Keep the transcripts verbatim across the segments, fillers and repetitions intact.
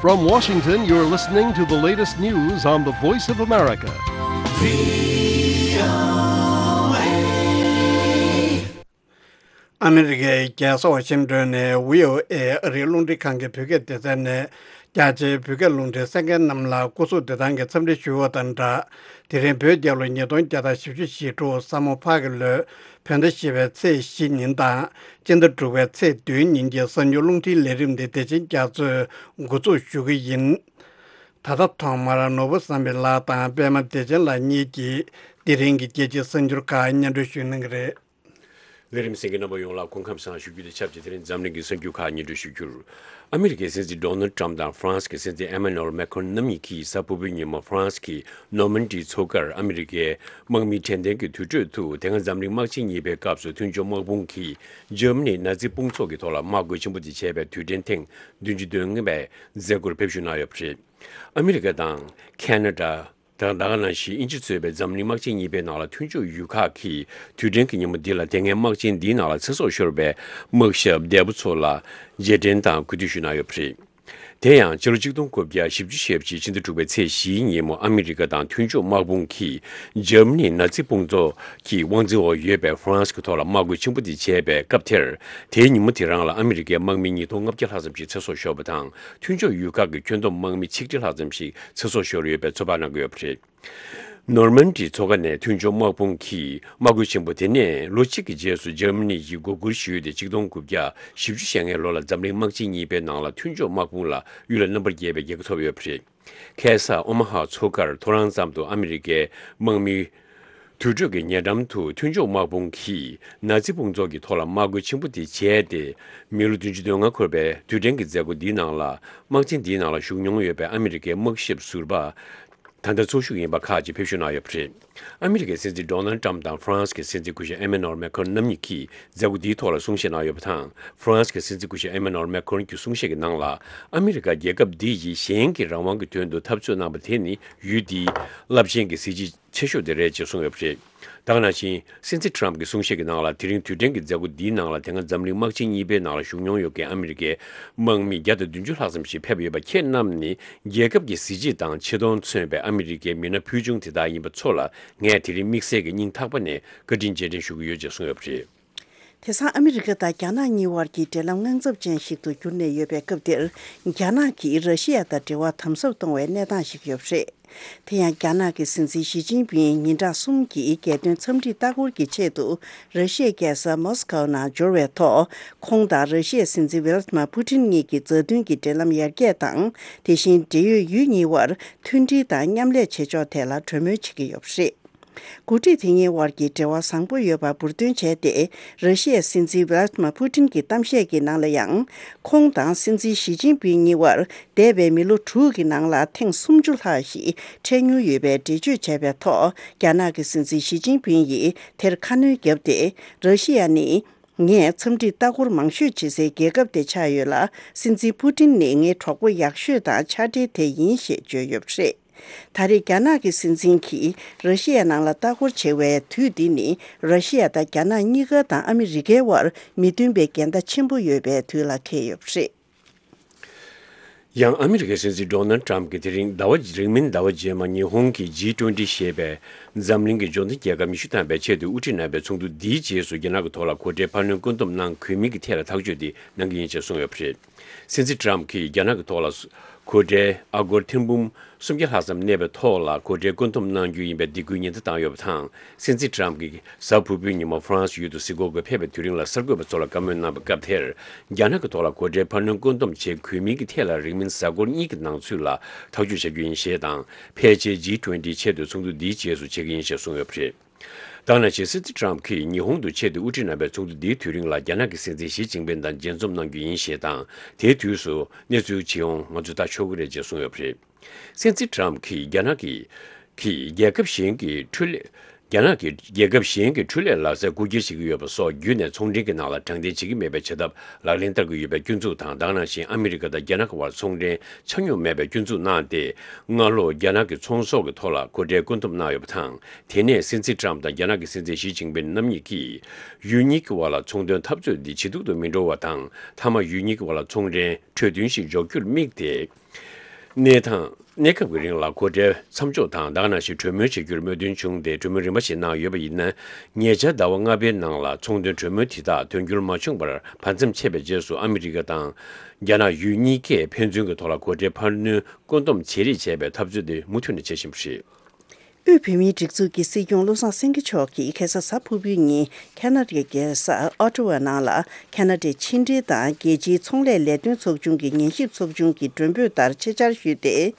From Washington, you're listening to the latest news on the Voice of America. ཨ་མི་རི་ཀའི་རྒྱལ་ས་ཝ་ཤིང་ཏོན་ནས་བྷི་ཨོ་ཨེ་ཨ་རིའི་རླུང་འཕྲིན་ཁང་གི་བོད་སྐད་སྡེ་ཚན་ནས། རྒྱ་ཆེའི་བོད་སྐད་རླུང་འཕྲིན་གསན་མཁན་རྣམས་ལ་སྐུ་གཟུགས་བདེ་ཐང་གི་འཚམས་འདྲི་ཞུ་བ་དང་སྦྲགས། དེ་རིང་བོད་རྒྱལ་ལོ་ཉིས་སྟོང་བརྒྱ་དང་བཞི་བཅུ་ཞེ་དྲུག་ས་མོ་ཕག་གི་ལོའི་བོད་ཟླ་བཞི་པའི་ཚེས་བཞི་ཉིན་དང་། སྤྱི་ཟླ་དྲུག་པའི་ཚེས་བདུན་ཉིན་གྱི་གསར་འགྱུར་རླུང་འཕྲིན་ལས་རིམ་འདི་བདེ་ཆེན་རྒྱ་མཚོས་འགོ་འཛུགས་ཞུ་གི་ཡིན། ད་ལྟ་ཐོག་མར་ནོར་བུ་བསམ་འཕེལ་ལགས་དང་པད་མ་བདེ་ཆེན་ལགས་གཉིས་ཀྱིས་དེ་རིང་གི་རྒྱལ་སྤྱིའི་གསར་འགྱུར་ཁག་སྙན་སྒྲོན་ཞུ་གནང་གི་རེད། ལས་རིམ་གསན་མཁན་རྣམ་པ་ཡོངས་ལ་སྐུ་ཁམས་བཟང་ཞུ་རྒྱུ་དང་ཆབས་ཅིག་དེ་རིང་འཛམ་གླིང་གི་གསར་འགྱུར་ཁག་སྙན་སྒྲོན་ཞུ་རྒྱུར། ཨ་མི་རི་ཀའི་སྲིད་འཛིན་ཌོ་ནལ་ཊམ་དང་ཧྥ་རན་སི་གི་སྲིད་འཛིན་ཨེ་མ་ནུ་ཨེལ་མེ་ཁོན་རྣམ་གཉིས་ཀྱིས་གཟའ་ཕུར་བུའི་ཉིན་མོ་ཧྥ་རན་སི་གི་ནོར་མན་ཌི་མཚོ་ཁར་ཨ་མི་རི་ཀའི་དམག་མི་དྲན་རྟེན་གྱི་དུར་ཁྲོད་དུ། དེ་སྔ་འཛམ་གླིང་དམག་ཆེན་གཉིས་པའི་སྐབས་སུ་མཐུན་ཕྱོགས་དམག་དཔུང་གིས་འཇར་མ་ནི་ནཱ་ཛི་དཔུང་ཚོགས་ཀྱི་ཐོག་ལ་དམག་རྒོལ་ཆེན་པོ་དེ་བྱས་པའི་དུས་དྲན་ཐེངས་བདུན་ཅུ་དོན་ལྔ་པའི་མཛད་སྒོར་ཕེབས་བཞུགས་གནང་ཡོད་པ་རེད། ཨ་མི་རི་ཀ་དང་ཁ་ན་ཌ། དང་ད་ག་ནང་བཞིན་དབྱིན་ཇི་གཙོས་པའི་འཛམ་གླིང་དམག་ཆེན་གཉིས་པའི་ནང་ལ་མཐུན་ཕྱོགས་ཡུལ་ཁག་གིས་དུས་དྲན་གྱི་ཉིན་མོ་འདི་ལ་དེ་སྔའི་དམག་ཆེན་འདིའི་ནང་ལ་ཚེ་སྲོག་ཤོར་བའི་དམག་ཞབས་འདས་པོ་ཚོ་ལ་རྗེས་དྲན་དང་གུས་འདུད་ཞུས་གནང་ཡོད་པ་རེད། དེ་ཡང་ཕྱི་ལོ་ཆིག་སྟོང་དགུ་བརྒྱ་བཞི་བཅུ་ཞེ་གཅིག་ཕྱི་ཟླ་དྲུག་པའི་ཚེས་བཞིའི་ཉིན་མོ་ཨ་མི་རི་ཀ་དང་མཐུན་ཕྱོགས་དམག་དཔུང་གིས་འཇར་མ་ནི་ནཱ་ཛི་དཔུང་ཚོགས་ཀྱི་དབང་འཛིན་འོག་ཡོད་པའི་ཧྥ་རན་སི་གི་ཐོག་ལ་དམག་རྒོལ་ཆེན་པོ་དེ་བྱས་པའི་སྐབས་དེར། དེའི་ཉིན་མོ་དེ་རང་ལ་ཨ་མི་རི་ཀའི་དམག་མི་ཉིས་སྟོང་ལྔ་བརྒྱ་ལྷག་ཙམ་ཞིག་ཚེ་སྲོག་ཤོར་བ་དང་། མཐུན་ཕྱོགས་ཡུལ་ཁག་གི་ཁྱོན་བསྡོམས་དམག་མི་ཆིག་ཁྲི་ལྷག་ཙམ་ཞིག་ཚེ་སྲོག་ཤོར་ཡོད་པའི་ཚོད་དཔག་གནང་གི་ཡོད་པ་རེད། ནོར་མན་ཌི་མཚོ་ཁ་ནས་མཐུན་ཕྱོགས་དམག་དཔུང་གིས་དམག་རྒོལ་ཆེན་པོ་དེ་ནས་ལོ་གཅིག་གི་རྗེས་སུ་འཇར་མ་ནི་ཡིས་མགོ་སྒུར་ཞུས་ཏེ། ཆིག་སྟོང་དགུ་བརྒྱ་བཞི་བཅུ་ཞེ་ལྔའི་ལོ་ལ་འཛམ་གླིང་དམག་ཆེན་གཉིས་པའི་ནང་ལ་མཐུན་ཕྱོགས་དམག་དཔུང་ལ་གཡུལ་ལས་རྣམ་པར་རྒྱལ་བའི་རྒྱལ་ཁ་ཐོབ་ཡོད་པ་རེད། ཁ་སང་ཨོ་མ་ཧ་མཚོ་ཁར་ཐོ་རངས་ཙམ་དུ་ཨ་མི་རི་ཀའི་དམག་མི་དུར་ཁྲོད་ཀྱི་ཉེ་འགྲམ་དུ་མཐུན་ཕྱོགས་དམག་དཔུང་གིས་ནཱ་ཛི་དཔུང་ཚོགས་ཀྱི་ཐོག་ལ་དམག་རྒོལ་ཆེན་པོ་དེ་བྱས་ཏེ། མི་ལོ་བདུན་ཅུ་དོན་ལྔ་འཁོར་བའི་དུས་དྲན་གྱི་མཛད་སྒོ་འདིའི་ནང་ལ། དམག་ཆེན་འདིའི་ནང་ལ་ཞུགས་མྱོང་ཡོད་པའི་ཨ་མི་རི་ཀའི་དམག་ཞབས་ཟུར་པ། ད་ལྟ་འཚོ་བཞུགས་ཡིན་པ་ཁག་ཅིག་ཕེབས་བཞུགས་གནང་ཡོད་པ་རེད། ཨ་མི་རི་ཀའི་སྲིད་འཛིན་ཌོ་ནལ་ཊམ་དང་ཧྥ་རན་སི་གི་སྲིད་འཛིན་སྐུ་ཞབས་ཨེ་མེ་ནོར་མེ་ཁོན་རྣམ་གཉིས་ཀྱིས་མཛད་སྒོ་འདིའི་ཐོག་ལ་གསུང་བཤད་གནང་ཡོད་པ་དང་། ཧྥ་རན་སི་གི་སྲིད་འཛིན་སྐུ་ཞབས་ཨེ་མེ་ནོར་མེ་ཁོན་གྱི་གསུང་བཤད་ཀྱི་ནང་ལ། ཨ་མི་རི་ཀ་རྒྱལ་ཁབ་འདི་ཡིས་གཞན་གྱི་རང་དབང་གི་དོན་དུ་འཐབ་རྩོད་གནང་བ་དེ་ནི་ཡུལ་འདིའི་རླབས་ཆེན་གྱི་གཟི་བརྗིད་ཆེ་ཤོས་དེ་རེད་ཅེས་གསུངས་ཡོད་པ་རེད། ད་ག་ནང་བཞིན། སྲིད་འཛིན་ཊམ་གྱི་གསུང་བཤད་ཀྱི་ནང་ལ། དེ་རིང་དུས་དྲན་གྱི་མཛད་སྒོ་འདིའི་ནང་ལ་དེ་སྔ་འཛམ་གླིང་དམག་ཆེན་གཉིས་པའི་ནང་ལ་ཞུགས་མྱོང་ཡོད་མཁན་ཨ་མི་རི་ཀའི་དམག་མི་བརྒྱ་དང་བདུན་ཅུ་ལྷག་ཙམ་ཞིག་ཕེབས་ཡོད་པ་ཁྱེད་རྣམས་ནི། རྒྱལ་ཁབ་ཀྱི་གཟི་བརྗིད་དང་ཆེ་མཐོང་མཚོན་པའི་ཨ་མི་རི་ཀའི་མི་སྣ་ཕུལ་བྱུང་དེ་དག་ཡིན་པ་ཚོ་ལ། ངས་དེ་རིང་དམིགས་བསལ་གྱི་སྙིང་ཐག་པ་ནས་བཀའ་དྲིན་རྗེས་དྲན་ཞུ་གི་ཡོད་ཅེས་གསུངས་ཡོད་པ་རེད། དེང་སང་ཨ་མི་རི་ཀ་དང་རྒྱ་ནག་གཉིས་དབར་གྱི་འབྲེལ་ལམ་དངངས་འཚབ་ཅན་ཞིག་ཏུ་གྱུར་ནས་ཡོད་པའི་སྐབས་འདིར། རྒྱ་ནག་གིས་ར་ཤི་ཡ་དང་འབྲེལ་བ་དམ་ཟབ་གཏོང་བའི་གནས་སྟངས་ཤིག་ཡོད་པ་རེད། དེ་ཡང་རྒྱ་ནག་གི་སྲིད་འཛིན་ཞི་ཅིན་ཕིང་ཉིན་གྲངས་གསུམ་གྱི་རྒྱལ་དོན་འཚམས་འདྲིའི་ལྟ་སྐོར་གྱི་ཆེད་དུ་ར་ཤི་ཡའི་རྒྱལ་ས་མོ་སི་ཀོ་ནང་འབྱོར་བའི་ཐོག་ཁོང་དང་ར་ཤི་ཡའི་སྲིད་འཛིན་ཝི་ལ་ཏི་མ་པུ་ཏིན་གཉིས་ཀྱི་མཛའ་མཐུན་གྱི་འབྲེལ་ལམ་ཡར་རྒྱས་དང་། དེ་བཞིན་འབྲེལ་ཡོད་ཡུལ་གཉིས་དབར་མཐུན་སྒྲིལ་དང་མཉམ་ལས་བྱེད་ཕྱོགས་ཐད་ལ་གྲོས་མོལ་བྱེད་ཀྱི་ཡོད་པ་རེད། འགོ་ཁྲིད་དེ་གཉིས་དབར་གྱི་འབྲེལ་བ་བཟང་པོ་ཡོད་པ་འབུར་འདོན་བྱས་ཏེ། ར་ཤི་ཡའི་སྲིད་འཛིན་ཝི་ལ་ཏི་མ་པུ་ཏིན་གྱི་གཏམ་བཤད་ཀྱི་ནང་ལ་ཡང་། ཁོང་དང་སྲིད་འཛིན་ཞི་ཅིན་ཕིང་གཉིས་དབར་འདས་པའི་མི་ལོ་དྲུག་གི་ནང་ལ་ཐེངས་སུམ་ཅུ་ལྷག་ཞིག་འཕྲད་མྱོང་ཡོད་པའི་འགྲེལ་བརྗོད་བྱས་པའི་ཐོག་རྒྱ་ནག་གི་སྲིད་འཛིན་ཞི་ཅིན་ཕིང་ཡིས་དེར་ཁ་སྣོན་བརྒྱབ་སྟེ། ར་ཤི་ཡ་ནི། ངས་འཚམས་འདྲིའི་ལྟ་སྐོར་མང་ཤོས་བྱེད་སའི་རྒྱལ་ཁབ་དེ་ཆགས་ཡོད་ལ། སྲིད་འཛིན་པུ་ཏིན་ནི་ངའི་གྲོགས་པོ་ཡག་ཤོས་དང་ཕྱག་སྦྲེལ་དེ་ཡིན་ཞེས་བརྗོད་ཡོད་པ་རེད། ད་རེས་རྒྱ་ནག་གི་སྲིད་འཛིན་གྱིས་ར་ཤི་ཡ་ནང་ལ་ལྟ་སྐོར་བྱེད་པའི་དུས་འདི་ནི། ར་ཤི་ཡ་དང་རྒྱ་ནག་གཉིས་ཀ་དང་ཨ་མི་རི་ཀའི་དབར་མི་མཐུན་པའི་འགལ་ཟླ་ཆེན་པོ་ཡོད་པའི་དུས་ལ་འཁེལ་ཡོད་པ་རེད། ཡང་ཨ་མི་རི་ཀའི་སྲིད་འཛིན་ཌོ་ནལ་ཊམ་གྱིས་དེ་རིང་ཟླ་བ། རིང་མིན་ཟླ་བ་རྗེས་མ་ཉི་ཧོང་གི་ཇི་ཊུ་ཝེན་ཊི་ཞེས་པའི་འཛམ་གླིང་གི་འབྱོར་ལྡན་རྒྱལ་ཁབ་ཉི་ཤུ་ཐམ་པའི་ཆེད་དུ་དབུ་ཁྲིད་གནང་བའི་ཚོགས་འདུ་འདིའི་རྗེས་སུ། རྒྱ་ནག་གི་ཐོག་ལ་གོ་གྲལ་འཕར་སྣོན་བཀོད་འདོམས་གནང་དགོས་མིན་གྱི་ཐད་ལ་ཐག་གཅོད་དེ་གནང་གི་ཡིན་ཞེས་གསུངས་ཡོད་པ་རེད། སྲིད་འཛིན་ཊམ་གྱིས་རྒྱ་ནག་གི་ཐོག་ལ་གོ་གྲལ་ཨ་སྒོར་ཐེར་འབུམ་སུམ་བརྒྱ་ལྷག་ཙམ་གནས་པའི་ཐོག་ལ་གོ་གྲལ་བཀོད་འདོམས་གནང་རྒྱུ་ཡིན་པའི་སྡིགས་སྐུལ་ཉེན་བརྡ་བཏང་ཡོད་པ་དང་། སྲིད་འཛིན་ཊམ་གྱིས་གཟའ་ཕུར་བུའི་ཉིན་མོ་ཧྥ་རན་སི་ཡུལ་དུ་གཟིགས་སྐོར་སྐོར་ཕེབས་པའི་དུས་རིང་ལ་གསར་འགོད་པ་ཚོ་ལ་བཀའ་མོལ་གནང་བའི་སྐབས་དེར། རྒྱ་ནག་གི་ཐོག་ལ་གོ་གྲལ་འཕར་སྣོན་བཀོད་འདོམས་བྱེད་དགོས་མིན་གྱི་ཐད་ལ་རིང་མིན་གཟའ་འཁོར་གཉིས་ཀྱི་ནང་ཚུད་ལ་ཐག་གཅོད་བྱ་རྒྱུ་ཡིན་ཞེས་དང་། ཕལ་ཆེར་ཇི་ཊུ་ཝེན་ཊི་ཆེད་དུ་ཚོགས་འདུ་འདིའི་རྗེས་སུ་བྱེད་ཀྱི་ཡིན་ཞེས་གསུངས་ཡོད་པ་རེད། ད་ག་ནང་བཞིན། སྲིད་འཛིན་ཊམ་གྱིས་ཉི་ཧོང་དུ་ཆེད་དུ་དབུ་ཁྲིད་གནང་བའི་ཚོགས་འདུ་འདིའི་དུས་རིང་ལ་རྒྱ་ནག་གི་སྲིད་འཛིན་ཞི་ཅིན་ཕིང་དང་མཇལ་འཛོམས་གནང་རྒྱུ་ཡིན་ཞེས་དང་། དེའི་དུས་སུ་གནས་ཚུལ་ཇི་ཡོང་ང་ཚོས་ལྟ་ཆོག་གི་རེད་ཅེས་གསུངས་ཡོད་པ་རེད། སྲིད་འཛིན་ཊམ་གྱིས་རྒྱ་ནག་གི་གིས་རྒྱལ་ཁབ་གཞན་གྱི་འཕྲུལ་ལས། རྒྱ་ནག་གིས་རྒྱལ་ཁབ་གཞན་གྱི་འཕྲུལ་ལས་ལག་རྩལ་རྐུ་འཁྱེར་བྱེད་ཀྱི་ཡོད་པ་སོགས་བརྒྱུད་ནས་ཚོང་འབྲེལ་གྱི་ནང་ལ་དྲང་བདེན་བྱེད་ཀྱི་མེད་པའི་བྱ་ཐབས་ལག་ལེན་བསྟར་གྱི་ཡོད་པའི་སྐྱོན་འཛུགས་དང་། ད་ག་ནང་བཞིན་ཨ་མི་རི་ཀ་དང་རྒྱ་ནག་གི་དབར་ཚོང་འབྲེལ་ཆ་སྙོམས་མེད་པའི་སྐྱོན་འཛུགས་གནང་སྟེ། སྔ་ལོ་རྒྱ་ནག་གི་ཚོང་ཟོག་གི་ཐོག་ལ་གོ་གྲལ་བཀོད་འདོམས་གནང་ཡོད་པ་དང་། དེ་ནས་སྲིད་འཛིན་ཊམ་དང་རྒྱ་ནག་གི་སྲིད་འཛིན་ཞི་ཅིན་ཕིང་རྣམ་གཉིས་ཀྱིས་ཡུལ་གཉིས་ཀྱི་དབར་ལ་ཚོང་དོན་འཐབ་རྩོད་འདི་ཇེ་སྡུག་ཏུ་མི་འགྲོ་བ་དང་། མཐའ་མ་ཡུལ་གཉིས་ཀྱི་དབར་ལ་ཚོང་འབྲེལ་གྲོས་མཐུན་ཞིག་འཇོག་རྒྱུར་དམིགས་ཏེ། གནས་དང་གནས་སྐབས་ཀྱི་རིང་ལ་སྒོ་ཁྲལ་མཚམས་འཇོག་དང་ད་ག་ནང་བཞིན་གྲོས་མོལ་བྱེད་རྒྱུར་མོས་མཐུན་བྱུང་སྟེ་གྲོས་མོལ་རིམ་པ་ཞིག་གནང་ཡོད་པ་ཡིན་ན། ཉེ་ཆར་ཟླ་བ་ལྔ་པའི་ནང་ལ་ཚོང་དོན་གྲོས་མོལ་དེ་དག་དོན་འཁྱོལ་མ་བྱུང་བར་བར་མཚམས་ཆད་པའི་རྗེས་སུ་ཨ་མི་རི་ཀ་དང་རྒྱ་ནག་ཡུལ་གཉིས་ཀས་ཕན་ཚུན་གྱི་ཐོག་ལ་སྒོ་ཁྲལ་འཕར་སྣོན་བཀོད་འདོམས་བྱེད་རེས་བྱས་པའི་འཐབ་རྩོད་དེ་མུ་མཐུད་ནས་བྱེད་བཞིན་པ་རེད། དབུས་བོད་མིའི་སྒྲིག་འཛུགས་ཀྱི་སྲིད་སྐྱོང་བློ་བཟང་སེང་གེ་མཆོག་གིས་ཁ་སང་གཟའ་ཕུར་བུའི་ཉིན་ཁ་ན་ཌའི་རྒྱལ་ས་ཨོ་ཊ་ཝ་ནང་ལ་ཁ་ན་ཌའི་ཕྱི་འབྲེལ་དང་རྒྱལ་སྤྱིའི་ཚོང་ལས་ལས་དོན་ཚོགས་ཆུང་གི་ཉན་ཞིབ་ཚོགས་ཆུང་གི་མགྲོན་འབོད་ལྟར་ཆེད་བཅར་ཞུས་ཏེ།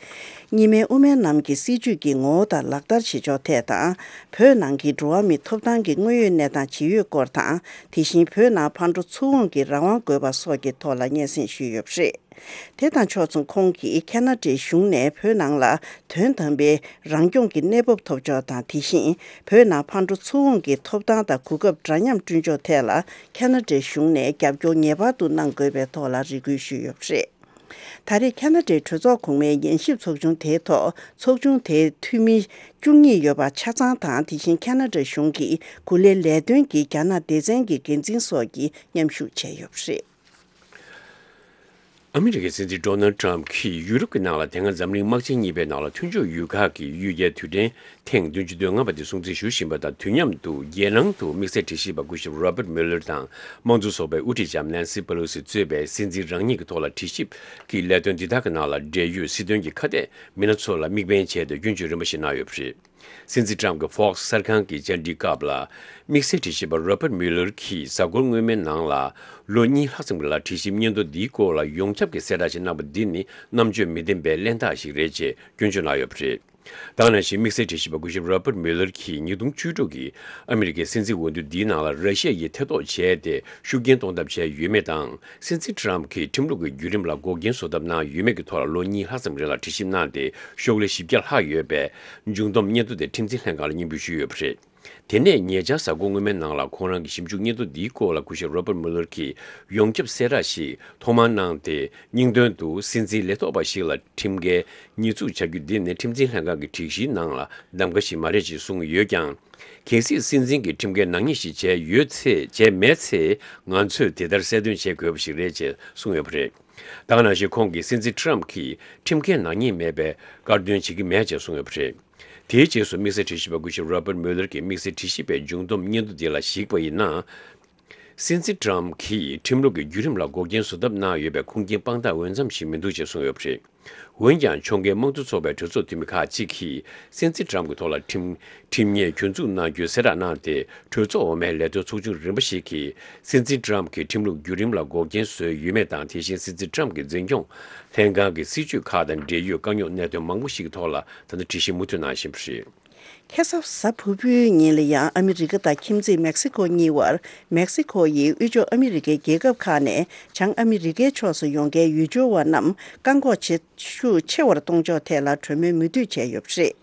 གཉིས་སྨན་དབུ་མའི་ལམ་གྱི་སྲིད་བྱུས་ཀྱི་ངོ་བོ་དང་ལག་བསྟར་བྱེད་ཕྱོགས་ཐད་དང་། བོད་ནང་གི་འགྲོ་བ་མིའི་ཐོབ་ཐང་གི་དངོས་ཡོད་གནས་སྟངས་ཇི་ཡོད་སྐོར་དང་། དེ་བཞིན་བོད་ནང་ཕར་འགྲོ་ཚུར་འོང་གི་རང་དབང་དགོས་པ་སོགས་ཀྱི་ཐོག་ལ་སྙན་སེང་ཞུས་ཡོད་པ་རེད། དེ་དང་ཕྱོགས་མཚུངས་ཁོང་གིས་ཁ་ན་ཌའི་གཞུང་ནས་བོད་ནང་ལ་དོན་དམ་པའི་རང་སྐྱོང་གི་གནས་བབ་ཐོབ་ཕྱོགས་དང་། དེ་བཞིན་བོད་ནང་ཕར་འགྲོ་ཚུར་འོང་གི་ཐོབ་ཐང་དང་གོ་སྐབས་འདྲ་མཉམ་བསྐྲུན་ཕྱོགས་ཐད་ལ་ཁ་ན་ཌའི་གཞུང་ནས་རྒྱབ་སྐྱོར་ངེས་པར་དུ་གནང་དགོས་པའི་ཐོག་ལ་རེ་སྐུལ་ཞུས་ཡོད་པ་རེད། ད་རེས་ཁ་ན་ཌའི་གྲོས་ཚོགས་གོང་མའི་ཉན་ཞིབ་ཚོགས་ཆུང་དེའི་ཐོག་ཚོགས་ཆུང་དེའི་འཐུས་མི་བཅུ་གཉིས་ཡོད་པ་ཆ་ཚང་དང་། དེ་བཞིན་ཁ་ན་ཌ་གཞུང་གི་གོ་ལའི་ལས་དོན་གྱི་རྒྱ་ནག་སྡེ་ཚན་གྱི་འགན་འཛིན་སོགས་ཀྱིས་མཉམ་ཞུགས་བྱས་ཡོད་པ་རེད། ཨ་མི་རི་ཀའི་སྲིད་འཛིན་ཌོ་ནལ་ཊམ་གྱིས་ཡུ་རོབ་ཀྱི་ནང་ལ་དེ་སྔ་འཛམ་གླིང་དམག་ཆེན་གཉིས་པའི་ནང་ལ་མཐུན་ཕྱོགས་ཡུལ་ཁག་གི་གཡུལ་རྒྱལ་དུས་དྲན་ཐེངས་བདུན་ཅུ་དོན་ལྔ་པ་དེ་སྲུང་བརྩི་ཞུ་བཞིན་པ་དང་། དུས་མཉམ་དུ་རྒྱལ་ནང་དུ་དམིགས་བསལ་དྲི་ཞིབ་པ་སྐུ་ཞབས་Robert Mueller དང་དམངས་གཙོ་ཚོགས་པའི་དབུ་ཁྲིད་ལྕམ་Nancy Pelosi གཙོས་པའི་སྲིད་འཛིན་རང་ཉིད་ཀྱི་ཐོག་ལ་དྲི་ཞིབ་ཀྱི་ལས་དོན་འདི་དག་གི་ནང་ལ་འབྲེལ་ཡོད་སྲིད་དོན་གྱི་ཁ་གཏད་མི་སྣ་ཚོ་ལ་དམིགས་འབེན་བྱས་ཏེ་སྐྱོན་བརྗོད་རིམ་པ་ཞིག་གནང་ཡོད་པ་རེད། སྲིད་འཛིན་ཊམ་གྱི་Fox གསར་ཁང་གི་བཅར་འདྲིའི་སྐབས་ལ། དམིགས་བསལ་དྲི་ཞིབ་པ་Robert Mueller གྱིས་གཟའ་འཁོར་སྔོན་མའི་ནང་ལ་ལོ་གཉིས་ལྷག་ཙམ་ལ་དྲི་ཞིབ་སྙན་ཐོ་འདིའི་སྐོར་ལ་ཡོངས་ཁྱབ་ཀྱི་གསལ་བསྒྲགས་ཤིག་གནང་པ་འདི་ནི་རྣམ་དཔྱོད་མི་ལྡན་པའི་གླེན་རྟགས་ཤིག་རེད་ཅེས་སྐྱོན་བརྗོད་གནང་ཡོད་པ་རེད། ད་ག་ནང་བཞིན་དམིགས་བསལ་དྲི་ཞིབ་པ་སྐུ་ཞབས་Robert Mueller གྱིས་ཉིས་སྟོང་བཅུ་དྲུག་གི་ཨ་མི་རི་ཀའི་སྲིད་འཛིན་འོས་བསྡུ་འདིའི་ནང་ལ་ར་ཤི་ཡ་ཡིས་ཐེ་གཏོགས་བྱས་ཏེ་ཤུགས་རྐྱེན་གཏོང་ཐབས་བྱས་ཡོད་མེད་དང་། སྲིད་འཛིན་ཊམ་གྱིས་ཁྲིམས་ལུགས་ཀྱི་བརྒྱུད་རིམ་ལ་འགོག་རྐྱེན་བཟོ་ཐབས་གནང་ཡོད་མེད་ཀྱི་ཐོག་ལ་ལོ་གཉིས་ལྷག་ཙམ་རིང་ལ་དྲི་ཞིབ་གནང་སྟེ་ཤོག་ལྷེ་བཞི་བརྒྱ་ལྷག་ཡོད་པའི་མཇུག་བསྡོམས་སྙན་ཐོ་དེ་ཁྲིམས་འཛིན་ལྷན་ཁང་ལ་སྙན་འབུལ་ཞུས་ཡོད་པ་རེད། དེ་ནས་ཉེ་ཆར་གཟའ་འཁོར་སྔོན་མའི་ནང་ལ་ཁོང་རང་གི་ཞིབ་འཇུག་སྙན་ཐོ་འདིའི་སྐོར་ལ་སྐུ་ཞབས་Robert Mueller གྱིས་ཡོངས་ཁྱབ་གསལ་བསྒྲགས་ཤིག་ཐོག་མར་གནང་སྟེ། སྙིང་དོན་དུ་སྲིད་འཛིན་ལས་ཐོག་པ་ཞིག་ལ་ཁྲིམས་འགལ་ཉེས་འཛུགས་བྱ་རྒྱུ་འདི་ནི་ཁྲིམས་འཛིན་ལྷན་ཁང་གི་སྒྲིག་གཞིའི་ནང་ལ་གདམ་ག་ཞིག་མ་རེད་ཅེས་གསུངས་ཡོད་ཀྱང་། གལ་སྲིད་སྲིད་འཛིན་གྱིས་ཁྲིམས་འགལ་ནག་ཉེས་ཤིག་བྱས་ཡོད་ཚེ། བྱས་མེད་ཚེ། ང་ཚོས་དེ་ལྟར་གསལ་སྟོན་བྱེད་དགོས་པ་ཞིག་རེད་ཅེས་གསུངས་ཡོད་པ་རེད། ད་ག་ནང་བཞིན་ཁོང་གིས་སྲིད་འཛིན་ཊམ་གྱིས་ཁྲིམས་འགལ་ནག་ཉེས་མེད་པའི་དཀར་འདོན་བྱེད་ཀྱི་མེད་ཅེས་གསུངས་ཡོད་པ་རེད། དེའི་རྗེས་སུ་དམིགས་བསལ་དྲི་ཞིབ་པ་སྐུ་ཞབས་Robert Mueller གྱིས་དམིགས་བསལ་དྲི་ཞིབ་པའི་མཇུག་བསྡོམས་སྙན་ཐོ་འདི་ལ་གཞིགས་པ་ཡིན་ན། སྲིད་འཛིན་ཊམ་གྱིས་ཁྲིམས་ལུགས་ཀྱི་བརྒྱུད་རིམ་ལ་འགོག་རྐྱེན་བཟོ་ཐབས་གནང་ཡོད་པའི་ཁུངས་སྐྱེལ་དཔང་རྟགས་འོས་འཚམ་ཞིག་མི་འདུག་ཅེས་གསུངས་ཡོད་པ་རེད། འོན་ཀྱང་། ཕྱོགས་འགལ་དམངས་གཙོ་ཚོགས་པའི་གྲོས་ཚོགས་འཐུས་མི་ཁག་ཅིག་གིས་སྲིད་འཛིན་ཊམ་གྱི་ཐོག་ལ་ཁྲིམས་ཁྲིམས་ཉེས་གྱོད་འཛུགས་གནང་རྒྱུའི་གསལ་བསྒྲགས་གནང་སྟེ། གྲོས་ཚོགས་འོག་མའི་ལས་དོན་ཚོགས་ཆུང་རིམ་པ་ཞིག་གིས་སྲིད་འཛིན་ཊམ་གྱིས་ཁྲིམས་ལུགས་བརྒྱུད་རིམ་ལ་འགོག་རྐྱེན་བཟོས་ཡོད་མེད་དང་། དེ་བཞིན་སྲིད་འཛིན་ཊམ་གྱི་འཛིན་སྐྱོང་ལྷན་ཁང་གི་སྲིད་བྱུས་ཁག་དང་འབྲེལ་ཡོད་དཀའ་རྙོག་གནད་དོན་མང་པོ་ཞིག་གི་ཐོག་ལ་ད་ལྟ་དྲི་ཞིབ་མུ་མཐུད་གནང་བཞིན་པ་རེད། ཁ་སང་གཟའ་ཕུར་བུའི་ཉིན་ལ་ཡང་ཨ་མི་རི་ཀ་དང་ཁྱིམ་མཚེས་མེག་སི་ཁོ་གཉིས་བར། མེག་སི་ཁོ་ཡིས་དབུས་ཕྱོགས་ཨ་མི་རི་ཀའི་རྒྱལ་ཁབ་ཁག་ནས་བྱང་ཨ་མི་རི་ཀའི་ཕྱོགས་སུ་ཡོང་མཁན་ཡུལ་སྐྱོར་བ་རྣམས་བཀག་འགོག་བྱེད་ཤུགས་ཆེ་བར་གཏོང་ཕྱོགས་ཐད་ལ་གྲོས་མོལ་མུ་མཐུད་བྱས་ཡོད་པ་རེད།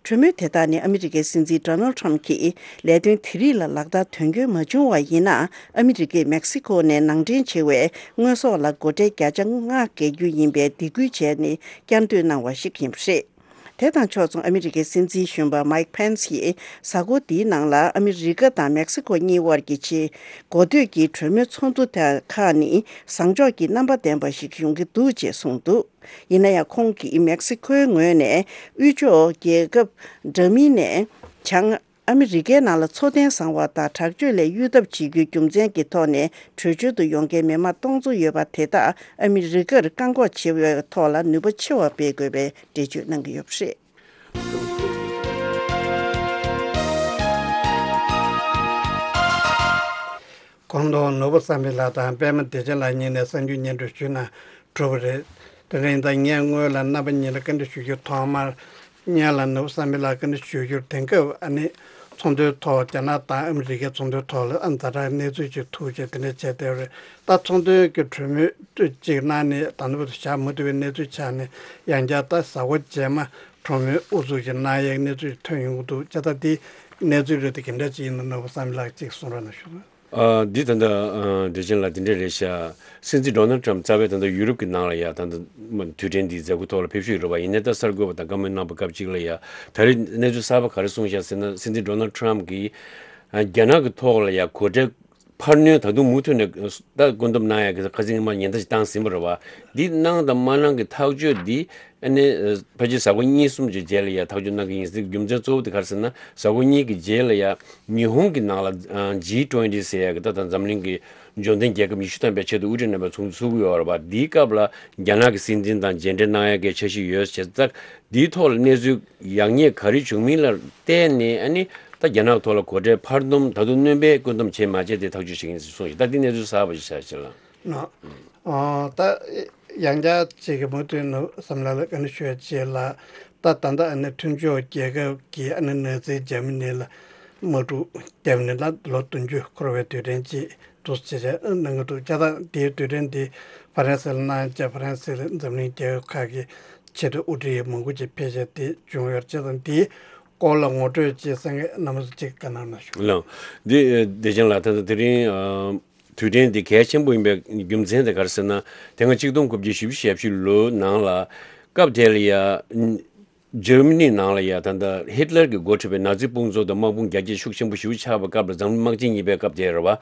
གྲོས་མོལ་དེ་དག་ནི་ཨ་མི་རི་ཀའི་སྲིད་འཛིན་ཌོ་ནལ་ཊམ་གྱིས་ལས་དོན་དེ་རིགས་ལ་ལག་བསྟར་དོན་འཁྱོལ་མ་བྱུང་བ་ཡིན་ན། ཨ་མི་རི་ཀས་མེག་སི་ཁོ་ནས་ནང་འདྲེན་བྱེད་པའི་དངོས་ཟོག་ལ་སྒོ་ཁྲལ་བརྒྱ་ཆ་ལྔ་འགེལ་རྒྱུ་ཡིན་པའི་སྡིགས་སྐུལ་བྱས་ནས་བསྐྱར་ཟློས་གནང་བ་ཞིག་ཡིན་པ་རེད། དེ་དང་ཕྱོགས་མཚུངས་ཨ་མི་རི་ཀའི་སྲིད་འཛིན་གཞོན་པ་མའིག་ཕེན་སི་ཡིས་གཟའ་འཁོར་འདིའི་ནང་ལ་ཨ་མི་རི་ཀ་དང་མེག་སི་ཁོ་གཉིས་དབར་གྱི་ཆེས་འགོ་སྟོད་ཀྱི་གྲོས་མོལ་ཚོགས་འདུ་དེ་ཁག་ནི་བཟང་ཕྱོགས་ཀྱི་རྣམ་པ་ལྡན་པ་ཞིག་ཡོང་གི་འདུག་ཅེས་གསུངས་འདུག་ཡིན་ན་ཡང་ཁོང་གིས་མེག་སི་ཁོའི་ངོས་ནས་དབུས་ཕྱོགས་རྒྱལ་ཁབ་འདྲ་མིན་ནས་བྱང་ཨ་མི་རི་ཀའི་ནང་ལ་འཚོ་རྟེན་བཟང་བ་དང་དྲག་སྤྱོད་ལས་གཡོལ་ཐབས་བྱེད་རྒྱུའི་རྒྱུ་མཚན་གྱི་ཐོག་ནས་བྲོས་བྱོལ་དུ་ཡོང་མཁན་མི་མང་སྟོང་ཚོ་ཡོད་པ་དེ་དག་ཨ་མི་རི་ཀར་བཀག་འགོག་བྱེད་པའི་ཐོག་ལ་ནུས་པ་ཆེ་བ་སྤེལ་དགོས་པའི་འགྲེལ་བརྗོད་གནང་གི་ཡོད་པ་རེད། གོང་དུ་ནོར་བུ་བསམ་འཕེལ་ལགས་དང་པད་མ་བདེ་ཆེན་ལགས་གཉིས་ནས་གསར་འགྱུར་སྙན་སྒྲོན་ཞུས་ན་འགྲོ་བ་རེད། དེ་རིང་ད་ངས་སྔོན་ལ་རྣམ་པ་གཉིས་ལ་བཀའ་འདྲི་ཞུ་རྒྱུ། ཐོག་མར་སྔོན་ལ་ནོར་བུ་བསམ་འཕེལ་ལགས་བཀའ་འདྲི་ཞུ་རྒྱུར། དེང་སྐབས་ཨ་ནི་ཚོང་དོན་ཐོག་རྒྱ་ནག་དང་ཨ་མི་རི་ཀའི་ཚོང་དོན་ཐོག་ལ་ཨ་ཛ་དྲག་གནས་ཚུལ་ཅིག་ཐུག་བྱས་དེ་འདྲ་བྱས་བསྡད་པ་རེད། ད་ཚོང་དོན་གྱི་གྲོས་མོལ་ཅིག་གནང་ནས་ད་ལྟ་བར་དུ་བཞག་མ་ཐུབ་པའི་གནས་ཚུལ་ཆགས་ནས། ཡང་བསྐྱར་ད་གཟའ་འཁོར་རྗེས་མ་གྲོས་མོལ་དབུ་འཛུགས་ཅིག་གནང་ཡས་གནས་ཚུལ་ཐོན་ཡོང་གི་འདུག་བྱས་ཙང་དེ་གནས་ཚུལ་རེད་དེ་ག་འདྲ་ཅིག་ཡིན་ན་ནོར་བུ་བསམ་འཕེལ་ལགས་ཅིག་གསུང་རོགས་གནང་ཞུ། ཨ། འདི་ད་ལྟ་ཨ་བདེ་ཆེན་ལགས་དེ་འདྲ་རེད་ཤག་སྲིད་འཛིན་ཌོ་ནལ་ཊམ་རྩ་བའི་ད་ལྟ་ཡུ་རོབ་ཀྱི་ནང་ལ་ཡ་ད་ལྟ་དུས་དྲན་འདིའི་མཛད་སྒོ་ཐོག་ལ་ཕེབས་བཞུགས་ཡོད་རེད་པ། ཡིན་ནའི་ད་གསར་འགོད་པ་དང་བཀའ་མོལ་གནང་བ་སྐབས་གཅིག་ལ་ཡ། ད་རེས་གནས་ཚུལ་གསར་པ་ག་རེ་གསུངས་ཤག་ཟེར་ན། སྲིད་འཛིན་ཌོ་ནལ་ཊམ་གྱིས་ཨ་རྒྱ་ནག་གི་ཐོག་ལ་ཡ་སྒོ་ཁྲལ་ འཕར་སྣོན་ད་དུང་མུ་མཐུད་ནས་ད་བཀོད་འདོམས་གནང་ཡག་གི་ཁ་སང་ཉིན་མ་ཉེན་བརྡ་ཞིག་བཏང་ཟིན་པ་རེད་བ། འདི་གནང་དང་མ་གནང་གི་ཐག་གཅོད་འདི་ཨ་ནི་ཕལ་ཆེར་གཟའ་འཁོར་གཉིས་གསུམ་གྱི་རྗེས་ལ་ཡ་ཐག་གཅོད་གནང་གི་ཡིན། འདི་རྒྱུ་མཚན་གཙོ་བོ་དེ་ག་རེ་ཟེར་ན། གཟའ་འཁོར་གཉིས་ཀྱི་རྗེས་ལ་ཡ་ཉི་ཧོང་གི་ནང་ལ་ཇི་ཊུ་ཝེན་ཊི་ཟེར་ཡག་གི་ད་ལྟ་འཛམ་གླིང་གི་འབྱོར་ལྡན་རྒྱལ་ཁབ་ཉི་ཤུ་ཐམ་པའི་ཆེད་དུ་དབུ་ཁྲིད་རྣམ་པའི་ཚོགས་འདུ་ཚུགས་ཀྱི་ཡོད་རེད་བ། འདིའི་སྐབས་ལ་རྒྱ་ནག་གི་སྲིད་འཛིན་དང་མཇལ་འཕྲད་གནང་ཡག་གི་འཆར་གཞི་ཡོད་ཟེར་ཙང་། འདིའི་ཐོག་ལ་གནས་ཚུལ་ཡག་ཉེས་ག་རེ་བྱུང་མིན་ལ་བལྟས་ནས། ཨ་ནི་ད་རྒྱ་ནག་ཐོག་ལ་སྒོ་ཁྲལ་འཕར་སྣོན་ད་དུང་སྣོན་པའི་བཀོད་འདོམས་བྱས་མ་བྱས་དེ་ཐག་གཅོད་བྱེད་ཀྱི་ཡིན་ཟེར་གསུངས་ཤིང་། ད་འདི་གནས་ཚུལ་གསར་པ་ཞིག་ཆགས་ཤིང་ལ། ནོ། ཨོ། ད་ཡང་བསྐྱར་ཅིག་གི་མུ་མཐུད་ནས་བསམ་བློ་ལ་བཀའ་འདྲི་ཞུ་ཡ་ཅིག་ལ། ད་ད་ལྟ་ཨ་ནི་མཐུན་ཕྱོགས་རྒྱལ་ཁབ་ཀྱི་ཨ་ནི་ནང་སྲིད་འཇར་མ་ནི་ལ་དམག་འཁྲུག་བརྒྱབ་ནས་ལ་ལོ་བདུན་ཅུ་འཁོར་བའི་དུས་དྲན་ཅིག་འདུག་ཅེས་གནང་གི་འདུག་ཅེས་དང་། དེའི་དུས་དྲན་དེ་ཧྥ་རན་སི་ལ་གནང་བྱས། ཧྥ་རན་སི་ལ་འཛམ་གླིང་རྒྱལ་ཁབ་ཁག་གི་ཆེས་མཐོའི་དབུ་ཁྲིད་མང་པོ་ཅིག་ཕེབས་བྱས་དེ་བྱུང་ཡོད་ཅེས་དང་། དེའི་སྐོར་ལ་ངོ་སྤྲོད་ཅིག་གསན་མཁན་རྣམ་པ་ཚོ་ཅིག་བཀའ་གནང་གནང་ཞུ། ལགས། འདི་བདེ་ཆེན་ལགས། ད་ལྟ་དེ་རིང་ཨ་དུས་དྲན་འདི་གལ་ཆེན་པོ་ཡིན་པའི་རྒྱུ་མཚན་དེ་ག་རེ་ཟེར་ན། དེ་སྔ་ཆིག་སྟོང་དགུ་བརྒྱ་བཞི་བཅུ་ཞེ་བཞི་ལོའི་ནང་ལ་སྐབས་དེ་ལ་ཡ་འཇར་མ་ནི་ནང་ལ་ཡ་ད་ལྟ་ཧིཊ་ལར་གྱིས་འགོ་ཁྲིད་པའི་ནཱ་ཛི་དཔུང་ཚོགས་དང་དམག་དཔུང་རྒྱ་སྐྱེད་ཤུགས་ཆེན་པོ་ཞེ་པོ་ཆགས་པའི་སྐབས་ལ་འཛམ་གླིང་དམག་ཆེན་གཉིས་པའི་སྐབས་དེ་རེད་བ།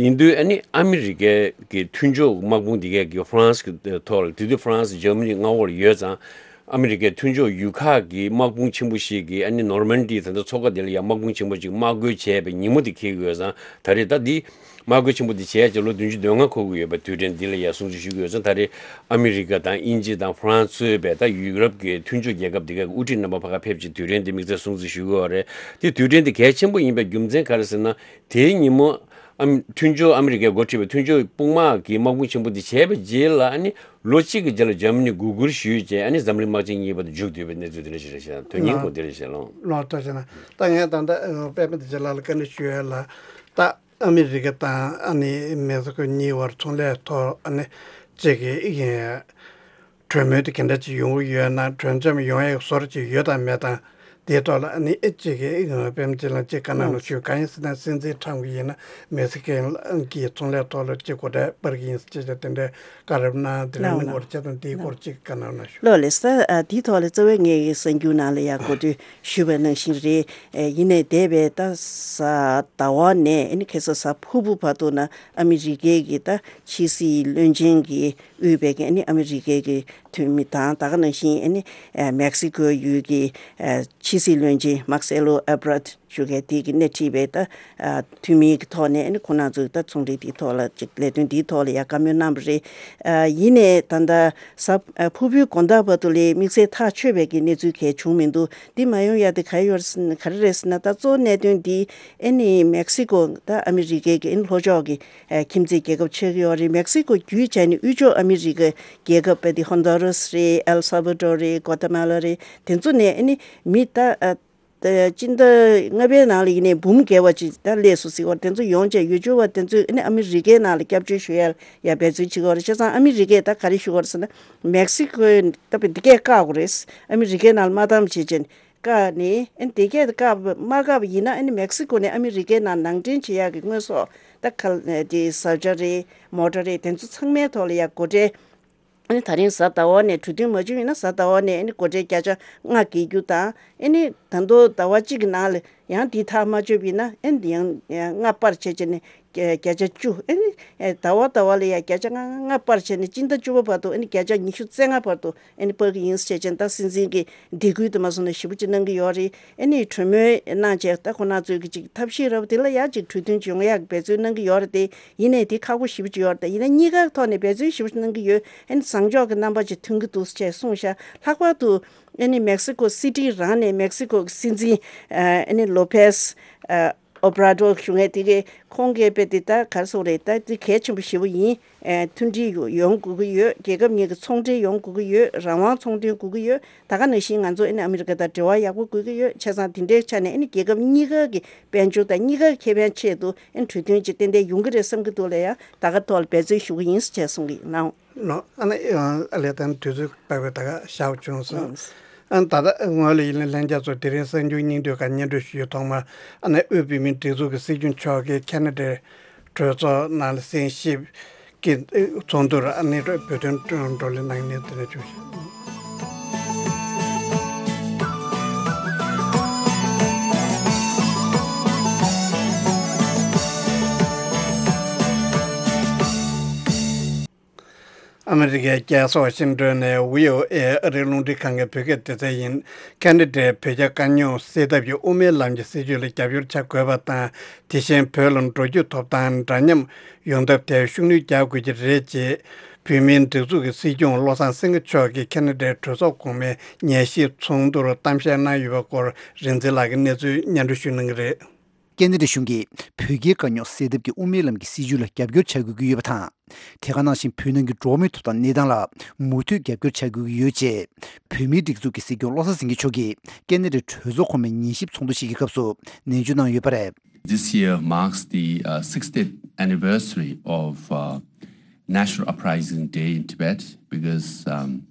ཡིན་དུས་ཨ་ནི་ཨ་མི་རི་ཀའི་གི་མཐུན་ཕྱོགས་དམག་དཔུང་འདི་གས་ཀྱི་ཧྥ་རན་སི་གི་ཐོག་ལ། དེ་དུས་ཧྥ་རན་སི་འཇར་མ་ནི་མངའ་འོག་ལ་ཡོད་ཙང་། ཨ་མི་རི་ཀའི་མཐུན་ཕྱོགས་ཡུལ་ཁག་གི་དམག་དཔུང་ཆེན་པོ་ཞིག་གིས་ཨ་ནི་ནོར་མན་ཌི་ད་ལྟ་མཚོ་ཁ་དེ་ལ་ཡ་དམག་དཔུང་ཆེན་པོ་ཅིག་དམག་རྒོལ་བྱས་པའི་ཉིན་མོ་དེ་འཁེལ་གྱི་ཡོད་ཙང་། ད་རེས་ད་འདི་དམག་རྒོལ་ཆེན་པོ་འདི་བྱས་བྱས་ལོ་བདུན་ཅུ་དོན་ལྔ་འཁོར་གྱི་ཡོད་པའི་དུས་དྲན་འདི་ལ་ཡ་སྲུང་བརྩི་ཞུ་གི་ཡོད་ཙང་། ད་རེས་ཨ་མི་རི་ཀ་དང་དབྱིན་ཇི་དང་ཧྥ་རན་སི་གཙོས་པའི་ད་ཡུ་རོབ་ཀྱི་མཐུན་ཕྱོགས་རྒྱལ་ཁབ་འདི་གའི་དབུ་ཁྲིད་རྣམ་པ་ཕ་ག་ཕེབས་བྱས་དུས་དྲན་འདི་དམིགས་བསལ་སྲུང་བརྩི་ཞུ་གི་ཡོད་རེད། དེ་དུས་དྲན་འདི་གལ་ཆེན་པོ་ཡིན་པའི་རྒྱུ་མཚན་ག་རེ་ཟེར་ན། དེའི་ཉིན་མོ་ཨ་མི་མཐུན་ཕྱོགས་ཨ་མི་རི་ཀས་འགོ་ཁྲིད་པའི་མཐུན་ཕྱོགས་དཔུང་དམག་གིས་དམག་དཔུང་ཆེན་པོ་འདི་བྱས་པའི་རྗེས་ལ། ཨ་ནི་ལོ་གཅིག་གི་རྗེས་ལ་འཇར་མ་ནི་སྒུག་སྒུར་ཞུས་བྱས། ཨ་ནི་འཛམ་གླིང་དམག་ཆེན་གཉིས་པ་དེ་མཇུག་བསྡུས་པའི་གནས་ཚུལ་དེ་འདྲ་ཞིག་རེད་ཤག་དོན་སྙིང་ལགས། གོ་དེ་རེད་ཤག་ལགས། ལགས། ཐུགས་རྗེ་གནང་། ད་ངས་ད་ལྟ་ཨ་པད་མ་བདེ་ཆེན་ལགས་ལ་བཀའ་འདྲི་ཞུ་ཡ་ལ། ད་ཨ་མི་རི་ཀ་དང་ཨ་ནི་མེག་སི་ཀོ་གཉིས་བར་ཚོང་ལས་ཐོག་ཨ་ནི་གཅིག་གི་གྲོས་མོལ་དེ་ག་འདྲ་ཅིག་ཡོང་གི་ཡོད་ན། གྲོས་འཆམ་ཡོང་ཡག་བཟོ་འདྲ་ཅིག་ཡོད་དམ་མེད་དམ། དེའི་ཐོག་ལ་ཨ་ནི་ཨེ་གཅིག་གི་ཨེ་ང་པད་མ་བདེ་ཆེན་ལགས་ཅིག་བཀའ་གནང་རོགས་ཞུ། གང་ཡིན་ཟེར་ན་སྲིད་འཛིན་ཁྲམ་གྱིས་ཡིན་ན་མེག་སི་ཀོ་གི་ཚོང་ལས་ཐོག་ལ་ཅིག་སྒོ་ཁྲལ་སྤར་གྱི་ཡིན་ཟེར་ཅེས་བྱས་དེ་འདྲའི་བཀའ་རབ་གནང་། དེ་ལ་མི་འགོར་ཆ་དང་དེའི་སྐོར་ཅིག་བཀའ་གནང་རོགས་ཞུ། ལགས་ལགས་སོ། ཨ་དེའི་ཐོག་ལ་རྩ་བའི་ངས་གསར་འགྱུར་ནང་ལ་ཡང་གོ་ཐོས་ཞུས་པ་ནང་བཞིན་རེད། ཨེ་ཡིན་ནའི་འདས་པའི་ད་གཟའ་ཟླ་བ་ནས་ཨ་ནི་ཁ་སང་གཟའ་ཕུར་བུ་བར་དུ་ན་ཨ་མི་རི་ཀའི་གི་ད་ཕྱི་སྲིད་བློན་ཆེན་གྱིས་དབུས་པའི་གི་ཨ་ནི་ཨ་མི་རི་ཀའི་གི་འཐུས་མི་དང་། ད་ག་ནང་བཞིན་ཨ་ནི་ཨ་མེག་སི་ཀོ་ཡུལ་གྱི་ཨ་ཕྱི་སྲིད་བློན་ཆེན་མཱར་སེ་ལོ་ཨེ་བྷར་ཊི་ཞུ་མཁན་དེ་གི་སྣེ་ཁྲིད་པའི་ད་ཨ་འཐུས་མི་གི་ཐོག་ནས་ཨ་ནི་ཁོང་རྣམ་ཚོས་ད་ཚོང་འབྲེལ་དེའི་ཐོག་ལ་ཅིག་ལས་དོན་དེའི་ཐོག་ལ་ཡ་བཀའ་མོལ་གནང་བ་རེད། ཨ་ཡིན་ནའི་ད་ལྟ་གཟའ་ཨ་ཕུར་བུའི་དགོང་དག་བར་དུ་ལ་དམིགས་བསལ་ཐག་ཆོད་པའི་གི་གནས་ཚུལ་གང་ཡང་བྱུང་མི་འདུག་འདི་མ་ཡོང་ཡ་དེ་ག་ཡོད་ག་རེ་རེད་ཟེར་ན། ད་གཙོ་བོ་གནད་དོན་འདི་ཨ་ནི་མེག་སི་ཀོ་ད་ཨ་མི་རི་ཀའི་གི་ཨ་ནི་ལྷོ་ཕྱོགས་ཀྱི་ཨ་ཁྱིམ་མཚེས་རྒྱལ་ཁབ་ཆགས་ཀྱི་ཡོད་རེད། མེག་སི་ཀོ་བརྒྱུད་བྱས་ནས་དབུས་ཕྱོགས་ཨ་མི་རི་ཀའི་རྒྱལ་ཁབ་དཔེ་དེ་ཧོན་དུ་རུ་སི་རེད། ཨེལ་སཱ་བྷ་ཏོར་རེད། གོ་ཏ་མ་ལ་རེད། དེ་ཚོ་ནས་ཨ་ནི་མི་ད་ཨ་ད་སྤྱི་ཟླ་ལྔ་པའི་ནང་ལ་ཡིན་ནའི་འབུམ་བརྒལ་བ་ཅིག་ད་སླེབས་སོང་ཟེར་བ་དེ་ཚོ་ཡོང་བྱས་ཡུལ་སྐོར་བ་དེ་ཚོས་ཨ་ནི་ཨ་མི་རི་ཀའི་ནང་ལ་སྐྱབས་བཅོལ་ཞུ་ཡ་ཡ་འབད་བརྩོན་བྱེད་ཀྱི་ཡོད་རེད། བྱས་ཙང་ཨ་མི་རི་ཀས་ད་ག་རེ་ཞུ་གི་ཡོད་རེད་ཟེར་ན། མེག་སི་ཀོས་ད་དཔེ་འདི་སྐད་བཀག་དགོས་རེད། ཨ་མི་རི་ཀའི་ནང་ལ་མ་བཏང་བྱས་བྱས་ནས། བཀག་ནས་ཨ་ནི་དེ་གས་བཀག་མ་བཀག་པ་ཡིན་ན། ཨ་ནི་མེག་སི་ཀོ་ནས་ཨ་མི་རི་ཀའི་ནང་ནང་འདྲེན་བྱེད་ཡག་གི་དངོས་ཟོག་ད་ག་དེ་བཟའ་བཅའ་རེད། མོ་ཊ་རེད། དེ་ཚོ་ཚང་མའི་ཐོག་ལ་ཡ་སྒོ་ཁྲལ། ཨ་ནི་ད་རིང་གཟའ་ཟླ་བ་ནས་གྲོས་མཐུན་མ་བྱུང་ཡིན་ན། གཟའ་ཟླ་བ་ནས་ཨ་ནི་སྒོ་ཁྲལ་བརྒྱ་ཆ་ལྔ་འགེལ་རྒྱུ་དང་། ཨ་ནི་ད་དུང་ཟླ་བ་གཅིག་གི་ནང་ལ་ཡང་འདི་ཐག་མ་ཆོད་པ་ཡིན་ན། ཨ་ནི་ཡང་ལྔ་སྤར་བྱས་བྱས་ནས་བརྒྱ་ཆ་བཅུ། ཨ་ནི་ཟླ་བ་ཟླ་བ་ལ་ཡང་བརྒྱ་ཆ་ལྔ་ལྔ་སྤར་བྱས་ནས་སྤྱི་ཟླ་བཅུ་པ་བར་དུ་ཨ་ནི་བརྒྱ་ཆ་ཉི་ཤུ་རྩ་ལྔ་བར་དུ་ཨ་ནི་སྤར་གྱི་ཡིན་ཟེར་བྱས་ནས། ད་སྲིད་འཛིན་གྱིས་སྡིགས་སྐུལ་དུ་མ་སོང་ན་ཞེ་པོ་ཅིག་གནང་གི་ཡོད་རེད། ཨ་ནི་གྲོས་མོལ་གནང་བྱས་ད་ཁོང་རྣམ་ཚོས་ཀྱི་ཅིག་ཐབས་ཤེས་རབ་དེ་ལ་ཡ་ཅིག་གྲོས་མཐུན་ཅིག་ཡོང་ཡག་གི་འབད་བརྩོན་གནང་གི་ཡོད་རེད་དེ། ཡིན་ནའི་དེ་ཁག་པོ་ཞེ་པོ་ཅིག་ཡོད་རེད་དེ། ཡིན་ན་གཉིས་ཀ་ཐོག་ནས་འབད་བརྩོན་ཞེ་པོ་ཅིག་གནང་གི་ཡོད། ཨ་ནི་བཟང་ཕྱོགས་ཀྱི་རྣམ་པ་ཅིག་ཐོན་གྱི་འདུག་ཅེས་གསུངས་ཤག་ལྷག་པར་དུ་ཨ་ནི་མེག་སི་ཀོ་སི་ཊི་རང་ནས་མེག་སི་ཀོ་གི་སྲིད་འཛིན་ཨ་ནི་ལོ་པེས་ཨ་ཨོ་བྷ་ར་ཌོ་ཞུ་མཁན་དེ་གས། ཁོང་གིས་དཔེ་དེ་ད་ག་རེ་ཟེར་དགོས་རེད། ད་དེ་གལ་ཆེན་པོ་ཞེ་པོ་ཡིན། ཨེ་མཐུན་སྒྲིལ་ཡོང་དགོས་ཀྱི་ཡོད། རྒྱལ་ཁབ་གཉིས་ཀྱི་ཚོང་འབྲེལ་ཡོང་དགོས་ཀྱི་ཡོད། རང་དབང་ཚོང་དོན་དགོས་ཀྱི་ཡོད། ད་ག་ནང་བཞིན་ང་ཚོ་ཨ་ནི་ཨ་མི་རི་ཀ་དང་འབྲེལ་བ་ཡག་པོ་དགོས་ཀྱི་ཡོད། བྱས་ཙང་དེ་འདྲའི་ཆ་ནས་ཨ་ནི་རྒྱལ་ཁབ་གཉིས་ཀ་གི་དཔལ་འབྱོར་དང་གཉིས་ཀ་ཁེ་ཕན་ཆེད་དུ་ཨ་ནི་གྲོས་མཐུན་ཅིག་ཏན་ཏན་ཡོང་གི་རེད་བསམ་གྱི་འདུག་ལ་ཡ། ད་ག་ཐོག་ལ་འབད་བརྩོན་ཞུ་གི་ཡིན་ཟེར་གསུང་གི་ཡིན། ལགས། ལགས། ཨ་ནི་ཨ་ལས་དང་དུས་ཚོད་པག་པའི་ད་ག་ཞག་བྱུང་སོང་། ཨ་ནི་ད་ལྟ་ངོས་ལ་ཡིན་ན་ལྷན་རྒྱས་ཚོ་དེ་རིང་གསར་འགྱུར་སྙིང་བསྡུས་ཁག་སྙན་སྒྲོན་ཞུ་ཡུལ་ཐོག་མ། ཨ་ནི་དབུས་བོད་མིའི་སྒྲིག་འཛུགས་ཀྱི་སྲིད་སྐྱོང་མཆོག་གིས་ཁེ་ན་ཌའི་གྲོས་ཚོགས་ནང་ལ་གསན་ཞིབ་ཀྱི་ཚོགས་འདུར་ཨ་ནི་བོད་དོན་བགྲོ་གླེང་གནང་ནས་དེ་ནས་བྱུང་ཞིང་། ཨ་མི་རི་ཀའི་རྒྱལ་ས་ཝ་ཤིང་ཏོན་ནས་བྷི་ཨོ་ཨེ་ཨ་རིའི་རླུང་འཕྲིན་ཁང་གི་བོད་སྐད་སྡེ་ཚན་ཡིན། ཁ་ན་ཌའི་བོད་རྒྱ་དཀའ་རྙོག་སེལ་ཐབས་ཀྱི་དབུ་མའི་ལམ་གྱི་སྲིད་བྱུས་ལ་རྒྱབ་སྐྱོར་བྱ་དགོས་པ་དང་། དེ་བཞིན་བོད་ལ་འགྲོ་སྐྱོད་ཐོབ་ཐང་འདྲ་མཉམ་ཡོང་ཐབས་ཐད་ཤུགས་སྣོན་རྒྱག་དགོས་ཀྱི་རེད་ཅེས། བོད་མིའི་སྒྲིག་འཛུགས་ཀྱི་སྲིད་སྐྱོང་བློ་བཟང་སེང་གེ་མཆོག་གིས་ཁ་ན་ཌའི་གྲོས་ཚོགས་གོང་མའི་ཉན་ཞིབ་ཚོགས་འདུར་གཏམ་བཤད་གནང་ཡོད་པའི་སྐོར། རིག་འཛིན་ལགས་ཀྱིས་གནས་ཚུལ་སྙན་སྒྲོན་ཞུ་གནང་གི་རེད། ཁ་ན་ཌ་གཞུང་གིས་བོད་རྒྱའི་དཀའ་རྙོག་སེལ་ཐབས་ཀྱི་དབུ་མའི་ལམ་གྱི་སྲིད་བྱུས་ལ་རྒྱབ་སྐྱོར་བྱ་དགོས་ཀྱི་ཡོད་པ་དང་། དེ་ག་ནང་བཞིན་བོད་ནང་གི་འགྲོ་བ་མིའི་ཐོབ་ཐང་གནས་སྟངས་ལ་མུ་མཐུད་རྒྱབ་སྐྱོར་བྱ་དགོས་ཀྱི་ཡོད་ཅེས། བོད་མིའི་སྒྲིག་འཛུགས་ཀྱི་སྲིད་སྐྱོང་བློ་བཟང་སེང་གེ་མཆོག་གིས་ཁ་ན་ཌའི་གྲོས་ཚོགས་གོང་མའི་ཉན་ཞིབ་ཚོགས་འདུ་ཞིག་གི་སྐབས་སུ་ནན་བརྗོད་གནང་ཡོད་པ་རེད། This year marks the uh, sixtieth anniversary of uh, National Uprising Day in Tibet because um,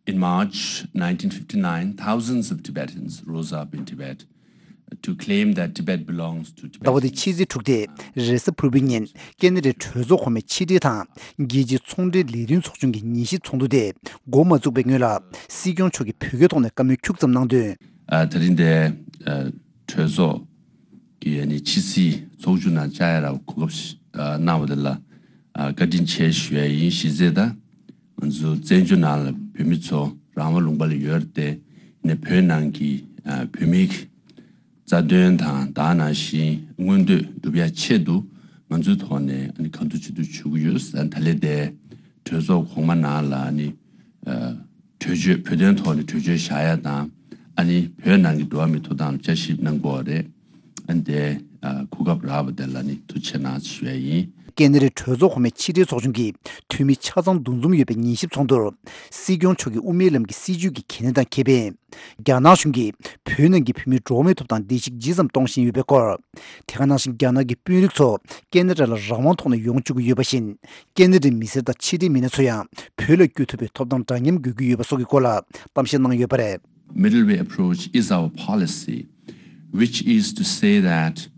in March nineteen fifty-nine, thousands of Tibetans rose up in Tibet to claim that Tibet belongs to Tibet. ཟླ་བ་འདིའི་ཕྱི་ཚེས་དྲུག་སྟེ་རེས་གཟའ་ཕུར་བུའི་ཉིན་ཁ་ན་ཌའི་གྲོས་ཚོགས་གོང་མའི་ཕྱི་དྲིལ་དང་རྒྱལ་སྤྱིའི་ཚོང་འབྲེལ་ལས་དོན་ཚོགས་ཆུང་གི་ཉན་ཞིབ་ཚོགས་འདུ་དེ་འགོ་མ་བཙུགས་པའི་སྔོན་ལ་སྲིད་སྐྱོང་མཆོག་གིས་བོད་སྐད་ཐོག་ནས་བཀའ་མོལ་ཁྱུག་ཙམ་གནང་དོན། ཨ། ད་རིང་འདིར་ཨ་གྲོས་ཚོགས་ཀྱི་ཨ་ནི་ཕྱི་སྲིད་ཚོགས་ཆུང་ནང་བཅར་ཡ་ལ་གོ་སྐབས་ཤིག་ཨ་གནང་བ་དེ་ལ་ཨ་བཀའ་དྲིན་ཆེ་ཞུ་ཡ་ཡིན། གཞི་རྩའི་ད་ང་ཚོ་བཙན་བྱོལ་ནང་ལ་བོད་མི་ཚོ་རང་དབང་ལུང་པ་ལ་ཡོད་རེད་དེ། ནས་བོད་ནང་གི་ཨ་བོད་མིའི་རྩ་དོན་དང་ད་ག་ནང་བཞིན་མངོན་འདོད་སྒྲུབ་ཡ་ཆེད་དུ་ང་ཚོའི་ཐོག་ནས་ཨ་ནི་གང་ཐུབ་ཅི་ཐུབ་ཞུ་གི་ཡོད། ཨ་ནི་ད་ལན་དེ་གྲོས་ཚོགས་གོང་མ་ནང་ལ་ཨ་ནི་ཨ་གྲོས་ཆོད་བོད་དོན་ཐོག་ནས་གྲོས་ཆོད་བཞག་ཡ་དང་། ཨ་ནི་བོད་ནང་གི་འགྲོ་བ་མིའི་ཐོབ་ཐང་ལ་བསྐྱར་ཞིབ་གནང་དགོས་པ་རེད། ཨ་ནི་དེ་ཨ་གོ་སྐབས་རག་པ་དེ་ལ་ནི་ཐུགས་རྗེ་ཆེ་གནང་ཞུ་ཡ་ཡིན། ཁ་ན་ཌའི་གྲོས་ཚོགས་གོང་མའི་ཕྱི་དྲིལ་ཚོགས་ཆུང་གི་འཐུས་མི་ཆ་ཚང་འདུ་འཛོམས་ཡོད་པའི་ཉན་ཞིབ་ཚོགས་འདུར། སྲིད་སྐྱོང་མཆོག་གིས་དབུ་མའི་ལམ་གྱི་སྲིད་བྱུས་ཀྱི་གལ་གནད་དང་ཁེ་ཕན། རྒྱ་ནག་གཞུང་གིས་བོད་ནང་གི་བོད་མིའི་འགྲོ་བ་མིའི་ཐོབ་ཐང་བརྡལ་བཤིག་ཇི་ཙམ་གཏོང་བཞིན་ཡོད་པའི་སྐོར། དེ་ག་ནང་བཞིན་རྒྱ་ནག་གི་དཔོན་རིགས་ཚོ་ཁ་ན་ཌ་ལ་རང་དབང་ཐོག་ནས་ཡོང་བཅུག་གི་ཡོད་པ་བཞིན། ཁ་ན་ཌའི་མི་སེར་དང་ཕྱི་འབྲེལ་མི་སྣ་ཚོ་ཡང་བོད་ལ་བསྐྱོད་ཐུབ་པའི་ཐོབ་ཐང་འདྲ་མཉམ་དགོས་ཀྱི་ཡོད་པ་སོགས་ཀྱི་སྐོར་ལ་གཏམ་བཤད་གནང་ཡོད་པ་རེད། Middle way approach is our policy, which is to say that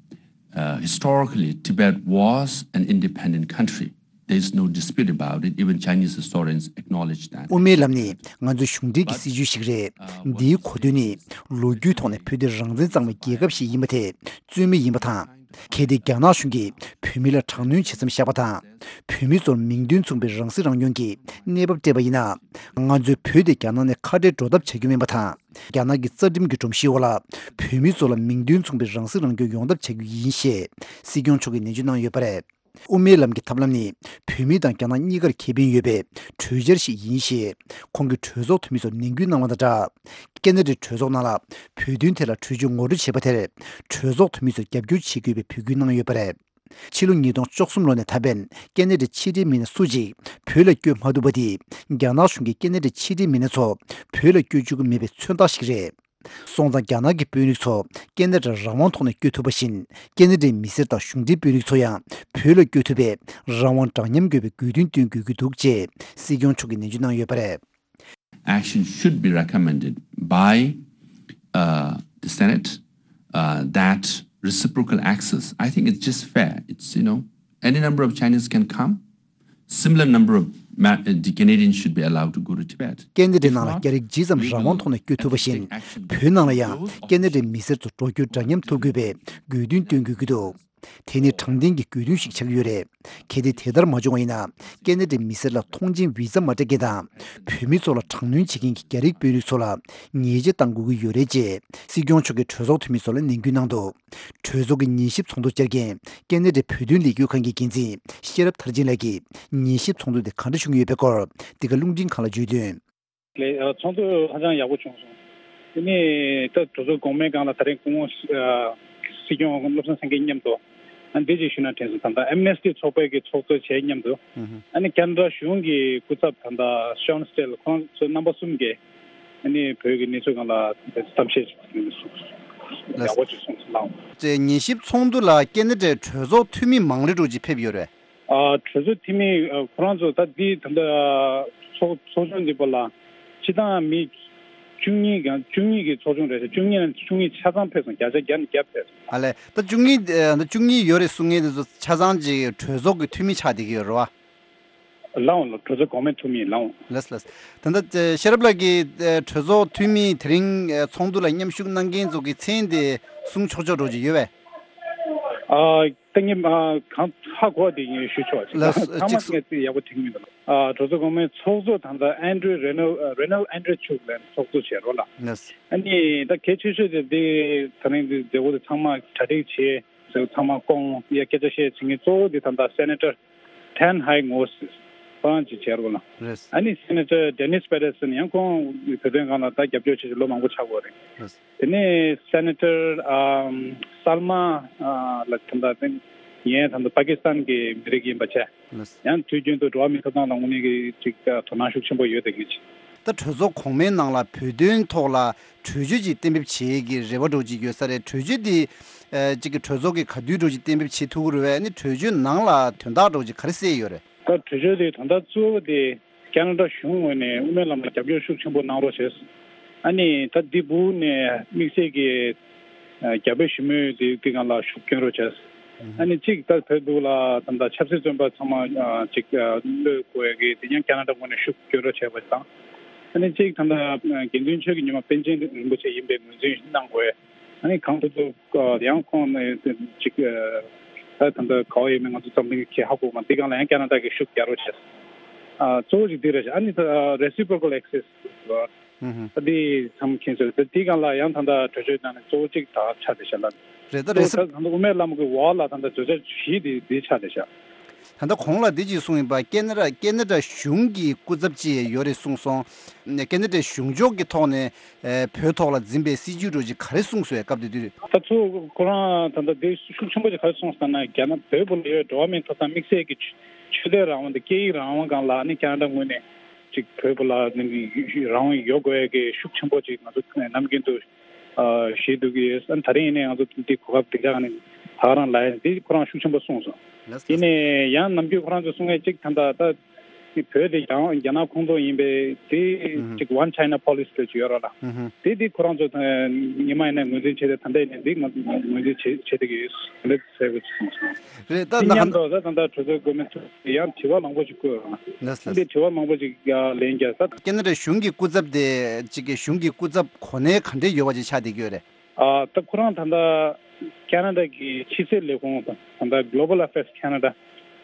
uh, historically Tibet was an independent country. There is no dispute about it. Even Chinese historians acknowledge that. དབུ་མའི་ལམ་ནི་ང་ཚོའི་གཞུང་འབྲེལ་གྱི་སྲིད་བྱུས་ཤིག་རེད། འདིའི་གོ་དོན་ནི་ལོ་རྒྱུས་ཐོག་ནས་བོད་དེ་རང་བཙན་གཙང་མའི་རྒྱལ་ཁབ་ཞིག་ཡིན་པ་དེ་རྩོད་མེད་ཡིན་པ་དང་། གལ་ཏེ་རྒྱ་ནག་གཞུང་གིས་བོད་མི་ལ་དྲག་གནོན་བྱེད་མཚམས་བཞག་པ་དང་། བོད་མི་ཚོར་མིང་དོན་མཚུངས་པའི་རང་སྲིད་རང་སྐྱོང་གི་གནས་བབ་སྤྲད་པ་ཡིན་ན། ང་ཚོས་བོད་དེ་རྒྱ་ནག་ནས་ཁ་བྲལ་འགྲོ་ཐབས་བྱ་རྒྱུ་མིན་པ་དང་། རྒྱ་ནག་གི་རྩ་ཁྲིམས་ཀྱི་སྒྲོམ་གཞིའི་འོག་ལ་བོད་མི་ཚོ་ལ་མིང་དོན་མཚུངས་པའི་རང་སྲིད་རང་སྐྱོང་ཡོང་ཐབས་བྱ་རྒྱུ་ཡིན་ཞེས་སྲིད་སྐྱོང་མཆོག་གིས་ནན་བརྗོད་གནང་ཡོད་པ་རེད། དབུ་མའི་ལམ་གྱི་ཐབས་ལམ་ནི་བོད་མི་དང་རྒྱ་ནག་གཉིས་ཀར་ཁེ་ཕན་ཡོད་པའི་གྲོས་འཆར་ཞིག་ཡིན་ཞེས་ཁོང་གིས་གྲོས་ཚོགས་འཐུས་མི་ཚོར་ནན་སྐུལ་གནང་བ་དང་སྦྲགས། ཁ་ན་ཌའི་གྲོས་ཚོགས་ནང་ལ་བོད་དོན་ཐད་ལ་གྲོས་ཆོད་ངོ་སྤྲོད་བྱས་པ་དེར་གྲོས་ཚོགས་འཐུས་མི་ཚོས་རྒྱབ་སྐྱོར་བྱེད་དགོས་པའི་འབོད་སྐུལ་གནང་ཡོད་པ་རེད། ཕྱི་ལོ་ཉིས་སྟོང་བཅུ་གསུམ་ལོ་ནས་ད་ཕན་ཁ་ན་ཌའི་ཕྱི་འབྲེལ་མི་སྣ་སུ་གཅིག་བོད་ལ་བསྐྱོད་མ་ཐུབ་པ་དེ་རྒྱ་ནག་གཞུང་གིས་ཁ་ན་ཌའི་ཕྱི་འབྲེལ་མི་སྣ་ཚོ་བོད་ལ་བསྐྱོད་བཅུག་གི་མེད་པའི་མཚོན་རྟགས་ཤིག་རེད། སོང་ཙང་རྒྱ་ནག་གི་དཔོན་རིགས་ཚོ་ཁ་ན་ཌར་རང་དབང་ཐོག་ནས་བསྐྱོད་ཐུབ་པ་བཞིན་ཁ་ན་ཌའི་མི་སེར་དང་གཞུང་འབྲེལ་དཔོན་རིགས་ཚོ་ཡང་བོད་ལ་བསྐྱོད་ཐུབ་པའི་རང་དབང་འདྲ་མཉམ་དགོས་པའི་དགོས་འདུན་བཏོན་དགོས་ཀྱི་འདུག་ཅེས་སྲིད་སྐྱོང་མཆོག་གིས་ནན་བརྗོད་གནང་ཡོད་པ་རེད། Action should be recommended by uh, the Senate uh, that reciprocal access, I think it's just fair. It's, you know, any number of Chinese can come. Similar number of ma- uh, the Canadians should be allowed to go to Tibet. ཁ་ན་ཌའི་ནང་ལ་རྒྱ་རིགས་ཇི་ཙམ་རང་དབང་ཐོག་ནས་བསྐྱོད་ཐུབ་པ་བཞིན། བོད་ནང་ལ་ཡང་ཁ་ན་ཌའི་མི་སེར་ཚོ་འགྲོ་སྐྱོད་འདྲ་མཉམ་ཐུབ་དགོས་པའི་དགོས་འདུན་བཏོན་དགོས་ཀྱི་འདུག་དེ་ནི་དྲང་བདེན་གྱི་དགོས་འདུན་ཞིག་ཆགས་ཀྱི་ཡོད་རེད། གལ་ཏེ་དེ་ལྟར་མ་བྱུང་བ་ཡིན་ན། ཁ་ན་ཌའི་མི་སེར་ལ་ཐོངས་མཆན་བི་ཛ་མ་སྤྲད་མཁན་དང་། བོད་མི་ཚོ་ལ་དྲག་གནོན་བྱེད་མཁན་གྱི་རྒྱ་རིགས་དཔོན་རིགས་ཚོ་ལ་ཉེས་ཆད་གཏང་དགོས་ཀྱི་ཡོད་རེད་ཅེས་སྲིད་སྐྱོང་མཆོག་གིས་གྲོས་ཚོགས་འཐུས་མི་ཚོ་ལ་ནན་སྐུལ་གནང་འདུག་གྲོས་ཚོགས་ཀྱི་ཉན་ཞིབ་ཚོགས་འདུར་བཅར་མཁན་ཁ་ན་ཌའི་བོད་དོན་ལས་འགུལ་ཁང་གི་འགན་འཛིན་ཤེས་རབ་མཐར་ཕྱིན་ལགས་ཀྱིས་ཉན་ཞིབ་ཚོགས་འདུ་དེ་ག་འདྲ་བྱུང་ཡོད་པའི་སྐོར་འདི་ག་རླུང་འཕྲིན་ཁང་ལ་བརྗོད་དོན། ལས་ཚོགས་འདུ་ཧ་ཅང་ཡག་པོ་བྱུང་སོང་། དེ་ནས་ད་གྲོས་ཚོགས་གོང་མའི་སྒང་ལ་ད་རེས་སྐུ་ངོ་སྲིད་སྐྱོང་བློ་བཟང་སེང་གེ་མཉམ་དུ་ཨ་འདི་ཅིག་ཞུ་ན་དྲན་སོང་། ད་ལྟ་ཨེམ་ནེ་སི་ཊི་ཚོགས་པའི་གི་ཚོགས་གཙོ་བྱས་མཉམ་དུ་ཨ་ནི་ཁ་ན་ཌ་གཞུང་གི་སྐུ་ཚབ་ད་ལྟ་ཤོན་སི་ཊེལ་ཁོང་ཚོ་རྣམ་པ་གསུམ་གྱིས་ཨ་ནི་བོད་ཀྱི་གནས་ཚུལ་སྒང་ལ་གཏམ་བཤད་ཅིག་ཡག་པོ་ཅིག་གསུངས་སོང་། ལགས། ཉན་ཞིབ་ཚོགས་འདུ་ལ་ཁ་ན་ཌའི་གྲོས་ཚོགས་འཐུས་མི་མང་རེ་འགྲོ་ཅིག་ཕེབས་ཡོད་རེད། ཨ་གྲོས་ཚོགས་འཐུས་མི་ཨ་ཁོ་རང་ཚོ་ད་འདི་ད་ལྟ་ཚོགས་ཚོགས་ཆུང་འདི་པ་ལ་སྤྱི་བཏང་མི་བཅུ་གཉིས་གང་བཅུ་གཉིས་ཀྱི་ཚོགས་ཆུང་རེད་ཟེར། བཅུ་གཉིས་ནང་བཅུ་གཉིས་ཆ་ཚང་ཕེབས་སོང་། བརྒྱ་ཆ་བརྒྱ་ནས་བརྒྱ་ཕེབས་སོང་། ཨ་ལས། ད་བཅུ་གཉིས་ཨ་ད་བཅུ་གཉིས་ཡོད་རེད་གསུང་མཁན་དེ་ཚོ་ཆ་ཚང་གི་གྲོས་ཚོགས་ཀྱི་འཐུས་མི་ཆགས་བསྡད་ཀྱི་ཡོད་རེད་བ། ལའང་ལ་གྲོས་ཚོགས་གོང་མའི་འཐུས་མི་ལའང་། ལགས་ལགས། ད་ལྟ་ཤེས་རབ་ལགས་ཀྱིས་གྲོས་ཚོགས་འཐུས་མི་དེ་རིང་ཚོགས་འདུ་ལ་མཉམ་ཞུགས་གནང་མཁན་ཚོ་གི་མཚན་དེ་གསུང་ཆོག་ཆོག་འགྲོ་གི་ཡོད་པས། ཨ་ད་ངས་ཨ་གང་ཧ་གོ་བ་དེ་ངས་ཞུ་ཆོག་ཅིག་ལགས་སོ། ཚང་མ་ཅིག་ངས་ཅིག་ཡག་པོ་དྲན་གྱི་མི་འདུག་ཨ་གྲོས་ཚོགས་གོང་མའི་ཚོགས་གཙོ་ད་ལྟ་ཨན་ཌྲུ་རེ་ནལ་ཨ་རེ་ནལ་ཨན་ཌྲུ་མཆོག་ལ་ཚོགས་གཙོ་བྱས་རོགས་ལ། ལགས་སོ། ཨ་ནི་ད་གལ་ཆེ་ཤོས་དེ་འདི་ད་རིང་འདི་མཛད་སྒོ་དེ་ཚང་མ་གྲ་སྒྲིག་བྱས། ཚང་མ་སྐོང་ཡ་སྐད་ཆ་བཤད་བྱེད་མཁན་གཙོ་བོ་དེ་ད་ལྟ་སེ་ནེ་ཊར་ཊན་ཧའེ་ངོ་ཁོ་རང་ཅིག་བྱས་རོགས་ལ། རེད། ཨ་ནི་སེ་ནེ་ཊར་ཌེ་ནིས་པེ་རེ་སན་ཡང་ཁོང་བོད་དོན་སྒང་ལ་ད་རྒྱབ་སྐྱོར་བྱེད་ཀྱི་ལོ་མང་པོ་ཆགས་ཡོད་རེད། རེད། དེ་ནས་སེ་ནེ་ཊར་ཨམ་སལ་མ་ཨ་ལ་ད་ལྟ་དེ་ངས་ད་ལྟ་པ་ཀི་སི་ཐན་གྱི་མི་རིགས་ཡིན་པ་བྱས། ལགས། ཡང་དུས་རྒྱུན་དུ་འགྲོ་བ་མིའི་ཐོབ་ཐང་ལ་དངོས་གནས་ཀྱི་ཅིག་དོ་སྣང་ཤུགས་ཆེན་པོ་ཡོད་དེ་གི་ཅིག་ད་གྲོས་ཚོགས་གོང་མའི་ནང་ལ་བོད་དོན་ཐོག་ལ་གྲོས་ཆོད་ཅིག་གཏན་འབེབས་བྱེད་ཀྱི་རེ་བ་འདྲ་བོ་ཅིག་ཡོད་ས་རེད། གྲོས་ཆོད་འདི་ཨ་ཅིག་གི་གྲོས་ཚོགས་ཀྱིས་ག་དུས་འདྲ་བོ་ཅིག་གཏན་འབེབས་བྱེད་ཐུབ་ཀྱི་རེད་པས། ཨ་ནི་གྲོས་ཆོད་ནང་ལ་དོན་དག་འདྲ་བོ་ཅིག་ག་རེ་གསལ་ཡོད་རེད། ད་གྲོས་ཆོད་དེ་དོན་དག་གཙོ་བོ་དེ་ཁ་ན་ཌ་གཞུང་ངོས་ནས་དབུ་མའི་ལམ་ལ་རྒྱབ་སྐྱོར་ཤུགས་ཆེན་པོ་གནང་རོགས་བྱས། ཨ་ནི་ད་འདི་སྦུག་ནས་དམིགས་བསལ་གྱི་ཨ་རྒྱ་བོད་ཞི་མོལ་དེ་དེ་སྒང་ལ་ཤུགས་སྐྱོན་རོགས་བྱས། ཨ་ནི་གཅིག་ད་བོད་འདུག་ལ་ད་ལྟ་ཆབ་སྲིད་བཙོན་པ་ཚང་མ་ཨ་ཅིག་ཨ་གློད་དགོས་ཡ་གི་དེ་ཡང་ཁ་ན་ཌ་ངོས་ནས་ཤུགས་སྐྱོན་རོགས་བྱས་པ་དང་། ཨ་ནི་གཅིག་ད་ལྟ་དགེ་འདུན་ཆོས་ཀྱི་ཉི་མ་པཎ་ཆེན་རིན་པོ་ཆེ་ཡིན་པའི་ངོས་འཛིན་གནང་དགོས། ཨ་ནི་གང་ཐུབ་ཐུབ་ཨ་ཡང་ཁོང་ནས་ཅིག་ཨ་ད་ད་ལྟ་ག་བ་ཡོད་མེད་ང་ཚོ་འཛམ་གླིང་གི་ཧ་གོ་མ་འདི་སྒང་ལ་ཡང་ཁ་ན་ཌ་གི་ཤུགས་རྒྱག་རོགས་བྱས། ཨ་གཙོ་བོ་ཅིག་འདི་རེད་ཤག་ཨ་ནི་ད་ཨ་reciprocal access ཨུ་ཧུམ། ད་འདི་མཚམས་འཁེལ་ཚོད་ད་འདི་སྒང་ལ་ཡང་ད་ལྟ་གྲོས་ཆོད་ནང་ནས་གཙོ་བོ་གཅིག་ད་ཆགས་བསྡད་ཤག་ལ། རེད། ད་གཙོ་བོ་ད་ད་ལྟ་དབུ་མའི་ལམ་གྱི་འོག་ལ་ད་ལྟ་བརྗོད་བྱ་བཞི་དེ་འདི་ཆགས་བསྡད་ཤག་ད་ལྟ་གོང་ལ་འདི་གཅིག་གསུངས་ཡིན་པ། ཁ་ན་ཌ་ཁ་ན་ཌ་གཞུང་གི་སྐུ་ཚབ་ཅིག་ཡོད་རེད་གསུངས་སོང་། ཁ་ན་ཌ་གཞུང་ཕྱོགས་ཀྱི་ཐོག་ནས་ཨེ་བོད་ཐོག་ལ་འཛིན་པའི་སྲིད་ཇུས་འདྲ་ཅིག་ག་རེ་གསུངས་སོང་སྐབས་དེ་དུས། ད་ཚོ་ཁོ་རང་ད་ལྟ་འདི་ཤུགས་ཆེན་པོ་ཅིག་ག་རེ་གསུངས་སོང་ན་རྒྱ་ནག་བོད་པ་ལ་ཡོད་འགྲོ་བ་མིའི་ཐོབ་ཐང་དམིགས་བསལ་གྱི་ཆོས་དད་རང་དབང་དང་སྐད་ཡིག་རང་དབང་སྒང་ལ་ནི་ཁ་ན་ཌ་ངོས་ནས་ཅིག་བོད་པ་ལ་ནི་རང་དབང་ཡོད་དགོས་ཀྱི་ཤུགས་ཆེན་པོ་ཅིག་ང་ཚོ་ནམ་རྒྱུན་དུ་ཨ་བཞེས་འདུག་གི་ཡོད། ཨ་ནི་ད་རིང་ཡིན་ནའི་ང་ཚོ་འདི་གོ་སྐབས་འདི་འདྲ་ནི་ད་ག་རང་ལ་ཡིན་འདི་ཁོ་རང་ཤུགས་ཆེན་པོ་གསུངས་སོང་། ལགས་སོ། ཡིན་ནའི་ཡང་ནམ་རྒྱུན་ཁོ་རང་ཚོ་གསུང་མཁན་གཅིག་ད་ལྟ་ད་འདི་བོད་དེ་རྒྱ་རྒྱ་ནག་ཁོངས་གཏོགས་ཡིན་པས་དེ་ཨུ་ཧུམ། གཅིག་One China Policy་འདྲ་ཅིག་ཡོད་རེད་ལ། ཨུ་ཧུམ། དེ་དེ་ཁོ་རང་ཚོ་ད་ཉི་མ་ཡིན་ནའི་ངོས་འཛིན་བྱས་ཏེ་ད་ལྟ་ཡིན་ནའི་འདི་ང་ངོས་འཛིན་བྱེད་བྱེད་བསྡད་ཀྱི་ཡོད་ཟེར་གི་གསུངས་སོང་། རེད། ད་དེ་ད་མཉམ་ག་དུ་ད་ད་ལྟ་གྲོས་ཚོགས་འགོ་མི་ཚོས་ཡང་དྲི་བ་མང་པོ་ཞིག་བཀོད་ཡོད་རེད། ལགས་སོ། འདི་དྲི་བ་མང་པོ་ཞིག་ཡང་ལན་རྒྱག་ས། ཁ་ན་ཌ་གཞུང་གི་སྐུ་ཚབ་དེ་གཅིག་གི་གཞུང་གི་སྐུ་ཚབ་གོ་གནས་ག་འདྲས་ཡོད་པ་ཅིག་ཆགས་བསྡད་ཀྱི་ཡོད་རེད། ཨ་ད་ཁོ་རང་ད་ལྟ་ཁ་ན་ཌ་གི་ཕྱི་སྲིད་ལས་ཁུངས་དང་ད་ལྟ་Global Affairs Canada་ད་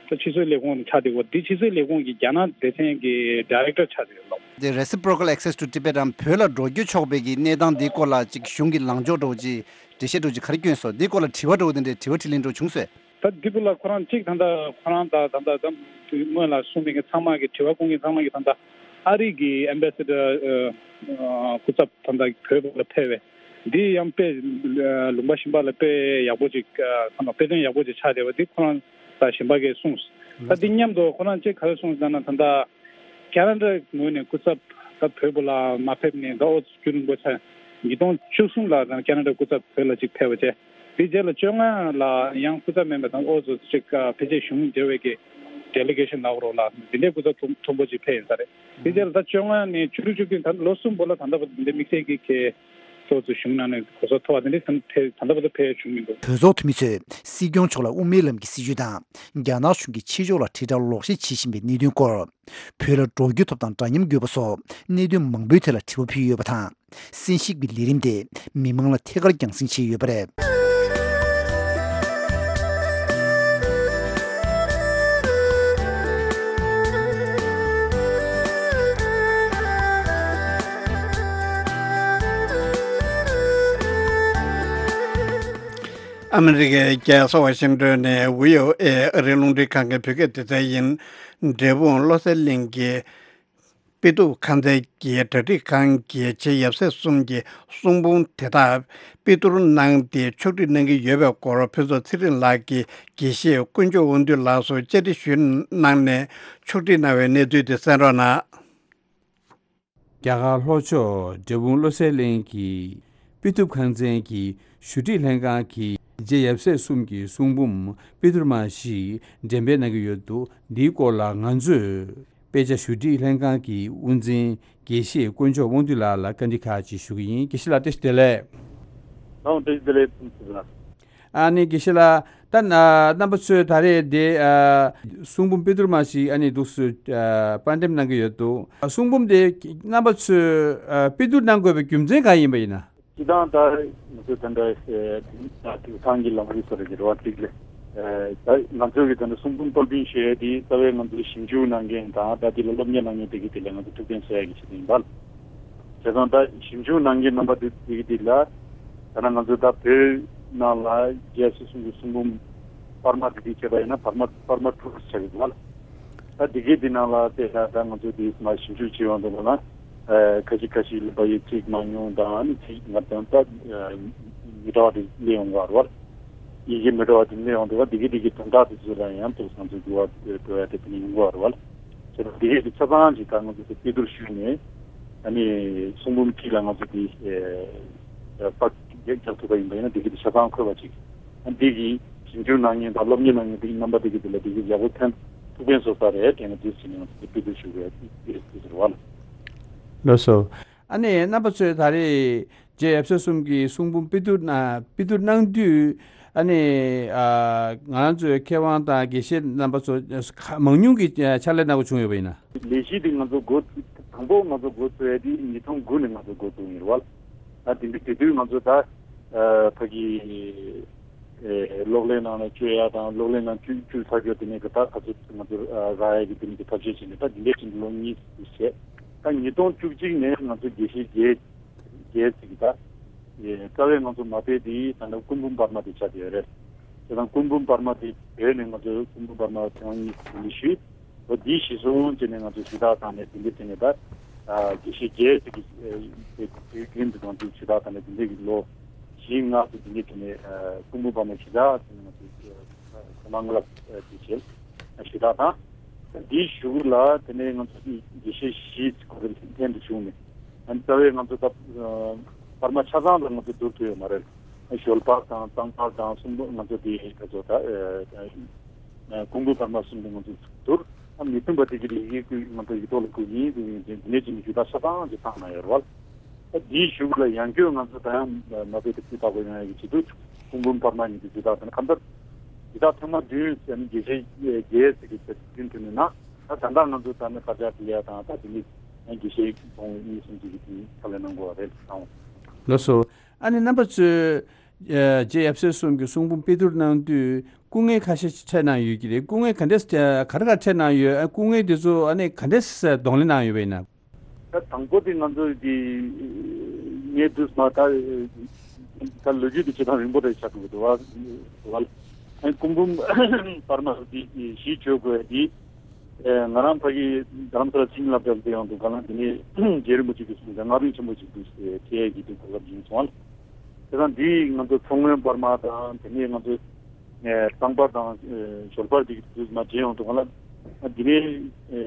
ཕྱི་སྲིད་ལས་ཁུངས་ཆགས་བསྡད་ཡོད། འདི་ཕྱི་སྲིད་ལས་ཁུངས་ཀྱི་རྒྱ་ནག་སྡེ་ཚན་གྱི་ཌའི་རེག་ཊར་ཆགས་བསྡད་ཡོད་ལགས། དེ་Reciprocal Access to Tibet་རམ་བོད་ལ་འགྲོ་རྒྱུ་ཆོག་པའི་གི་གནས་སྟངས་འདིའི་སྐོར་ལ་ཅིག་གཞུང་གི་ལངས་ཕྱོགས་འདྲ་བོ་ཅིག་འགྲེལ་བཤད་འདྲ་བོ་ཅིག་ག་རེ་བསྐྱོན་སོང་། འདིའི་སྐོར་ལ་དྲི་བ་འདྲ་བོ་དེ་འདྲའི་དྲི་བ་དྲིས་ལན་འདྲ་བོ་བྱུང་སོང་། ད་འདི་བུ་ལ་ཁོ་རང་གཅིག་ད་ལྟ་ཁོ་རང་ད་ད་ལྟ་ད་སྔོན་ལ་གསུངས་མི་གི་ཚང་མ་གི་དྲི་བ་བཀོད་མཁན་ཚང་མ་གི་ད་ལྟ་ཨ་རི་གི་ཨེམ་བྷེ་སི་ཌར་སྐུ་ཚབ་ད་ལྟ་བོད་ལ་ཕེབས་པས་འདི་ཡང་དཔེ་ལུང་པ་གཞན་པ་ལ་དཔེ་ཡག་པོ་ཅིག་ཚང་མ་དཔེ་སྟོན་ཡག་པོ་ཅིག་ཆགས་བསྡད་པ་འདི་ཁོ་རང་ད་གཞན་པ་གིས་གསུངས། ད་འདི་མཉམ་དུ་ཁོ་རང་གཅིག་ག་རེ་གསུངས་ཟེར་ན་ད་ལྟ་ཁ་ན་ཌ་ངོས་ནས་སྐུ་ཚབ་ད་བོད་པ་ལ་མ་ཕེབས་ནས་ད་ཨོ་ཙི་རྒྱུན་རིང་པོ་ཆགས། ཉིས་སྟོང་བཅུ་གསུམ་ལ་ད་ཁ་ན་ཌ་སྐུ་ཚབ་བོད་ལ་གཅིག་ཕེབས་པ་བྱས། དེ་རྗེས་ལ་བཅོ་ལྔ་ལ་ཡང་སྐུ་ཚབ་མིན་པ་དང་ཨོ་ཙི་གཅིག་ཕལ་ཆེར་གཞུང་འབྲེལ་བའི་གི་ཌེ་ལི་གེ་ཤན་ལབ་རོགས་ལ་འདི་འདྲའི་སྐུ་ཚབ་མཐོན་མཐོན་པོ་གཅིག་ཕེབས་ཡོད་ས་རེད། དེ་རྗེས་ལ་ད་བཅོ་ལྔ་ནས་བཅུ་དྲུག་བཅུ་བདུན་ད་ལོ་གསུམ་པོ་ལ་ད་ལྟ་བར་འདི་འདྲའི་དམིགས་བསལ་གྱི་གི་ཨོ་ཙི་གཞུང་ནང་ནས་གོ་ས་ཐོབ་པ་དེ་འདྲའི་ད་ད་ལྟ་བར་དུ་ཕེབས་ཡོད་བྱུང་མི་འདུག་བོད་ཚོགས་འཐུས་མི་ཚོས་སྲིད་སྐྱོང་མཆོག་ལ་དབུ་མའི་ལམ་གྱི་སྲིད་བྱུས་དང་རྒྱ་ནག་གཞུང་གིས་ཕྱི་ཕྱོགས་ལ་དྲིལ་བསྒྲགས་ལོག་བཤད་བྱེད་བཞིན་པའི་གནད་དོན་སྐོར། བོད་ལ་འགྲོ་རྒྱུ་ཐོབ་ཐང་འདྲ་མཉམ་དགོས་པ་སོགས་གནད་དོན་མང་པོའི་ཐད་ལ་དྲི་བ་ཕུལ་ཡོད་པ་དང་། གསན་ཞིབ་ཀྱི་ལས་རིམ་དེ་མི་མང་ལ་ཐད་ཀར་རྒྱང་སྲིང་བྱས་ཡོད་པ་རེད། ཨ་མི་རི་ཀའི་རྒྱལ་ས་ཝ་ཤིང་ཏོན་ནས་བྷི་ཨོ་ཨེ་ཨ་རིའི་རླུང་འཕྲིན་ཁང་གི་བོད་སྐད་སྡེ་ཚན་ཡིན། འབྲས་སྤུངས་བློ་གསལ་གླིང་གི་དཔེ་གཏུབ་ཁང་ཚན་གྱི་གྲ་སྒྲིག་ཁང་གི་རྗེ་ཡབ་སྲས་གསུམ་གྱི་གསུང་འབུམ་དེ་དག་དཔེ་བསྡུར་གནང་སྟེ་ཕྱོགས་སྒྲིག་གནང་གི་ཡོད་པའི་སྐོར་ཕུན་ཚོགས་ཚེ་རིང་ལགས་ཀྱིས་དགེ་བཤེས་དཀོན་མཆོག་དབང་འདུས་ལགས་སུ་བཅར་འདྲི་ཞུས་གནང་ནས་ཕྱོགས་སྒྲིག་གནང་བའི་གནས་ཚུལ་དེ་གསན་རོགས་གནང་། རྒྱ་གར་ལྷོ་ཕྱོགས་འབྲས་སྤུངས་བློ་གསལ་གླིང་གི་དཔེ་གཏུབ་ཁང་ཚན་གྱི་ཞུ་སྒྲིག་ལྷན་ཁང་གི་རྗེ་ཡབ་སྲས་གསུམ་གྱི་གསུང་འབུམ་དཔེ་བསྡུར་མ་ཞིག་འགྲེམས་སྤེལ་གནང་གི་ཡོད་འདུག་འདིའི་སྐོར་ལ་ང་ཚོས་དཔེ་ཆ་ཞུ་སྒྲིག་ལྷན་ཁང་གི་དབུ་འཛིན་དགེ་བཤེས་དཀོན་མཆོག་དབང་འདུས་ལགས་ལ་བཀའ་འདྲི་ཁག་ཅིག་ཞུ་གི་ཡིན། དགེ་བཤེས་ལགས་བཀྲ་ཤིས་བདེ་ལེགས། ལགས་འོང་བཀྲ་ཤིས་བདེ་ལེགས་ཐུགས་རྗེ་གནང་། ཨ་ནི་དགེ་བཤེས་ལགས། ད་ན་རྣམ་པ་ཚོས་ད་རེས་དེ་ཨ་གསུང་འབུམ་དཔེ་བསྡུར་མ་ཞིག་ཨ་ནི་འདུག་སེ་ཨ་དཔར་འགྲེམས་གནང་གི་ཡོད་འདུག་གསུང་འབུམ་དེ་རྣམ་པ་ཚོས་ཨ་དཔེ་བསྡུར་གནང་དགོས་པའི་རྒྱུ་མཚན་གང་ཡིན་པ་ཡིན་ན། སྤྱིར་བཏང་ད་ང་ཚོ་ད་ལྟ་ཨེ་དེང་སང་གི་ལམ་ལུགས་སོགས་རེད་རེད་བ་ཅིག་ལས། ཨེ་ད་ང་ཚོ་གི་ད་ལྟ་གསུང་འབུམ་པར་སྐྲུན་ཞུ་ཡས་དེ་རྩ་བའི་ང་ཚོ་ཞིབ་འཇུག་གནང་མཁན་དང་ད་དེ་ལ་སློབ་གཉེར་གནང་མཁན་དེ་གི་དེ་ལ་ང་ཚོ་ཐུགས་ཕན་གསོས་ཡ་གི་ཆེད་དུ་ཡིན་པ། བྱས་ཙང་ད་ཞིབ་འཇུག་གནང་མཁན་རྣམ་པ་དེ་དེ་གི་དེ་ལ་ད་ལྟ་ང་ཚོ་ད་བོད་ནང་ལ་རྒྱལ་སྲས་གསུམ་གྱི་གསུང་འབུམ་པར་མ་དེ་དེ་བྱས་པ་ཡིན་ན་པར་མ་པར་མ་དྲུག་ཆགས་ཡོད་པ། ད་འདི་གའི་འདི་ནང་ལ་བལྟས་ན་ད་ང་ཚོ་འདི་མ་ཞིབ་འཇུག་བྱེད་ཡོང་དུས་ལ་ན། ཨ་ཁ་ཤས་ཁ་ཤས་ལ་བ་ཡི་ཚིག་མང་ཉུང་དང་ཨ་ནི་ཚིག་ང་ཚོ་ད་མི་འདྲ་བ་དེ་སླེབས་ཡོང་གི་རེད་བ། ཡི་གེ་མི་འདྲ་བ་དེ་སླེབས་ཡོང་དུས་བ་འདི་གའི་འདི་གའི་དོན་དག་དེ་ཚོ་ལ་ཡང་ཏོག་ཙམ་ང་ཚོ་འགྱུར་བ་འགྲོ་ཡ་དེ་དེ་ནི་ཡོང་གི་རེད་བ། བྱས་ཙང་འདི་གའི་འདི་ཆ་ཚང་ཅིག་ད་ང་ཚོ་དེ་དཔེ་བསྡུར་ཞུས་ནས་ཨ་ནི་གསུང་འབུམ་གཅིག་ལ་ང་ཚོ་དེ་ཨ་པར་རྒྱག་རྒྱག་ཐུབ་པ་ཡིན་པ་ཡིན་ན་འདི་གའི་འདི་ཆ་ཚང་འཁོད་པ་ཅིག་ཨ་འདི་གི་ཞིབ་འཇུག་གནང་མཁན་དང་སློབ་གཉེར་གནང་མཁན་དེ་གི་རྣམ་པ་དེ་གི་དེ་ལ་དེ་གི་ཡག་པོ་ཕན་ཐུགས་ཕན་གསོས་ས་རེད་དྲན་ནས་དུས་ཚོད་ནས་ང་ཚོ་དེ་སྤེལ་འདོད་ཞུ་གི་ཡོད་དེ་ཟེར་བ་ལ། ལགས་སོ། ཨ་ནི་རྣམ་པ་ཚོས་ད་རེས་རྗེ་ཡབ་སྲས་གསུམ་གྱི་གསུང་འབུམ་དཔེ་བསྡུར་གནང་དཔེ་བསྡུར་གནང་དུས་ཨ་ནི་ཨ་ང་རང་ཚོའི་མཁས་དབང་དང་དགེ་བཤེས་རྣམ་པ་ཚོ་ཁ་མང་ཉུང་གི་ཕྱག་ལས་གནང་དགོས་བྱུང་ཡོད་པ་ཡིན་ན། ལས་གཞི་འདི་ང་ཚོ་འགོ་ཚུགས་དང་པོ་ང་ཚོ་འགོ་ཚུགས་ཡ་དེ་ཉིས་སྟོང་དགུ་ནས་ང་ཚོ་འགོ་བཙུགས་ཡིན་རེད་བ། ད་དེ་འདྲ་དེ་དུས་ང་ཚོ་ད་ཨ་ཕ་གི་ཨེ་གློག་ཀླད་ནང་ལ་བཅོས་ཡ་དང་གློག་ཀླད་ནང་བཅུག་བཅུག་ཚར་རྒྱུ་དེ་ནས་གི་ད་ཁ་ཚོ་ང་ཚོ་ཨ་རག་ཡ་གི་དེ་ནས་གི་ཐབས་ཤེས་བྱས་ནས་ད་དེ་འདྲའི་ཕྱིན་ལོ་གཉིས་ཙམ་བྱས། ད་ཉིས་སྟོང་བཅུ་གཅིག་ནས་ང་ཚོ་དགེ་བཤེས་བརྒྱད་བརྒྱད་ཙམ་གི་ད་ཨེ་རྩ་བའི་ང་ཚོ་མ་དཔེ་དེ་ད་ནི་སྐུ་འབུམ་པར་མ་དེ་ཆགས་ཡོད་རེད། དེ་དང་སྐུ་འབུམ་པར་མ་དེ་བོད་ནས་ང་ཚོ་སྐུ་འབུམ་པར་མ་ཐེངས་མ་གཉིས་ཙམ་ཞུས། ལོ་འདི་གཞིར་བཟུང་བྱས་ནས་ང་ཚོས་ཞུ་དག་བཏང་ནས་དེ་འདྲ་བྱས་ནས་ད་ཨ་དགེ་བཤེས་བརྒྱད་ཅིག་གིས་ཨ་དེ་དུས་རྒྱུན་དུ་ང་ཚོས་ཞུ་དག་བཏང་ནས་དེ་འདྲ་གི་ལོ་བཞི་ལྔ་ཙམ་དེ་འདྲ་བྱས་ནས་ཨ་སྐུ་འབུམ་པར་མ་ཞུ་དག་བྱས་ནས་ང་ཚོས་ཨ་ཐོག་མར་སྔ་ལབ་ཨ་དེ་བྱས་ཞུ་དག་དང་། འདིའི་གཞུག་ལ་དེ་ནས་ང་ཚོ་དགེ་བཤེས་བཞི་ཁོ་རང་ལྷན་དུ་བྱུང་ནས་ཨ་རྩ་བའི་ང་ཚོ་ད་ཨ་པར་མ་ཆ་ཚང་ལ་ང་ཚོ་བསྡུར་ཐུབ་ཡོད་མ་རེད། ཞོལ་པར་དང་གཙང་པར་དང་གསུམ་པོ་ང་ཚོ་དེ་ག་ཚོད་ད་ཨ། ཀུན་སྤོང་པར་མ་གསུམ་དུ་ང་ཚོས་བསྡུར། ཨ་མི་མཐུན་པ་དེ་གི་ཡི་གེ་ཀུན་ང་ཚོ་ཡིག་ཐོག་ལ་བཀོད་ཡིན་དེ་ཡིན་དེ་འདི་ནས་ཅིག་ནས་ཞུ་དག་ཆ་ཚང་ཅིག་བཏང་གནང་ཡོད་རེད་བ། ཨ་འདིའི་གཞུག་ལ་ཡང་བསྐྱར་ང་ཚོ་ད་ཡང་མ་དཔེ་དེ་སྤུས་དག་པོ་ཡོང་ཡ་གི་ཆེད་དུ་ཀུན་སྤོང་པར་མ་ཡིན་དེ་ཞུ་དག་དང་གང་ལྟར་ཞུ་དག་ཐེངས་མ་བདུན་ཟེར་ནས་དགེ་བཤེས་བརྒྱད་ཟེར་གི་ཟེར་བདུན་ཐོན་ནས་ན་ད་ད་ལྟ་ང་ཚོ་ད་ནི་དཀར་ཆག་སྤྲད་ཡ་དང་ད་དེ་ནས་ཡང་དགེ་བཤེས་ཚོ་གཉིས་གསུམ་ཅིག་གི་དེ་ཕྱག་ལས་གནང་དགོས་པ་རེད་བསམ། ལགས་སོ། ཨ་ནི་རྣམ་པ་ཚོས་ཨ་རྗེ་ཡབ་སྲས་གསུམ་གྱི་གསུང་འབུམ་དཔེ་བསྡུར་གནང་དུས་སྐུ་ངལ་ཁ་ཤས་འཕྲད་གནང་ཡོད་ཀྱི་རེད། སྐུ་ངལ་ག་འདྲས་ག་རེ་ག་འཕྲད་གནང་ཡོད། ཨ་སྐུ་ངལ་དེ་ཚོ་ཨ་ནི་ག་འདྲས་གདོང་ལེན་གནང་ཡོད་པ་ཡིན་ན། ད་དང་པོ་དེ་ང་ཚོ་གི་ངས་དུས་མ་ད་ད་ལོ་རྒྱུས་དེ་བྱེད་སྟངས་རིང་པོ་རེད་ཆགས་འགྲོ་གི་འདུག་བ། ཨ་སྐུ་འབུམ་པར་མ་དེ་གཞི་བཅོལ་དགོས་དེ། ཨེ་ང་རང་ཕ་གི་རྡ་རམ་ས་ལ་ཆིངས་ལབ་སྦྱར་དེ་ཡང་འདུག་ག་ལ་འདི་ནས་རྗེ་རིན་པོ་ཆེ་གིས་གསུངས་ཀྱང་སྔགས་རིམ་ཆེན་པོ་ཞིག་འདུག་ཟེར་ཁྱེད་ཀྱི་འདུག་གོ་སྐབས་ཡིན་སོང་ཨ། དེ་དང་འདི་ང་ཚོ་མཚོ་སྔོན་པར་མ་དང་དེ་ནས་ང་ཚོ་ཨེ་གཙང་པར་དང་ཨེ་ཞོལ་པར་འདི་གི་དུས་མ་བརྗེ་ཡོང་འདུག་ག་ལ། འདི་ནས་ཨེ་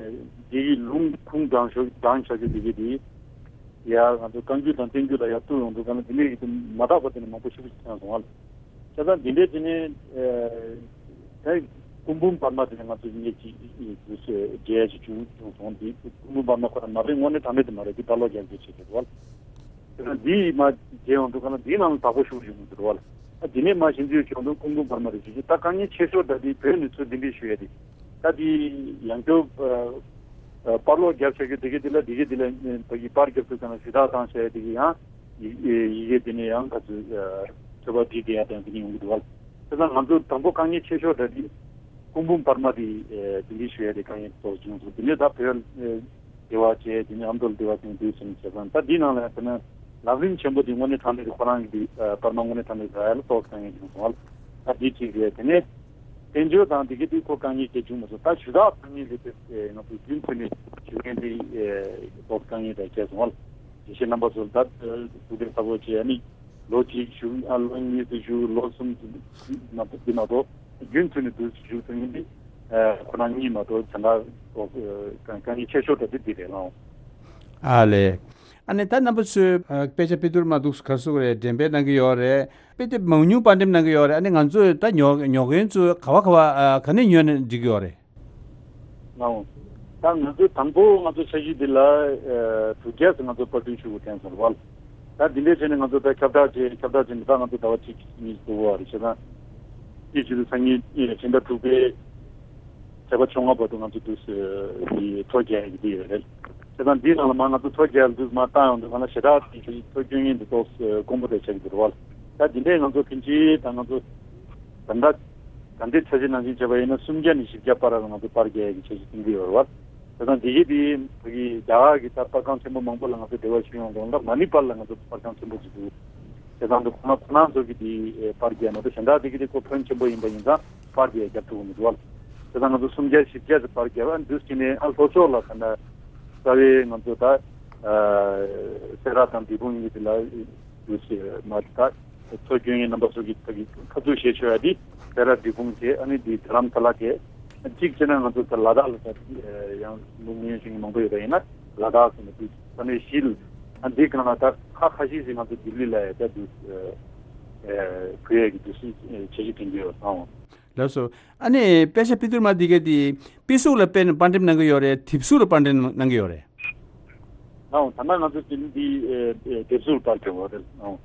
འདི་གི་ལུང་ཁུངས་དང་ཞོ་དང་བྱ་རྒྱུ་འདི་གི་འདི་ཡ་ང་ཚོ་བཀའ་འགྱུར་དང་བསྟན་འགྱུར་ལ་ཡ་བཏུ་ཡོང་འདུག་ག་ལ། འདི་ནས་གི་མ་དག་པ་དེ་ནས་མང་པོ་ཞིག་ཐོན་སོང་ཨ། བྱས་ཙང་འདི་འདྲའི་དེ་ནས་ཨེ་ད་སྐུ་འབུམ་པར་མ་དེ་ནས་ང་ཚོ་ངེད་ཀྱི་མཇལ་ཡ་ཞིག་བྱུང་བྱུང་སོང་། འདི་སྐུ་འབུམ་པར་མ་ཁོ་རང་མ་དཔེ་དངོས་གནས་དྲང་གནས་དེ་མ་རེད། འདི་པར་ལོག་རྒྱག་རྒྱུ་བྱེད་དགོས་རེད་བ། དེ་ནས་འདི་མ་མཇལ་ཡོང་དུས་ག་ལ་འདིའི་ནང་ལ་དག་པོ་ཞུགས་ཡོང་གི་འདུག་བ་ལ། ཨ་དེ་ནས་མ་ཞིབ་འཇུག་བྱུང་དུས་སྐུ་འབུམ་པར་མ་རེད་ཞུ་རྒྱུ་ད་དཀའ་ངལ་ཆེ་ཤོས་ད་འདི་བོད་ནས་ཚུར་འདི་འདྲའི་ཞུ་ཡ་དེ། ད་དེ་ཡང་བསྐྱར་ཨ་ཨ་པར་ལོག་རྒྱབ་བྱ་རྒྱུ་དེ་གའི་དེ་ལ་དེ་གའི་དེ་ལ་ཨ་ཕ་གི་པར་རྒྱབ་དུས་ཙམ་ལ་ཞུ་དག་བཏང་བྱ་ཡ་དེ་གའི་ཡང་ཡི་ཡི་གེ་དེ་ནས་ཡང་ག་ཚོད་ཨ་ཚོད་པ་བྲིས་བསྡད་ཡ་དང་དེ་ནས་ཡོང་གི་འདུག་བ། དེ་ཙང་ང་ཚོ་དང་པོ་དཀའ་ངལ་ཆེ་ཤོས་ད་དེ་སྐུ་འབུམ་པར་མ་དེ་ཨ་དེ་འདྲའི་ཞུ་ཡ་དེ་དཀའ་ངལ་ཏོག་བྱུང་སོང་། དེ་ནས་ད་བོད་ཨ་སྡེ་བ་བྱས་དེ་ནས་ཨ་མདོ་ལ་སྡེ་བ་ཅན་དུས་ཙམ་བྱས་ཙང་ད་འདི་ནང་ལ་ཡང་དེ་ནས་ལམ་རིམ་ཆེན་པོ་དེ་དངོས་གནས་དྲང་གནས་ཀྱི་ཁོ་རང་གི་དེ་ཨ་པར་མ་དངོས་གནས་དྲང་གནས་རག་ཡ་ལ་ཏོག་ཙམ་དཀའ་ངལ་བྱུང་སོང་བ་ལ། ད་འདི་གཅིག་རེད། དེ་ནས་བསྟན་བཅོས་དང་འདི་གའི་དུས་ཁོ་དཀའ་ངལ་ཅིག་བྱུང་མ་སོང་། ད་ཞུ་དག་དཀའ་ངལ་རེད་དེ། ང་ཚོ་རྒྱུན་མཐུད་ནས་ཞུ་མཁན་འདི་ཨེ་ཏོག་དཀའ་ངལ་རེད་བྱས་སོང་བ་ལ། དེ་བཞིན་རྣམ་པ་ཚོ་ད་ཐུགས་ཕན་གསོས་པོ་བྱས། ཨ་ནི་ལོ་གཅིག་བཞུགས། ཨ་ལོ་གཉིས་སུ་བཞུགས། ལོ་གསུམ་དུ་མ་གཏོགས་འདི་མ་གཏོགས་རྒྱུན་མཐུད་ནས་འདུག་བཞུགས་ཐུབ་མཁན་འདི་ཨེ་ཁོ་རང་གཉིས་མ་གཏོགས་གཞན་དག་ཏོག་ཨེ་དཀའ་ངལ་ཆེ་ཤོས་ད་འདི་འདི་རེད་ལགས། ཨ་ལས། ཨ་ནི་ད་རྣམ་པ་ཚོས་ཨ་དཔེ་ཆ་དཔེ་བསྡུར་མ་འདུག་ག་ཟེར་གི་རེད། འགྲེམས་སྤེལ་གནང་གི་ཡོད་རེད། དཔེ་དེབ་མང་ཉུང་པར་འགྲེམས་གནང་གི་ཡོད་རེད། ཨ་ནི་ང་ཚོས་ད་ཉོ་ཉོ་མཁན་ཚོས་ག་བ་ག་བ་ཨ་ག་ནས་ཉོས་ནས་འགྲིག་གི་ཡོད་རེད། ལགས་འོང་། ད་ང་ཚོས་དང་པོ་ང་ཚོ་འཆར་གཞི་འདི་ལ་ཨ་དྲུག་བརྒྱ་ཙམ་ང་ཚོ་པར་སྐྲུན་ཞུ་དགོས་དྲན་སོང་བ་ལ། ད་འདི་འདྲའི་བྱས་ནས་ང་ཚོ་ད་ཁྱབ་བསྒྲགས་བྱས། ཁྱབ་བསྒྲགས་བྱས་ནས་ད་ང་ཚོ་ཟླ་བ་གཅིག་གཉིས་འགོར་བ་རེད། བྱས་ཙང་དེ་བྱེད་དུས་སང་ཉིན་ཕྱི་ཟླ་དྲུག་པའི་ཚེས་པ་བཅོ་ལྔ་བར་དུ་ང་ཚོ་འདུག་སེ་ཐོ་རྒྱག་ཡག་གི་འདི་ཡོད་རེད། བྱས་ཙང་འདིའི་ནང་ལ་མར་ང་ཚོ་ཐོ་རྒྱག་འདུག་མར་བཏང་ཡོང་དུས་གང་ལ་ཞེ་དྲག་དེ་ཚོ་སྐྱོན་ངན་འདི་ཏོག་ཙམ་དཀོན་པོ་དེ་ཆགས་ཀྱི་འདུག་རེད་བ། ད་འདི་འདྲའི་ང་ཚོ་ཕན་ཆད་ད་ང་ཚོ་ད་ལྟ་ད་ལྟའི་འཆར་གཞི་ནང་བཞིན་བྱས་པ་ཡིན་ན་སུམ་བརྒྱ་ནས་བཞི་བརྒྱ་བར་ལ་ང་ཚོ་པར་རྒྱག་ཡག་གི་འཆར་གཞི་བཏིང་གི་ཡོད་རེད་བ། བྱས་ཙང་འདི་གི་དེ་ཕ་གི་རྒྱ་གར་གྱི་ད་པར་ཁང་ཆེན་པོ་མང་པོ་ལ་ང་ཚོ་འབྲེལ་བ་ཞུས་ཡོང་དུས་ད་མ་ཎི་པར་ལ་ང་ཚོ་པར་ཁང་ཆེན་པོ་ཅིག་འདུག་བྱས་ཙང་འདི་ཁོ་ན་ཁོ་ན་ཚོ་གི་དེ་པར་རྒྱག་མ་གཏོགས་གཞན་དག་དེ་གི་དེ་ཁོ་ཕོན་ཆེན་པོ་ཡིན་པ་ཡིན་ཙང་པར་རྒྱག་རྒྱབ་ཐུབ་ཀྱི་མི་འདུག་བ། བྱས་ཙང་ང་ཚོ་སུམ་བརྒྱ་བཞི་བརྒྱ་ཙམ་པར་རྒྱབ་ཨ་འདུག་བྱས་ནས་ཨ་ལྷོ་ཕྱོགས་ལ་ད་ལྟ་རྩ་བའི་ང་ཚོ་ད་སེ་ར་དང་འབྲས་སྤུངས་གཉིས་དེ་ལ་འདུག་བྱས་མ་ད་ཚོ་སྐྱོན་ཡིན་རྣམ་པ་ཚོ་གི་ད་གི་ཁ་ཐུག་བཤད་ཆོག་ཡ་དེ་སེ་ར་འབྲས་སྤུངས་བྱས་ཨ་ནི་དེ་དྷ་རམ་ས་ལ་བྱས། གཅིག་བྱས་ན་ང་ཚོ་ད་ལ་དྭགས་ལ་ད་ཡང་མི་ཉུང་ཤིང་མང་པོ་ཡོད་པ་ཡིན་ན་ལ་དྭགས་ཟེར་ནས་འདུག་ས་གནས་གཞི་ལ་ཨ་འདི་གང་ལ་ད་ཁ་ཁ་ཤས་ཤིག་ང་ཚོ་ལྡི་ལི་ལ་ཡ་ད་འདུག་གུ་ཡ་གི་འདུག་སེ་འཆར་གཞི་དེ་འདྲ་ཡོད་སོང་། ལགས་སོ། ཨ་ནི་དཔེ་ཆ་པི་ཏུར་མ་འདི་ག་དེ་པི་གཟུགས་ལ་དཔེ་པར་འགྲེམས་གནང་གི་ཡོད་རེད། དེབ་གཟུགས་ལ་པར་འགྲེམས་གནང་གི་ཡོད་རེད། ཨང་ད་ལྟ་ང་ཚོ་དེ་འདི་དེབ་གཟུགས་ལ་པར་འགྲེམས་ཡོད་རེད། ཨང་།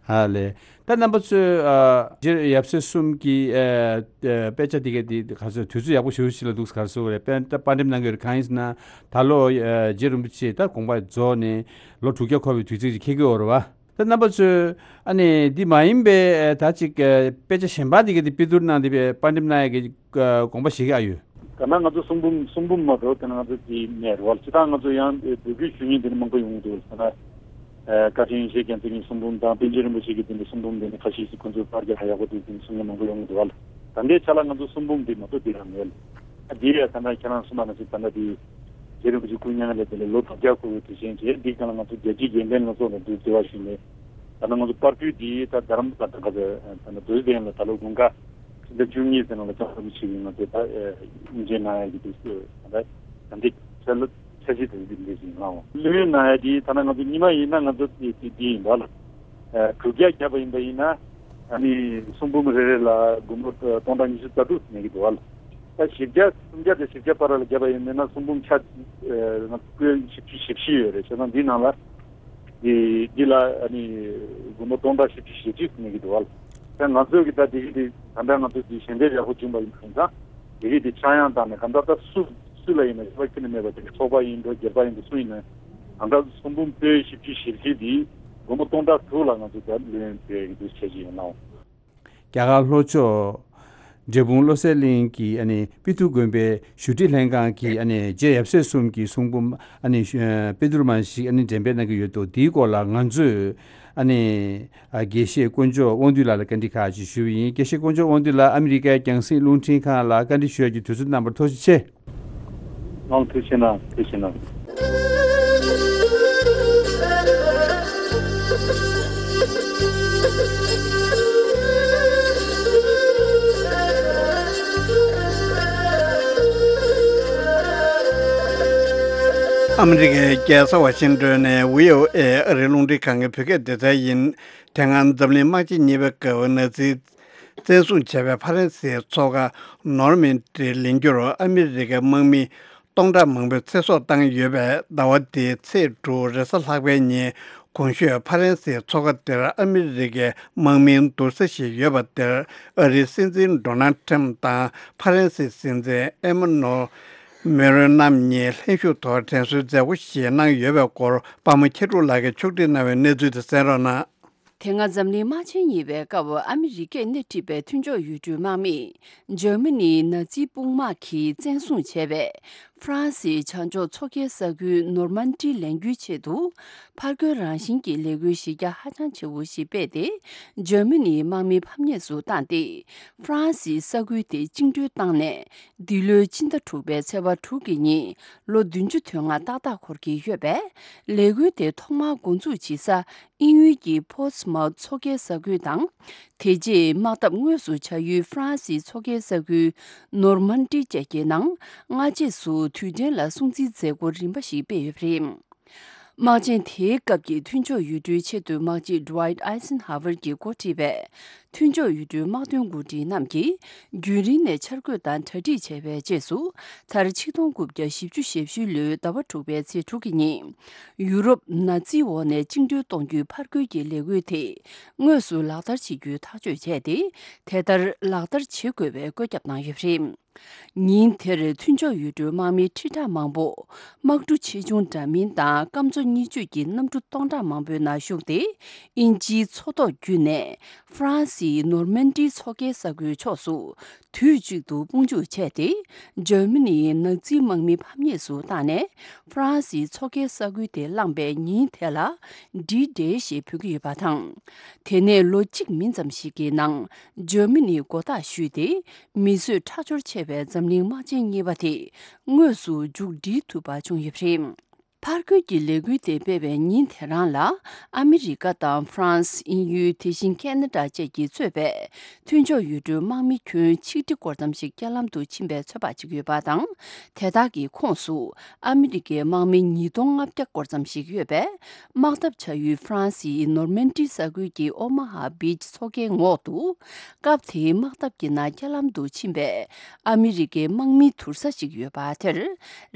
ཨ་ལས། ད་རྣམ་པ་ཚོས་ཨ་རྗེ་ཡབ་སྲས་གསུམ་གྱི་ཨ་ཨ་དཔེ་ཆ་འདི་ག་དེ་ག་ཚོད་དུས་ཚོད་ཡག་པོ་ཞེ་པོ་ཞིག་ལ་འདུག་ག་རེ་ཟེར་དགོས་རེད། དཔེ་ད་པར་འགྲེམས་གནང་གི་ཡོད་རེད། གང་ཡིན་ཟེར་ན་ད་ལོ་ཨ་རྗེ་རིན་པོ་ཆེ་ད་དགོངས་པ་རྫོགས་ནས་ལོ་དྲུག་བརྒྱ་འཁོར་བའི་དུས་ཚིགས་ཅིག་འཁེལ་གྱི་ཡོད་རེད་བ། ད་རྣམ་པ་ཚོས་ཨ་ནི་འདི་མ་ཡིན་པའི་ད་ཅིག་དཔེ་ཆ་གཞན་པ་འདི་ག་དེ་པི་ཏུར་གནང་དེ་པར་འགྲེམས་གནང་ཡ་གི་དགོངས་པ་བཞེས་ཀྱི་ཨ་ཡོད། ད་ནང་ང་ཚོ་གསུང་འབུམ་གསུང་འབུམ་མ་གཏོགས་དེ་ནང་ང་ཚོ་དེ་མེད་རེད་བ། སྤྱིར་བཏང་ང་ཚོ་ཡང་འབོད་སྐུལ་ཞུ་མཁན་དེ་འདྲ་མང་པོ་ཡོང་གི་འདུག་ཟེར་ན། བཀའ་དྲིན་ཡེ་ཤེས་རྒྱལ་མཚན་གྱི་གསུང་འབུམ་དང་པཎ་ཆེན་རིན་པོ་ཆེ་གི་དེ་འདྲ་གསུང་འབུམ་དེ་འདྲ་ཁ་ཤས་ཤིག་ཁོང་ཚོས་པར་རྒྱག་ཧ་ཡག་པོ་འདུག་དེ་འདྲ་གསུང་མཁན་མང་པོ་ཡོང་གི་འདུག་བ། ད་ལྟའི་ཆ་ལ་ང་ཚོ་གསུང་འབུམ་དེ་མ་གཏོགས་དེ་རང་མེད། ཨ་དེ་ཡ་ད་ལྟ་ཁྱེད་རང་གསུངས་པ་ནང་བཞིན་ད་ལྟ་དེ་རྗེ་རིན་པོ་ཆེ་སྐུ་མྱ་ངན་ལས་འདས་ནས་ལོ་དྲུག་བརྒྱ་འཁོར་བའི་དུས་ཆེན་བྱས། འདི་གང་ལ་ང་ཚོ་རྒྱལ་སྤྱིའི་དགེ་ལྡན་ལྷན་ཚོགས་ནས་འདུག་འབྲེལ་བ་ཞུས་ནས་ད་ལྟ་ང་ཚོ་པར་སྐུད་འདི་ད་རྡ་རམ་ས་ལ་ད་ག་ཚོད་ད་ལྟ་རྡོ་རྗེ་གདན་ལ་ད་ལོ་དགུན་ཁ་ཕྱི་ཟླ་བཅུ་གཉིས་ཚེ་ནང་ལ་ལྕགས་རི་ཆེ་བའི་ང་ཚོ་ད་དབུ་འབྱེད་གནང་ཡ་གི་དུས་ཚོད་ད་ལྟ་ད་འདི་ཆ་ལ་འཆར་གཞི་དེ་འདི་འདྲ་ཞིག་ལངས་འོང་། ལོན་ན་ཡ་དེ་ད་ནང་ང་ཚོ་ཉི་མ་ཡིན་ན་ང་ཚོ་དེ་དེ་དེ་ཡིན་པ་ལ། དྲུག་བརྒྱ་བརྒྱབ་པ་ཡིན་པ་ཡིན་ན་ཨ་ནི་གསུང་འབུམ་རེ་རེ་ལ་སྒོར་མོ་སྟོང་ཕྲག་ཉི་ཤུ་རྩ་དྲུག་ཟིན་གྱི་འདུག་བ་ལ། ད་བཞི་བརྒྱ་སུམ་བརྒྱ་དང་བཞི་བརྒྱ་བར་ལ་བརྒྱབ་པ་ཡིན་ན་གསུང་འབུམ་ཆ་ང་ཚོ་བཞི་བཅུ་ཞེ་བཞི་ཡོད་རེད། བྱས་ཙང་འདི་ནང་ལ་འདི་འདི་ལ་ཨ་ནི་སྒོར་མོ་སྟོང་ཕྲག་བཞི་བཅུ་ཞེ་གཅིག་ཟིན་གྱི་འདུག་བ་ལ། ད་ང་ཚོས་ཀྱི་ད་དེ་གི་དེ་ད་ལྟ་ང་ཚོ་དེ་ཞལ་འདེབས་ཡག་པོ་བྱུང་པ་ཡིན་ཙང་དེ་གི་དེ་ཆག་ཡང་བཏང་ནས་གང་ལྟར་ད་སུ་སུ་ལ་ཡིན་ན་ཞེ་པོ་ཁྱོན་ནས་མེད་པ་དེ་ཚོགས་པ་ཡིན་འགྲོ་སྒེར་པ་ཡིན་འགྲོ་སུ་ཡིན་ན་གང་ལྟར་གསུང་འབུམ་པོད་བཞི་བཅུ་ཞེ་བཞི་དེ་སྒོར་མོ་སྟོང་ཕྲག་དྲུག་ལ་ང་ཚོ་ད་ལོན་སྤྲད་ཀྱི་འདུག་བྱས་ཀྱི་ཡིན་ནའང་། རྒྱ་གར་ལྷོ་ཕྱོགས་འབྲས་སྤུངས་བློ་གསལ་གླིང་གི་ཨ་ནི་པི་ཏུར་དགོན་པའི་ཞུ་སྒྲིག་ལྷན་ཁང་གི་ཨ་ནི་རྗེ་ཡབ་སྲས་གསུམ་གྱི་གསུང་འབུམ་ཨ་ནི་པི་ཏུར་མ་ཞིག་ཨ་ནི་འགྲེམས་སྤེལ་གནང་གི་ཡོད་འདུག་དེའི་སྐོར་ལ་ང་ཚོས་ཨ་ནི་དགེ་བཤེས་དཀོན་མཆོག་དབང་འདུས་ལགས་ལ་བཀའ་འདྲི་ཁག་ཅིག་ཞུས་པ་ཡིན། དགེ་བཤེས་དཀོན་མཆོག་དབང་འདུས་ལགས་ཨ་མི་རི་ཀའི་རྒྱང་སྲིང་རླུང་འཕྲིན་ཁང་ལ་བཀའ་འདྲི་ཞུ་ཡག་གི་དུས་ཚོད་གནང་བར་ཐུགས་རྗེ་ཆེ། ཨང་། ཐུགས་རྗེ་གནང་། ཐུགས་རྗེ་གནང་། ཨ་མི་རི་ཀའི་རྒྱལ་ས་ཝ་ཤིང་ཏོན་ནས་བྷི་ཨོ་ཨེ་ཨ་རིའི་རླུང་འཕྲིན་ཁང་གི་བོད་སྐད་སྡེ་ཚན་ཡིན། དེ་སྔ་འཛམ་གླིང་དམག་ཆེན་གཉིས་པའི་སྐབས་ནཱ་ཛི་བཙན་བཟུང་བྱས་པའི་ཧྥ་རན་སིའི་མཚོ་ཁ་ནོར་མན་ཌི་ལེན་རྒྱུར་ཨ་མི་རི་ཀའི་དམག་མི་སྟོང་ཕྲག་མང་པོས་ཚེ་སྲོག་བཏང་ཡོད་པས། ཟླ་བ་འདིའི་ཚེས་དྲུག་རེས་གཟའ་ལྷག་པའི་ཉིན་གོང་ཞུས་ཧྥ་རན་སིའི་མཚོ་ཁ་དེར་ཨ་མི་རི་ཀའི་དམག་མིའི་འདུག་ས་ཞིག་ཡོད་པ་དེར་ཨ་རིའི་སྲིད་འཛིན་ཌོ་ནལ་ཁྲམ་དང་ཧྥ་རན་སིའི་སྲིད་འཛིན་ཨེ་མ་ནུ་ཨེལ་མེ་ཀྲོན་རྣམ་གཉིས་ལྷན་ཞུགས་ཐོག་དྲན་གསོའི་མཛད་སྒོ་ཞིག་གནང་ཡོད་པའི་སྐོར་པདྨ་མཁས་གྲུབ་ལགས་ཀྱིས་ཕྱོགས་སྒྲིག་གནང་བའི་གནས་ཚུལ་དེ་གསན་རོགས་གནང་། དེ་སྔ་འཛམ་གླིང་དམག་ཆེན་གཉིས་པའི་སྐབས་ཨ་མི་རི་ཀས་སྣེ་ཁྲིད་པའི་མཐུན་ཕྱོགས་ཡུལ་གྲུའི་དམག་མིས་འཇར་མ་ནིའི་ནཱ་ཛི་དཔུང་དམག་གིས་བཙན་བཟུང་བྱས་པའི་ཧྥ་རན་སིའི་བྱང་ཕྱོགས་མཚོ་ཁའི་ས་ཁུལ་ནོར་མན་ཌི་ལེན་རྒྱུའི་ཆེད་དུ་ཕར་རྒོལ་རང་བཞིན་གྱི་ལས་འགུལ་གཞི་རྒྱ་ཧ་ཅང་ཆེ་བོ་ཞིག་སྤེལ་ཏེ། འཇར་མ་ནིའི་དམག་མི་ཕམ་ཉེས་སུ་བཏང་སྟེ། ཧྥ་རན་སིའི་ས་ཁུལ་དེ་བཅིངས་འགྲོལ་བཏང་ནས། འདི་ལོའི་ཕྱི་ཟླ་དྲུག་པའི་ཚེས་པ་དྲུག་གི་ཉིན་ལོ་བདུན་ཅུ་དོན་ལྔ་ཏག་ཏག་འཁོར་གྱི་ཡོད་པས། ལས་འགུལ་དེ་ཐོག་མར་འགོ་འཛུགས་བྱེད་ས་དབྱིན་ཡུལ་གྱི་པོར་ཊི་མའུ་ཐི་མཚོ་ཁའི་ས་ཁུལ་དང་། དེ་རྗེས་དམག་འཐབ་དངོས་སུ་བྱ་ཡུལ་ཧྥ་རན་སིའི་མཚོ་ཁའི་ས་ཁུལ་ནོར་མན་ཌི་བཅས་ཀྱི་ནང་སྔ་རྗེས་སུ་དུས་དྲན་ལ་སྲུང་བརྩིའི་མཛད་སྒོ་རིམ་པ་ཞིག་སྤེལ་ཡོད་པ་རེད། དམག་ཆེན་དེའི་སྐབས་ཀྱི་མཐུན་ཕྱོགས་ཡུལ་གྲུའི་ཆེས་མཐོའི་དམག་སྤྱི་ཌུ་ཝའིཊ་ཨའི་སན་ཧ་ཝར་གྱིས་འགོ་ཁྲིད་པའི་ མཐུན་ཕྱོགས་ཡུལ་གྲུའི་དམག་དོན་འགོ་ཁྲིད་རྣམས་ཀྱིས་རྒྱུན་རིང་ནས་འཆར་འགོད་དང་གྲ་སྒྲིག་བྱས་པའི་རྗེས་སུ། མཐར་ཆིག་སྟོང་དགུ་བརྒྱ་བཞི་བཅུ་ཞེ་བཞི་ལོའི་ཟླ་བ་དྲུག་པའི་ཚེས་དྲུག་གི་ཉིན། ཡུ་རོབ་ནཱ་ཛིའི་འོག་ནས་བཅིངས་འགྲོལ་གཏོང་རྒྱུའི་ཕར་རྒོལ་གྱི་ལས་འགུལ་དེ་དངོས་སུ་ལག་བསྟར་བྱེད་རྒྱུའི་ཐག་གཅོད་བྱས་ཏེ། དེ་ལྟར་ལག་བསྟར་བྱེད་དགོས་པའི་བཀོད་ཁྱབ་གནང་ཡོད་པ་རེད། ཉིན་དེར་མཐུན་ཕྱོགས་ཡུལ་གྲུའི་དམག་མི་ཁྲི་ཕྲག་མང་པོ། དམག་གྲུ་ཆེ་ཆུང་འདྲ་མིན་དང་སྐམ་མཚོ་གཉིས་གཅོད་ཀྱི་གནམ་གྲུ་སྟོང་ཕྲག་མང་པོའི་ནང་ཞུགས་ཏེ། དབྱིན་ཇིའི་མཚོ་ཐོག་བརྒྱུད་ནས་ཧྥ་རན་སིའི་ནོར་མན་ཌིའི་མཚོ་ཁའི་ས་ཁུལ་ཕྱོགས་སུ་དུས་གཅིག་ཏུ་དཔུང་འཇུག་བྱས་ཏེ། འཇར་མ་ནིའི་ནཱ་ཛིའི་དམག་མི་ཕམ་ཉེས་སུ་བཏང་ནས། ཧྥ་རན་སིའི་མཚོ་ཁའི་ས་ཁུལ་དེ་བླངས་པའི་ཉིན་དེ་ལ་ཌི་ཌེ་ཞེས་འབོད་ཀྱི་ཡོད་པ་དང་། དེ་ནས་ལོ་གཅིག་མིན་ཙམ་ཞིག་གི་ནང་འཇར་མ་ནིས་མགོ་བཏགས་ཞུས་ཏེ། མི་གསོད་ཁྲག་སྦྱོར་ཆེ་བའི་འཛམ་གླིང་དམག་ཆེན་གཉིས་པ་དེ་དངོས་སུ་མཇུག་སྒྲིལ་ཐུབ་པ་བྱུང་ཡོད་པ་རེད། ཕར་རྒོལ་གྱི་ལས་འགུལ་དེ་སྤེལ་བའི་ཉིན་དེ་རང་ལ། ཨ་མི་རི་ཀ་དང་ཧྥ་རན་སི། དབྱིན་ཡུལ། དེ་བཞིན་ཁེ་ན་ཌ་བཅས་ཀྱིས་གཙོས་པའི་མཐུན་ཕྱོགས་ཡུལ་གྲུའི་དམག་མི་ཁྱོན་ཆིག་ཁྲི་སྐོར་ཙམ་ཞིག་རྐྱེན་ལམ་དུ་ཕྱིན་པའི་ཚོད་དཔག་བྱེད་ཀྱི་ཡོད་པ་དང་། དེ་དག་གི་ཁོངས་སུ་ཨ་མི་རི་ཀའི་དམག་མི་ཉིས་སྟོང་ལྔ་བརྒྱ་སྐོར་ཙམ་ཞིག་ཡོད་པས། དམག་འཐབ་བྱ་ཡུལ་ཧྥ་རན་སིའི་ནོར་མན་ཌི་ས་ཁུལ་གྱི་ཨོ་མ་ཧ་བིཆ་མཚོ་ཁའི་ངོགས་དུ། སྐབས་དེའི་དམག་འཐབ་ཀྱི་ནང་རྐྱེན་ལམ་དུ་ཕྱིན་པའི་ཨ་མི་རི་ཀའི་དམག་མིའི་དུར་ས་ཞིག་ཡོད་པ་དེར།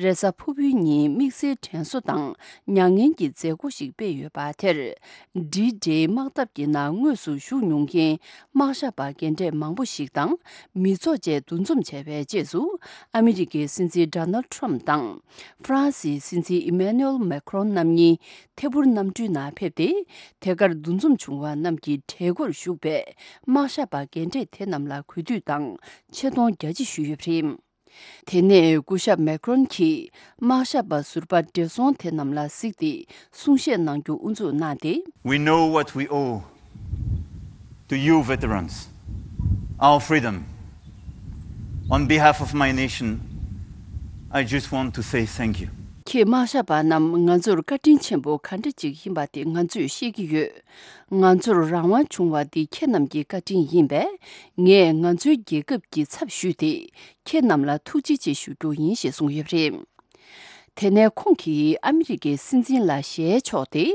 རེས་གཟའ་ཕུར་བུའི་ཉིན་དམིགས་བསལ་དྲན་གསོ་དང་མྱ་ངན་གྱི་མཛད་སྒོ་ཞིག་སྤེལ་ཡོད་པ་དེར། ཌི་ཌེ་དམག་འཐབ་ཀྱི་ནང་དངོས་སུ་ཞུགས་མྱོང་མཁན་དམག་ཞབས་པ་རྒན་གྲས་མང་པོ་ཞིག་དང་མི་ཚོགས་བཅས་འདུ་འཛོམས་བྱས་པའི་རྗེས་སུ། ཨ་མི་རི་ཀའི་སྲིད་འཛིན་ཌོ་ནལ་ཊམ་དང་། ཧྥ་རན་སིའི་སྲིད་འཛིན་ཨི་མེ་ནུ་ཨེལ་མེ་ཁྲོན་རྣམ་གཉིས་ཐད་འཕུར་གནམ་གྲུའི་ནང་ཕེབས་ཏེ། དེ་གར་འདུ་འཛོམས་བྱུང་བ་རྣམས་ཀྱི་གྲལ་སྒོར་ཞུགས་པའི་དམག་ཞབས་པ་རྒན་གྲས་དེ་རྣམས་ལ་གུས་འདུད་དང་ཆེ་མཐོང་རྒྱ་ཆེ་ཞུས་ཡོད་པ་རེད། དེ་ནས་སྐུ་ཞབས་མེ་ཁྲོན་གྱིས་དམག་ཞབས་པ་ཟུར་པ་བགྲེས་སོང་དེ་རྣམས་ལ་གཟིགས་ཏེ་གསུང་བཤད་གནང་རྒྱུ་དབུ་འཛུགས་གནང་སྟེ། We know what we owe to you veterans, our freedom. On behalf of my nation, I just want to say thank you. ཁྱེད་དམག་ཞབས་པ་རྣམས། ང་ཚོར་བཀའ་དྲིན་ཆེན་པོ་ག་འདྲ་ཅིག་ཡིན་པ་དེ་ང་ཚོས་ཤེས་ཀྱི་ཡོད། ང་ཚོར་རང་དབང་བྱུང་བ་འདི་ཁྱེད་རྣམས་ཀྱི་བཀའ་དྲིན་ཡིན་པས། ངས་ང་ཚོའི་རྒྱལ་ཁབ་ཀྱི་ཚབ་ཞུས་ཏེ་ཁྱེད་རྣམས་ལ་ཐུགས་རྗེ་ཆེ་ཞུ་རྒྱུ་ཡིན་ཞེས་གསུངས་ཡོད་པ་རེད། དེ་ནས་ཁོང་གིས་ཨ་མི་རི་ཀའི་སྲིད་འཛིན་ལ་ཞལ་ཕྱོགས་ཏེ།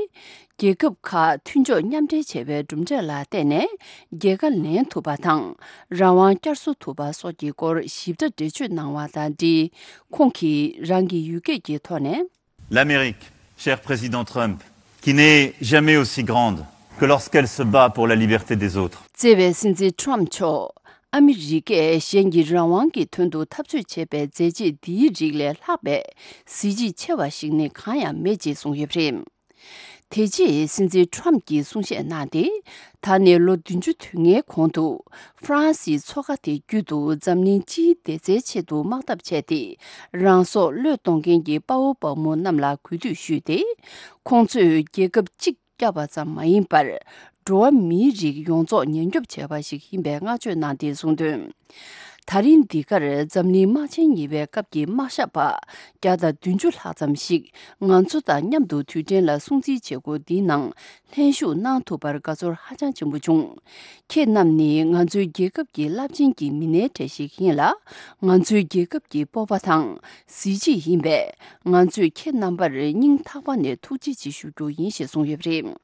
རྒྱལ་ཁབ་ཁག་མཐུན་ཕྱོགས་མཉམ་འབྲེལ་བྱས་པའི་གྲུབ་འབྲས་ལ་བརྟེན་ནས་རྒྱལ་ཁ་ལེན་ཐུབ་པ་དང་། རང་དབང་བསྐྱར་གསོ་ཐུབ་པ་སོགས་ཀྱི་སྐོར་ཞིབ་ཕྲ་འགྲེལ་བརྗོད་གནང་བ་དང་འབྲེལ། ཁོང་གིས་རང་གི་ཡུལ་སྐད་ཀྱི་ཐོག་ནས། L'Amérique, cher président Trump, qui n'est jamais aussi grande que lorsqu'elle se bat pour la liberté des autres. བརྩེ་བའི་སྲིད་འཛིན་ཊམ་མཆོག་ཨ་མི་རི་ཀས་གཞན་གྱི་རང་དབང་གི་དོན་དུ་འཐབ་རྩོད་བྱེད་པའི་མཛད་རྗེས་འདིའི་རིགས་ལས་ལྷག་པའི་གཟི་བརྗིད་ཆེ་བ་ཞིག་ནི་གང་ཡང་མེད་ཅེས་གསུངས་ཡོད་པ་རེད། དེ་རྗེས་སྲིད་འཛིན་ཊམ་གྱིས་གསུང་བཤད་གནང་སྟེ། ད་ནས་ལོ་བདུན་ཅུ་དོན་ལྔའི་གོང་དུ་ཧྥ་རན་སིའི་མཚོ་ཁ་དེ་བརྒྱུད་དུ་འཛམ་གླིང་སྤྱིའི་བདེ་རྩའི་ཆེད་དུ་དམག་འཐབ་བྱས་ཏེ། རང་སྲོག་བློས་གཏོང་མཁན་གྱི་དཔའ་བོ་དཔའ་མོ་རྣམས་ལ་གུས་འདུད་ཞུས་ཏེ། ཁོང་ཚོས་རྒྱལ་ཁབ་གཅིག་བསྐྱབས་པ་ཙམ་མ་ཡིན་པར། འགྲོ་བ་མིའི་རིགས་ཡོངས་རྫོགས་ཉེན་སྐྱོབ་བྱས་པ་ཞིག་ཡིན་པའི་བསྔགས་བརྗོད་གནང་སྟེ་གསུངས་དོན། ད་རིང་འདི་གར་འཛམ་གླིང་དམག་ཆེན་གཉིས་པའི་སྐབས་ཀྱི་དམག་ཞབས་པ་བརྒྱ་དང་བདུན་ཅུ་ལྷག་ཙམ་ཞིག་ང་ཚོ་དང་མཉམ་དུ་དུས་དྲན་ལ་སྲུང་བརྩིའི་བྱེད་སྒོ་འདིའི་ནང་ལྷན་ཞུགས་གནང་ཐུབ་པར་དགའ་ཚོར་ཧ་ཅང་ཆེན་པོ་བྱུང་། ཁྱེད་རྣམས་ནི་ང་ཚོའི་རྒྱལ་ཁབ་ཀྱི་རླབས་ཆེན་གྱི་མི་སྣའི་གྲས་ཤིག་ཡིན་ལ། ང་ཚོའི་རྒྱལ་ཁབ་ཀྱི་སྤོབས་པ་དང་གཟི་བརྗིད་ཡིན་པས། ང་ཚོས་ཁྱེད་རྣམ་པར་སྙིང་ཐག་པ་ནས་ཐུགས་རྗེ་ཆེ་ཞུ་རྒྱུ་ཡིན་ཞེས་གསུངས་ཡོད་པ་རེད།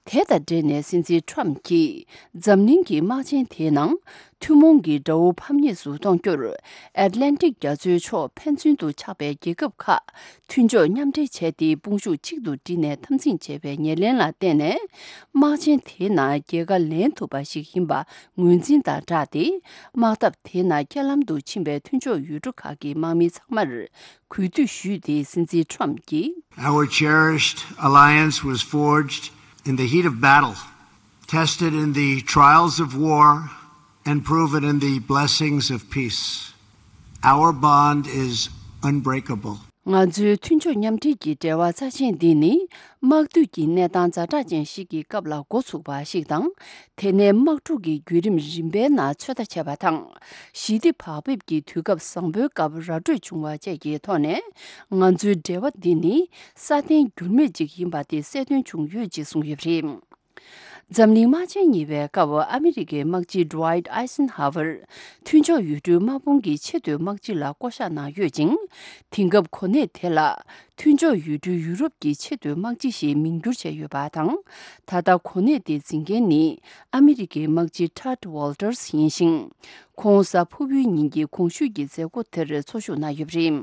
དེ་དང་འབྲེལ་ནས་སྲིད་འཛིན་ཊམ་གྱིས་འཛམ་གླིང་གི་དམག་ཆེན་དེའི་ནང་ཐུན་མོང་གི་དགྲ་བོ་ཕམ་ཉེས་སུ་གཏོང་རྒྱུར། ཨེཊ་ལན་ཊིག་རྒྱ་མཚོའི་ཕྱོགས་ཕན་ཚུན་དུ་ཆགས་པའི་རྒྱལ་ཁབ་ཁག་མཐུན་ཕྱོགས་མཉམ་འབྲེལ་བྱས་ཏེ། དཔུང་ཤུགས་གཅིག་ཏུ་བསྒྲིལ་ནས་འཐབ་འཛིང་བྱས་པའི་ཉེར་ལེན་ལ་བརྟེན་ནས། དམག་ཆེན་དེའི་ནང་རྒྱལ་ཁ་ལེན་ཐུབ་པ་ཞིག་ཡིན་པ་ངོས་འཛིན་དང་སྦྲགས་ཏེ། དམག་འཐབ་དེའི་ནང་རྐྱེན་ལམ་དུ་ཕྱིན་པའི་མཐུན་ཕྱོགས་ཡུལ་གྲུ་ཁག་གི་དམག་མི་ཚང་མར། གུས་འདུད་ཞུས་ཏེ། སྲིད་འཛིན་ཊམ་གྱིས། Our cherished alliance was forged in the heat of battle, tested in the trials of war, and proven in the blessings of peace. Our bond is unbreakable. ང་ཚོའི་མཐུན་ཕྱོགས་མཉམ་འབྲེལ་གྱི་འབྲེལ་བ་རྩ་ཆེན་འདི་ནི། དམག་དུས་ཀྱི་གནས་སྟངས་ཛ་དྲག་ཅན་ཞིག་གི་སྐབས་ལ་འགོ་ཚུགས་པ་ཞིག་དང་། དེ་ནས་དམག་འཁྲུག་གི་བརྒྱུད་རིམ་རིམ་པའི་ནང་ཚོད་ལྟ་བྱས་པ་དང་། ཞི་བདེ་བག་ཕེབས་ཀྱི་དུས་སྐབས་བཟང་པོའི་སྐབས་ར་སྤྲོད་བྱུང་བ་བཅས་ཀྱི་ཐོག་ནས། ང་ཚོའི་འབྲེལ་བ་འདི་ནི་སྲ་བརྟན་འགྱུར་མེད་ཅིག་ཡིན་པ་དེ་གསལ་སྟོན་བྱུང་ཡོད་ཅེས་གསུངས་ཡོད་པ་རེད། འཛམ་གླིང་དམག་ཆེན་གཉིས་པའི་སྐབས་ཨ་མི་རི་ཀའི་དམག་སྤྱི་Dwight Eisenhower མཐུན་ཕྱོགས་ཡུལ་གྲུའི་དམག་དཔུང་གི་ཆེས་མཐོའི་དམག་སྤྱི་ལ་བསྐོ་གཞག་གནང་ཡོད་ཅིང་། དེང་སྐབས་གོ་གནས་དེ་ལ་མཐུན་ཕྱོགས་ཡུལ་གྲུའི་ཡུ་རོབ་ཀྱི་ཆེས་མཐོའི་དམག་སྤྱི་ཞེས་མིང་བསྒྱུར་བྱས་ཡོད་པ་དང་། ད་ལྟ་གོ་གནས་དེ་འཛིན་མཁན་ནི་ཨ་མི་རི་ཀའི་དམག་སྤྱི་Tad Walters ཡིན་ཞིང་། ཁོང་གཟའ་ཕུར་བུའི་ཉིན་གྱི་གོང་ཞུས་ཀྱི་མཛད་སྒོ་དེར་འཚོགས་ཞུགས་གནང་ཡོད་པ་རེད།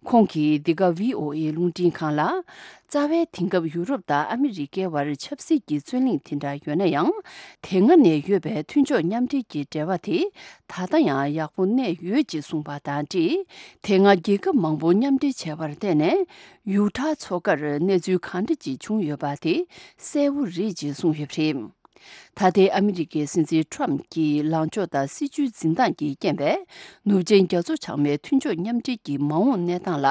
ཁོང་གིས་འདི་ག་ཝི་ཨོ་ཨེ་རླུང་འཕྲིན་ཁང་ལ། རྩ་བའི་དེང་སྐབས་ཡུ་རོབ་དང་ཨ་མི་རི་ཀའི་བར་ཆབ་སྲིད་ཀྱི་རྩོད་གླེང་དེ་འདྲ་ཡོད་ན་ཡང་། དེ་སྔ་ནས་ཡོད་པའི་མཐུན་ཕྱོགས་མཉམ་འབྲེལ་གྱི་འབྲེལ་བ་དེ་ད་ལྟ་ཡང་ཡག་པོ་གནས་ཡོད་ཅེས་གསུངས་པ་དང་འབྲེལ། དེ་སྔ་རྒྱལ་ཁབ་མང་པོ་མཉམ་འབྲེལ་བྱས་པར་བརྟེན་ནས་ཡུ་ཊ་མཚོ་ཁར་གནས་ཚུལ་གང་འདྲ་ཅིག་བྱུང་ཡོད་པ་དེ་གསལ་བོ་རེད་ཅེས་གསུངས་ཡོད་པ་རེད། ད་ལྟའི་ཨ་མི་རི་ཀའི་སྲིད་འཛིན་ཊམ་གྱི་ལངས་ཕྱོགས་དང་སྲིད་བྱུས་འཛིན་སྟངས་ཀྱི་རྐྱེན་པས། ནུབ་ཆེན་རྒྱ་མཚོ་བྱང་མའི་མཐུན་ཕྱོགས་མཉམ་འབྲེལ་གྱི་མ་འོངས་གནས་སྟངས་ལ་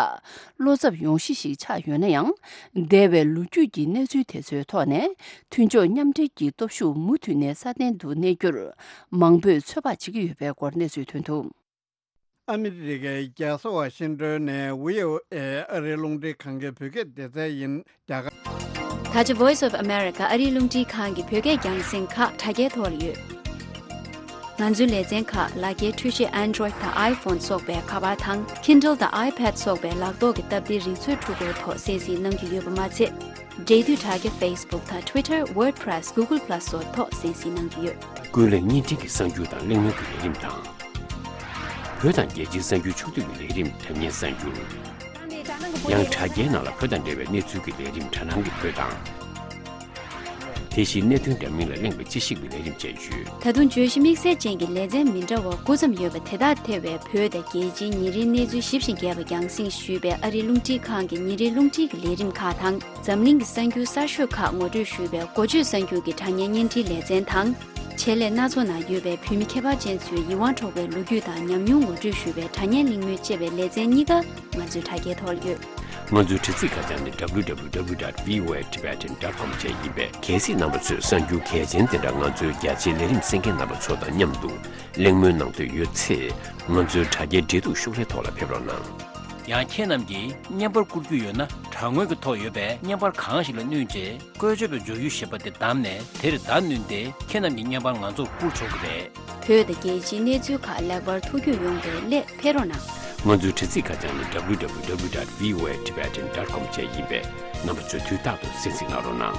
བློ་འཚབ་ཡོང་གཞི་ཞིག་ཆགས་ཡོད་ན་ཡང་། འདས་པའི་ལོ་རྒྱུས་ཀྱི་གནས་ཚུལ་དེ་ཚོའི་ཐོག་ནས་མཐུན་ཕྱོགས་མཉམ་འབྲེལ་གྱི་སྟོབས་ཤུགས་མུ་མཐུད་ནས་སྲ་བརྟན་དུ་གནས་རྒྱུར་མང་པོས་ཚོད་དཔག་བྱེད་ཀྱི་ཡོད་པའི་སྐོར་གནས་ཚུལ་ཐོན་འདུག། ཨ་མི་རི་ཀའི་རྒྱལ་ས་ཝ་ཤིང་ཏོན་ནས་ཝི་ཨོ་ཨེ་ཨ་རིའི་རླུང་འཕྲིན་ཁང་གི་བོད་སྐད་སྡེ་ཚན་ཡིན། རྒྱ་གར། ད་ཆ་Voice of America ཨ་རིའི་རླུང་འཕྲིན་ཁང་གི་བོད་སྐད་རྒྱང་སྲིང་ཁག་དྲ་རྒྱའི་ཐོག་ལ་ཡོད། ང་ཚོའི་ལེ་ཚན་ཁག་ལག་འཁྱེར་འཕྲུལ་ཆས་Android་དང་iPhone་སོགས་པའི་ཁ་པར་དང་Kindle་དང་iPad་སོགས་པའི་ལག་ཐོག་གི་སྟབས་བདེའི་རིག་མཛོད་འཕྲུལ་འཁོར་ཐོག་གསན་གཟིགས་གནང་རྒྱུ་ཡོད་པ་མ་ཚད། འབྲེལ་མཐུད་དྲ་རྒྱ་Facebook་དང་Twitter WordPress Google Plus་སོགས་ཐོག་གསན་གཟིགས་གནང་རྒྱུ་ཡོད། ཀུན་གླེང་བརྙན་འཕྲིན་གྱི་གསར་འགྱུར་དང་གླེང་མོལ་གྱི་ལས་རིམ་དང་། བོད་དང་རྒྱལ་སྤྱིའི་གསར་འགྱུར་ཕྱོགས་བསྡུས་ཀྱི་ལས་རིམ་དྲ་བརྙན་གསར་འགྱུར། ཡང་དྲ་རྒྱའི་ནང་ལ་བོད་དང་འབྲེལ་བའི་གནས་ཚུལ་གྱི་ལས་རིམ་དྲ་སྣང་གི་བོད་དང་། དེ་བཞིན་གནད་དོན་འདྲ་མིན་ལ་གླེང་བའི་དཔྱད་ཞིབ་ཀྱི་ལས་རིམ་བཅས་ཡོད། ད་དུང་བརྗོད་གཞི་དམིགས་བསལ་ཅན་གྱི་ལེ་ཚན་མི་འདྲ་བ་དགུ་ཙམ་ཡོད་པ་དེ་དག་ཐེ་བའི་བོད་དང་རྒྱལ་སྤྱིའི་ཉིན་རེའི་གནས་ཚུལ་ཞིབ་ཅིང་རྒྱས་པ་རྒྱང་སྲིང་ཞུས་པའི་ཨ་རིའི་རླུང་འཕྲིན་ཁང་གི་ཉིན་རེའི་རླུང་འཕྲིན་གྱི་ལས་རིམ་ཁག་དང་། འཛམ་གླིང་གི་གསར་འགྱུར་གསར་ཤོས་ཁག་ངོ་སྤྲོད་ཞུས་པའི་འགོ་བརྗོད་གསར་འགྱུར་གྱི་དྲ་བརྙན་བརྙན་འཕྲིན་ལེ་ཚན་དང་། ཆེད་ལས་སྣ་ཚོགས་ནང་ཡོད་པའི་བོད་མི་ཁྱད་པར་ཅན་ཚོའི་ཡིད་དབང་འཕྲོག་པའི་ལོ་རྒྱུས་དང་ཉམས་མྱོང་ངོ་སྤྲོད་ཞུས་པའི་དྲ་བརྙན་གླེང་མོལ་ཅེས་པའི་ལེ་ཚན་གཉིས་ཀ་ང་ཚོའི་དྲ་རྒྱའི་ཐོག་ལ་ཡོད། ང་ཚོའི་དྲ་ཚིགས་ཁ་བྱང་ནི་W W W dot V O A Tibetan dot com བཅས་ཡིན་པས། གལ་སྲིད་རྣམ་པ་ཚོས་གསར་འགྱུར་གལ་ཆེན་དེ་འདྲ་ང་ཚོའི་རྒྱ་ཆེའི་ལས་རིམ་གསན་མཁན་རྣམ་པ་ཚོ་དང་མཉམ་དུ་གླེང་མོལ་གནང་འདོད་ཡོད་ཚེ། ང་ཚོའི་དྲ་རྒྱའི་འབྲེལ་གཏུག་ཤོག་ལྷེ་ཐོག་ལ་ཕེབས་རོགས་གནང་། ཡང་ཁྱེད་རྣམས་ཀྱིས་བརྙན་པར་བསྐུར་རྒྱུ་ཡོད་ན། དྲ་ངོས་ཀྱི་ཐོག་ཡོད་པའི་བརྙན་པར་གང་ཞིག་ལ་བསྣུན་རྗེས། བཀོལ་སྤྱོད་པའི་མཇུག་ཡུལ་ཞེས་པ་དེ་བདམས་ནས་དེར་བརྡ་བསྣུན་ཏེ། ཁྱེད་རྣམས་ཀྱི་བརྙན་པར་ང་ཚོར་བསྐུར་ཆོག་གི་རེད། བོད་དང་རྒྱལ་སྤྱིའི་གནས་ཚུལ་ཁག་ལེགས་པར་ཐུགས་རྒྱུས་ཡོང་བའི་སླད་ཕེབས་རོགས་གནང་། ང་ཚོའི་དྲ་ཚིགས་ཁ་བྱང་ནི་W W W dot V O A Tibetan dot com བཅས་ཡིན་པས། རྣམ་པ་ཚོས་དུས་རྟག་ཏུ་གསན་གཟིགས་གནང་རོགས་གནང་།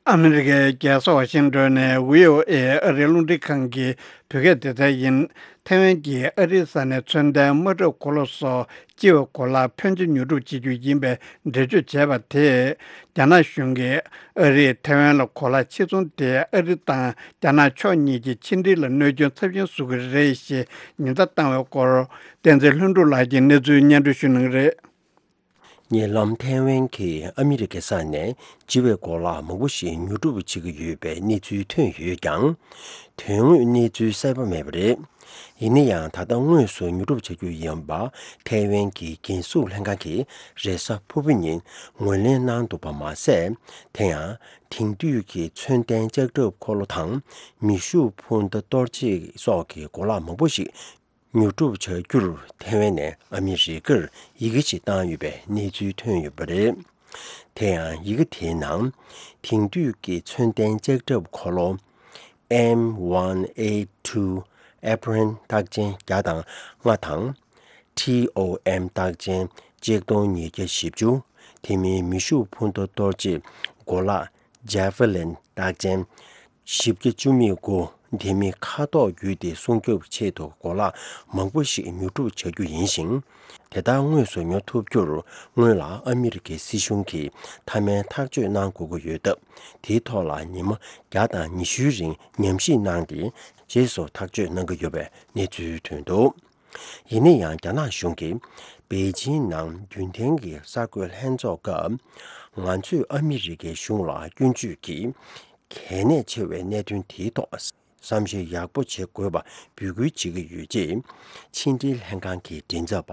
ཨ་མི་རི་ཀའི་རྒྱལ་ས་ཝ་ཤིང་ཏོན་ནས་ཝི་ཨོ་ཨེ་ཨ་རིའི་རླུང་འཕྲིན་ཁང་གི་བོད་སྐད་སྡེ་ཚན་ཡིན། ཐའེ་ཝན་གྱིས་ཨ་རིའི་ས་ནས་མཚོན་ལྡན་དམག་གྲབས་གོ་ལ་སོགས་སྤྱི་བའི་གོ་ལ་ཕོན་ཆེ་ཉོ་སྒྲུབ་བྱེད་རྒྱུ་ཡིན་པའི་འགྲེལ་བརྗོད་བྱས་པ་དེས། རྒྱ་ནག་གཞུང་གིས་ཨ་རིས་ཐའེ་ཝན་ལ་གོ་ལ་ཕྱིར་ཚོང་དེ་ཨ་རི་དང་རྒྱ་ནག་ཕྱོགས་གཉིས་ཀྱི་ཕྱི་འབྲེལ་ལ་གནོད་སྐྱོན་ཚབས་ཆེན་བཟོ་གི་རེད་ཞེས་ཉེན་བརྡ་བཏང་བའི་སྐོར། བསྟན་འཛིན་ལྷུན་གྲུབ་ལགས་ཀྱིས་གནས་ཚུལ་སྙན་སྒྲོན་ཞུ་གནང་གི་རེད། ཉེ་ལམ་ཐའེ་ཝན་གྱིས་ཨ་མི་རི་ཀའི་ས་ནས་སྤྱི་བའི་གོ་ལག་མང་པོ་ཞིག་ཉོ་སྒྲུབ་བྱེད་ཀྱི་ཡོད་པའི་གནས་ཚུལ་ཐོན་ཡོད་ཀྱང་། དོན་དངོས་གནས་ཚུལ་གསལ་པོ་མེད་པ་རེད། ཡིན་ན་ཡང་། ད་ལྟ་དངོས་སུ་ཉོ་སྒྲུབ་བྱ་རྒྱུ་ཡིན་པ་ཐའེ་ཝན་གྱི་རྒྱལ་སྲུང་ལྷན་ཁང་གིས་རེས་གཟའ་ཕུར་བུ་ཉིན་ངོས་ལེན་གནང་འདུག་པ་མ་ཟད། དེ་ཡང་དེང་དུས་ཀྱི་མཚོན་ལྡན་ལྕགས་ཁྲབ་འཁོར་ལོ་དང་། མེ་ཤུགས་འཕུར་མདའ་གཏོར་བྱེད་སོགས་ཀྱི་གོ་ལག་མང་པོ་ཞིག་ཉོ་སྒྲུབ་བྱ་རྒྱུར་ཐའེ་ཝན་ནས་ཨ་མི་རི་ཀར་ཡི་གེ་ཞིག་བཏང་ཡོད་པའི་གནས་ཚུལ་ཐོན་ཡོད་པ་རེད། དེ་ཡང་ཡི་གེ་དེའི་ནང་། དེང་དུས་ཀྱི་མཚོན་ལྡན་ལྕགས་ཁྲབ་འཁོར་ལོ། M one eight two Abrams རྟགས་ཅན་བརྒྱ་དང་ལྔ་དང་། T O M རྟགས་ཅན་གཅིག་སྟོང་ཉིས་བརྒྱ་བཞི་བཅུ། དེ་མིན་མེ་ཤུགས་འཕུར་མདའ་གཏོར་བྱེད་གོ་ལག Javelin རྟགས་ཅན་བཞི་བརྒྱ་བཅུ་མེད་དགུ། དེ་མིན་མཁའ་ཐོག་བརྒྱུད་དེ་སྲུང་སྐྱོབ་ཆེད་དུ་གོ་ལག་མང་པོ་ཞིག་ཉོ་སྒྲུབ་བྱ་རྒྱུ་ཡིན་ཞིང་། དེ་དག་དངོས་སུ་ཉོ་ཐུབ་རྒྱུར་སྔོན་ལ་ཨ་མི་རི་ཀའི་སྲིད་གཞུང་གིས་མཐའ་མའི་ཐག་གཅོད་གནང་དགོས་ཀྱི་ཡོད་སྟབས། དེའི་ཐོག་ལ་ཉི་མ་བརྒྱ་དང་ཉི་ཤུའི་རིང་ཉམས་ཞིབ་གནང་སྟེ། རྗེས་སུ་ཐག་གཅོད་གནང་གི་ཡོད་པའི་གནས་ཚུལ་ཐོན་འདུག། ཡིན་ན་ཡང་། རྒྱ་ནག་གཞུང་གིས་པེ་ཅིང་ནང་རྒྱུན་ལྡན་གྱི་གསར་འགོད་ལྷན་ཚོགས་སྐབས། ང་ཚོས་ཨ་མི་རི་ཀའི་གཞུང་ལ་སྐྱོན་བརྗོད་ཀྱིས་གལ་གནད་ཆེ་བའི་གནད་དོན་དེའི་ཐོག་བསམ་ཤེས་ཡག་པོ་བྱེད་དགོས་པ་འབོད་སྐུལ་བྱེད་ཀྱི་ཡོད་ཅེས། ཕྱི་འབྲེལ་ལྷན་ཁང་གི་མགྲིན་ཚབ་པ་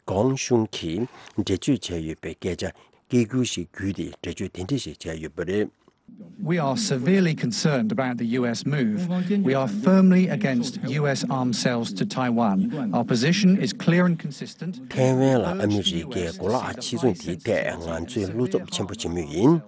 ཀོང་ཤུང་གིས་འགྲེལ་བརྗོད་བྱས་ཡོད་པའི་སྐད་ཆ་སྐད་སྒྱུར་ཞིག་བརྒྱུད་དེ་འགྲེལ་བརྗོད་དེ་འདྲ་ཞིག་བྱས་ཡོད་པ་རེད། We are severely concerned about the U S move. We are firmly against U S arms sales to Taiwan. Our position is clear and consistent. ཐའེ་ཝན་ལ་ཨ་མི་རི་ཀའི་གོ་ལག་ཕྱིར་ཚོང་དེའི་ཐད་ང་ཚོས་བློ་འཚབ་ཆེན་པོ་བྱེད་མུས་ཡིན།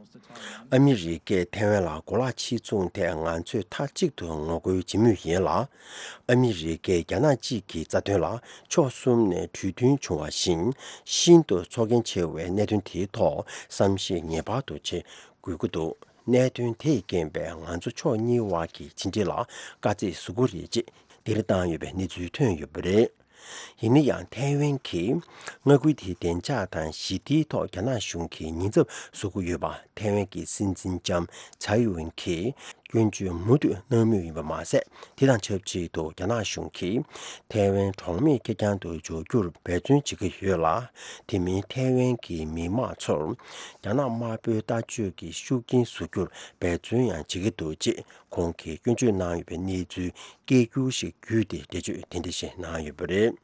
ཨ་མི་རི་ཀས་ཐའེ་ཝན་ལ་གོ་ལག་ཕྱིར་ཚོང་ཐད་ང་ཚོས་མཐའ་གཅིག་ཏུ་ངོ་རྒོལ་བྱེད་མུས་ཡིན་ལ། ཨ་མི་རི་ཀས་རྒྱ་ནག་གཅིག་གི་རྩ་དོན་ལ་ཕྱོགས་གསུམ་ནས་གྲོས་མཐུན་བྱུང་བ་བཞིན་ཤིན་ཏུ་ཚོར་སྐྱེན་ཆེ་བའི་གནད་དོན་དེའི་ཐོག་བསམ་ཤེས་ངེས་པར་དུ་བྱེད་དགོས་ཀྱི་འདུག་གནད་དོན་དེས་རྐྱེན་པས་ང་ཚོ་ཕྱོགས་གཉིས་དབར་གྱི་ཕྱི་འབྲེལ་ལ་དཀའ་ཚེགས་བཟོ་གི་རེད་ཅེས་འདིར་བཏང་ཡོད་པའི་གནས་ཚུལ་ཐོན་ཡོད་པ་རེད། ཡིན་ན་ཡང་ཐའེ་ཝན་གྱིས་མངའ་ཁུལ་དེའི་བདེ་འཇགས་དང་ཞི་བདེའི་ཐོག་རྒྱ་ནག་གཞུང་གིས་ཉེན་ཚབས་བཟོ་གི་ཡོད་པ་ཐའེ་ཝན་གྱི་སྲིད་འཛིན་ལྕམ་ཚའེ་ཝེན་གྱིས་སྐྱོན་བརྗོད་མུ་མཐུད་གནང་མུས་ཡིན་པ་མ་ཟད། དེ་དང་ཆབས་ཅིག་ཏུ་རྒྱ་ནག་གཞུང་གིས་ཐའེ་ཝན་གྲོགས་མེད་ཁེར་རྐྱང་དུ་འཇོག་རྒྱུར་འབད་བརྩོན་བྱེད་ཀྱི་ཡོད་ལ། དེ་མིན་ཐའེ་ཝན་གྱི་མི་དམངས་ཚོར་རྒྱ་ནག་དམར་པོའི་ལྟ་སྤྱོད་ཀྱི་ཤུགས་རྐྱེན་བཟོ་རྒྱུར་འབད་བརྩོན་ཡང་བྱེད་ཀྱི་འདུག་ཅེས་ཁོང་གིས་སྐྱོན་བརྗོད་གནང་ཡོད་པའི་གནས་ཚུལ་སྐད་སྒྱུར་ཞིག་བརྒྱུད་དེ་འགྲེལ་བརྗོད་དེ་འདྲ་ཞིག་གནང་ཡོད་པ་རེད།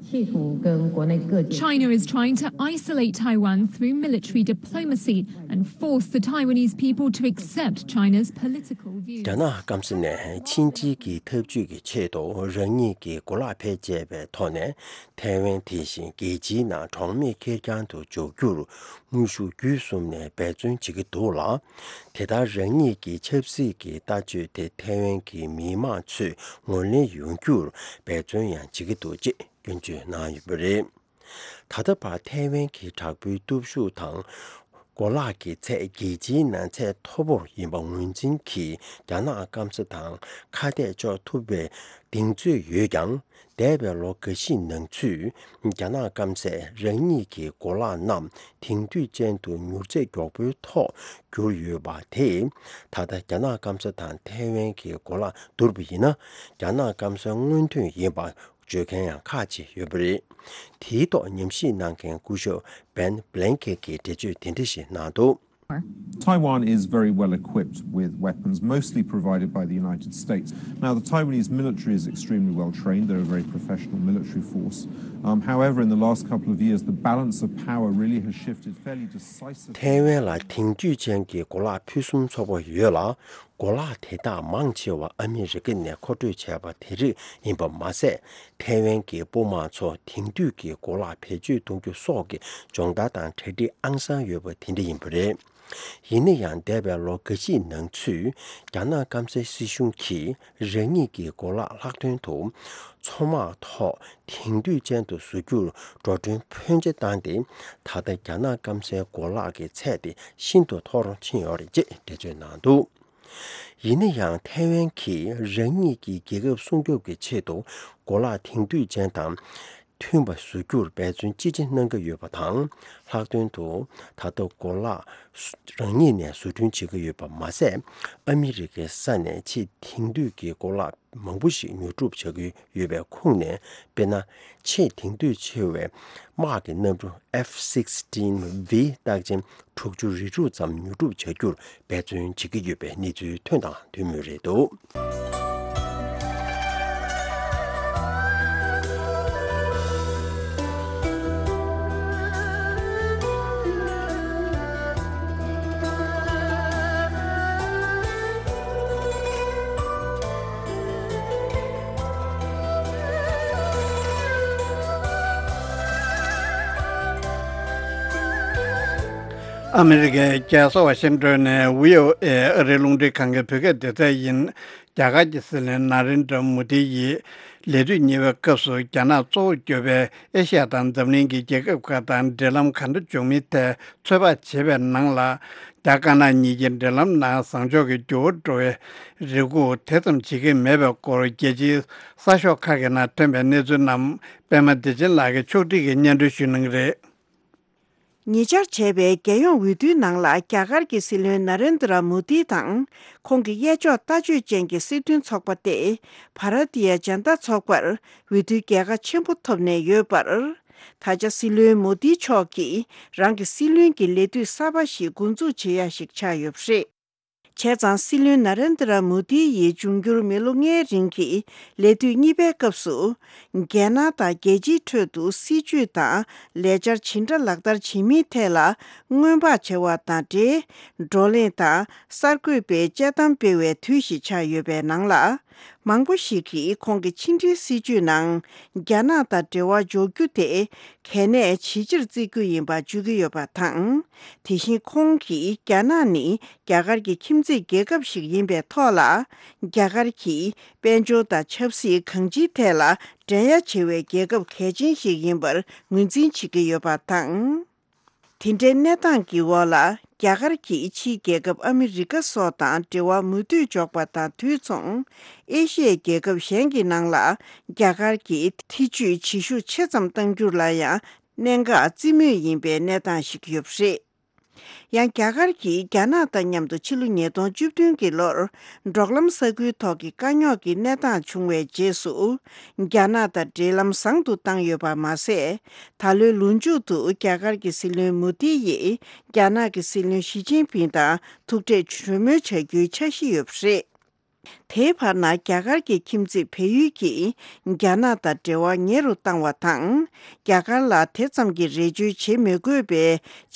企图跟国内各界 China is trying to isolate Taiwan through military diplomacy and force the Taiwanese people to accept China's political views. རྒྱ་ནག་སྐམ་ས་ནས་ཕྱི་འབྲེལ་གྱི་འཐབ་ཇུས་ཀྱི་ཆེད་དུ་རང་ཉིད་ཀྱི་གོ་ལག་ཕལ་ཆེ་བའི་ཐོག་ནས་ཐའེ་ཝན་དེ་བཞིན་རྒྱལ་སྤྱིའི་ནང་གྲོགས་མེད་ཁེར་རྐྱང་དུ་འཇོག་རྒྱུར་དངོས་ཤུགས་བརྒྱུད་གསུམ་ནས་འབད་བརྩོན་བྱེད་ཀྱི་འདུག་ལ། དེ་ལྟར་རང་ཉིད་ཀྱི་ཆབ་སྲིད་ཀྱི་ལྟ་སྤྱོད་དེ་ཐའེ་ཝན་གྱི་མི་དམངས་ཚོས་ངོས་ལེན་ཡོང་རྒྱུར་འབད་བརྩོན་ཡང་བྱེད་ཀྱི་འདུག་ཅེས་སྐྱོན་བརྗོད་གནང་ཡོད་པ་རེད། ད་ལྟ་བར་ཐའེ་ཝན་གྱི་དྲག་པོའི་སྟོབས་ཤུགས་དང་གོ་ལག་གི་ཚད་རྒྱལ་སྤྱིའི་ནང་ཚད་མཐོ་པོར་ཡིན་པ་ངོས་འཛིན་གྱིས་རྒྱ་ནག་སྐམ་ས་དང་ཁ་གཏད་གཅོག་ཐུབ་པའི་གདེང་ཚོད་ཡོད་ཀྱང་། འདས་པའི་ལོ་འགའ་ཤས་ནང་ཚུད་རྒྱ་ནག་སྐམ་སས་རང་ཉིད་ཀྱི་གོ་ལག་རྣམས་དེང་དུས་ཅན་དུ་མྱུར་ཚད་མགྱོགས་པོའི་ཐོག་གྱུར་ཡོད་པ་དེས། ད་ལྟ་རྒྱ་ནག་སྐམ་ས་དང་ཐའེ་ཝན་གྱི་གོ་ལག་བསྡུར་བ་ཡིན་ན། རྒྱ་ནག་སྐམ་སའི་སྔོན་ཐོན་ཡིན་པ་བརྗོད་མཁན་ཡང་ཁག་ཅིག་ཡོད་པ་རེད། དེའི་ཐོག་ཉམས་ཞིབ་གནང་མཁན་སྐུ་ཞབས་Ben Blanket གྱིས་འགྲེལ་བརྗོད་དེ་འདྲ་ཞིག་གནང་འདུག Taiwan is very well equipped with weapons, mostly provided by the United States. Now, the Taiwanese military is extremely well trained. They're a very professional military force. Um, however, in the last couple of years, the balance of power really has shifted fairly decisively. ཐའེ་ཝན་ལ་དེང་དུས་ཅན་གྱི་གོ་ལག་ཕུན་སུམ་ཚོགས་པ་ཡོད་ལ། གོ་ལག་དེ་དག་མང་ཆེ་བ་ཨ་མི་རི་ཀ་ནས་མཁོ་སྤྲོད་བྱས་པ་དེ་རིགས་ཡིན་པ་མ་ཟད། ཐའེ་ཝན་གྱི་དཔུང་དམག་ཚོ་དེང་དུས་ཀྱི་གོ་ལག་བེད་སྤྱོད་གཏོང་རྒྱུ་སོགས་ཀྱི་སྦྱོང་བརྡར་དང་གྲ་སྒྲིག་ཨང་གསར་ཡོད་པ་དེ་འདྲ་ཡིན་པ་རེད། ཡིན་ན་ཡང་འདས་པའི་ལོ་འགའ་ཤས་ནང་ཚུད་རྒྱ་ནག་སྐམ་སའི་སྲིད་གཞུང་གིས་རང་ཉིད་ཀྱི་གོ་ལག་ལྷག་དོན་དུ་མཚོ་དམག་ཐོག་དེང་དུས་ཅན་དུ་བཟོ་རྒྱུར་འགྲོ་གྲོན་ཕོན་ཆེ་བཏང་སྟེ། ད་ལྟ་རྒྱ་ནག་སྐམ་སའི་གོ་ལག་གི་ཚད་དེ་ཤིན་ཏུ་མཐོ་རུ་ཕྱིན་ཡོད་རེད་ཅེས་འགྲེལ་བརྗོད་གནང་འདུག་ཡིན་ན་ཡང་ཐའེ་ཝན་གྱིས་རང་ཉིད་ཀྱི་རྒྱལ་ཁབ་སྲུང་སྐྱོབ་ཀྱི་ཆེད་དུ་གོ་ལག་དེང་དུས་ཅན་དང་མཐུན་པ་བཟོ་རྒྱུར་འབད་བརྩོན་ཅི་ཆེ་གནང་གི་ཡོད་པ་དང་། ལྷག་དོན་དུ་ད་ལྟ་གོ་ལག་རང་ཉིད་ནས་བཟོ་སྐྲུན་བྱེད་ཀྱི་ཡོད་པ་མ་ཟད། ཨ་མི་རི་ཀའི་ས་ནས་ཆེས་དེང་དུས་ཀྱི་གོ་ལག་མང་པོ་ཞིག་ཉོ་སྒྲུབ་བྱ་རྒྱུ་ཡོད་པའི་ཁོངས་ནས། དཔེར་ན། ཆེས་དེང་དུས་ཆེ་བའི་དམག་གི་གནམ་གྲུ་F sixteen V རྟགས་ཅན་དྲུག་ཅུ་རེ་དྲུག་ཙམ་ཉོ་སྒྲུབ་བྱ་རྒྱུར་འབད་བརྩོན་བྱེད་ཀྱི་ཡོད་པའི་གནས་ཚུལ་ཐོན་དང་ཐོན་མུས་རེད་འདུག་ཨ་མི་རི་ཀའི་རྒྱལ་ས་ཝ་ཤིང་ཏོན་ནས་བྷི་ཨོ་ཨེ་ཨ་རིའི་རླུང་འཕྲིན་ཁང་གི་བོད་སྐད་སྡེ་ཚན་ཡིན། རྒྱ་གར་གྱི་སྲིད་བློན་ན་རེན་དྲ་མོ་དི་ཡིས་ལས་དུས་གཉིས་པའི་སྐབས་སུ་རྒྱ་ནག་གཙོ་བོ་གྱུར་པའི་ཨེ་ཤ་ཡ་དང་འཛམ་གླིང་གི་རྒྱལ་ཁབ་ཁག་དང་འབྲེལ་ལམ་ག་འདྲ་འཇོག་མིན་ཐད་ཚོད་དཔག་བྱེད་པའི་ནང་ལ། རྒྱ་དཀར་ནག་གཉིས་ཀྱི་འབྲེལ་ལམ་ནང་བཟང་ཕྱོགས་ཀྱི་འགྱུར་བ་འགྲོ་བའི་རེ་སྒུག་དེ་ཙམ་བྱེད་ཀྱི་མེད་པའི་སྐོར་རྒྱལ་སྤྱིའི་གསར་ཤོག་ཁག་གི་ནང་ཐོན་པའི་གནས་ཚུལ་རྣམས་པད་མ་བདེ་ཆེན་ལགས་ཀྱིས་ཕྱོགས་སྒྲིག་གིས་སྙན་སྒྲོན་ཞུ་གནང་གི་རེད། ཉེ་ཆར་བྱས་པའི་རྒྱལ་ཡོངས་འོས་བསྡུའི་ནང་ལ་རྒྱ་གར་གྱི་སྲིད་བློན་ན་རེན་དྲ་མོ་དི་དང་ཁོང་གི་གཡས་ཕྱོགས་ལྟ་སྤྱོད་ཅན་གྱི་སྲིད་དོན་ཚོགས་པ་སྟེ་བྷ་ར་ཏི་ཡ་ཇན་ཏ་ཚོགས་པར་འོས་བསྡུའི་རྒྱལ་ཁ་ཆེན་པོ་ཐོབ་ནས་ཡོད་པར། ད་ཆ་སྲིད་བློན་མོ་དི་མཆོག་གིས་རང་གི་སྲིད་བློན་གྱི་ལས་དུས་གསར་པ་ཞིག་འགོ་འཛུགས་བྱེད་ཡ་ཞིག་ཆགས་ཡོད་པ་རེད། བྱས་ཙང་སྲིད་བློན་ན་རེན་དྲ་མོ་དི་ཡི་འབྱུང་འགྱུར་མི་ལོ་ལྔའི་རིང་གི་ལས་དུས་གཉིས་པའི་སྐབས་སུ། རྒྱལ་ནང་དང་རྒྱལ་སྤྱིའི་ཁྲོད་དུ་སྲིད་བྱུས་དང་ལས་འཆར་ཇི་འདྲ་ལག་བསྟར་བྱེད་མིན་ཐད་ལ་སྔོན་དཔག་བྱ་བ་དང་འབྲེལ། བགྲོ་གླེང་དང་གསར་འགོད་པའི་དཔྱད་གཏམ་སྤེལ་བའི་དུས་ཤིག་ཆགས་ཡོད་པའི་ནང་ལ། མང་པོ་ཞིག་གིས་ཁོང་གི་ཕྱི་འབྲེལ་སྲིད་བྱུས་ནང་རྒྱ་ནག་དང་འབྲེལ་བ་འཇོག་རྒྱུ་དེ་གལ་གནད་ཇེ་ཆེར་བརྩི་རྒྱུ་ཡིན་པ་བརྗོད་ཀྱི་ཡོད་པ་དང་། དེ་བཞིན་ཁོང་གིས་རྒྱ་ནག་ནི་རྒྱ་གར་གྱི་ཁྱིམ་མཚེས་རྒྱལ་ཁབ་ཞིག་ཡིན་པའི་ཐོག་ལ། རྒྱ་གར་གྱིས་དཔལ་འབྱོར་དང་ཆབ་སྲིད་གང་ཅིའི་ཐད་ལ་འགྲན་ཡ་ཆེ་བའི་རྒྱལ་ཁབ་གལ་ཆེན་ཞིག་ཡིན་པར་ངོས་འཛིན་བྱེད་ཀྱི་ཡོད་པ་དང་། དེ་འདྲའི་གནས་སྟངས་ཀྱི་འོག་ལ། རྒྱ་གར་གྱིས་ཕྱིའི་རྒྱལ་ཁབ་ཨ་མི་རི་ཀ་སོགས་དང་འབྲེལ་བ་མུ་མཐུད་འཇོག་པ་དང་དུས་མཚུངས། ཨེ་ཤི་ཡའི་རྒྱལ་ཁབ་གཞན་གྱི་ནང་ལ་རྒྱ་གར་གྱི་ཐེ་ཇུས་བྱེད་ཤུགས་ཆེ་ཙམ་གཏང་རྒྱུ་ལ་ཡང་གནད་འགག་རྩི་མུས་ཡིན་པའི་གནས་སྟངས་ཤིག་ཡོད་པ་རེད། ཡང་རྒྱ་གར་གྱིས་རྒྱ་ནག་དང་མཉམ་དུ་ཕྱི་ལོ་ཉིས་སྟོང་བཅུ་བདུན་གྱི་ལོར། འབྲོག་ལམ་ས་ཁུལ་ཐོག་གི་དཀའ་རྙོག་གི་གནས་སྟངས་བྱུང་བའི་རྗེས་སུ། རྒྱ་ནག་དང་འབྲེལ་ལམ་བཟང་དུ་བཏང་ཡོད་པ་མ་ཟད། ད་ལོའི་ལོ་མཇུག་ཏུ་རྒྱ་གར་གྱི་སྲིད་བློན་མོ་དི་ཡིས་རྒྱ་ནག་གི་སྲིད་བློན་ཞི་ཅིན་ཕིང་དང་ཐུག་འཕྲད་གྲོས་མོལ་བྱ་རྒྱུའི་འཆར་གཞི་ཡོད་པ་རེད། དེའི་བར་ན་རྒྱ་གར་གྱི་ཁྱིམ་མཚེས་བལ་ཡུལ་གྱིས་རྒྱ་ནག་དང་འབྲེལ་བ་ཉེ་རུ་བཏང་བ་དང་། རྒྱ་གར་ལ་དེ་ཙམ་གྱི་རེ་བཅོལ་བྱེད་མི་དགོས་པའི་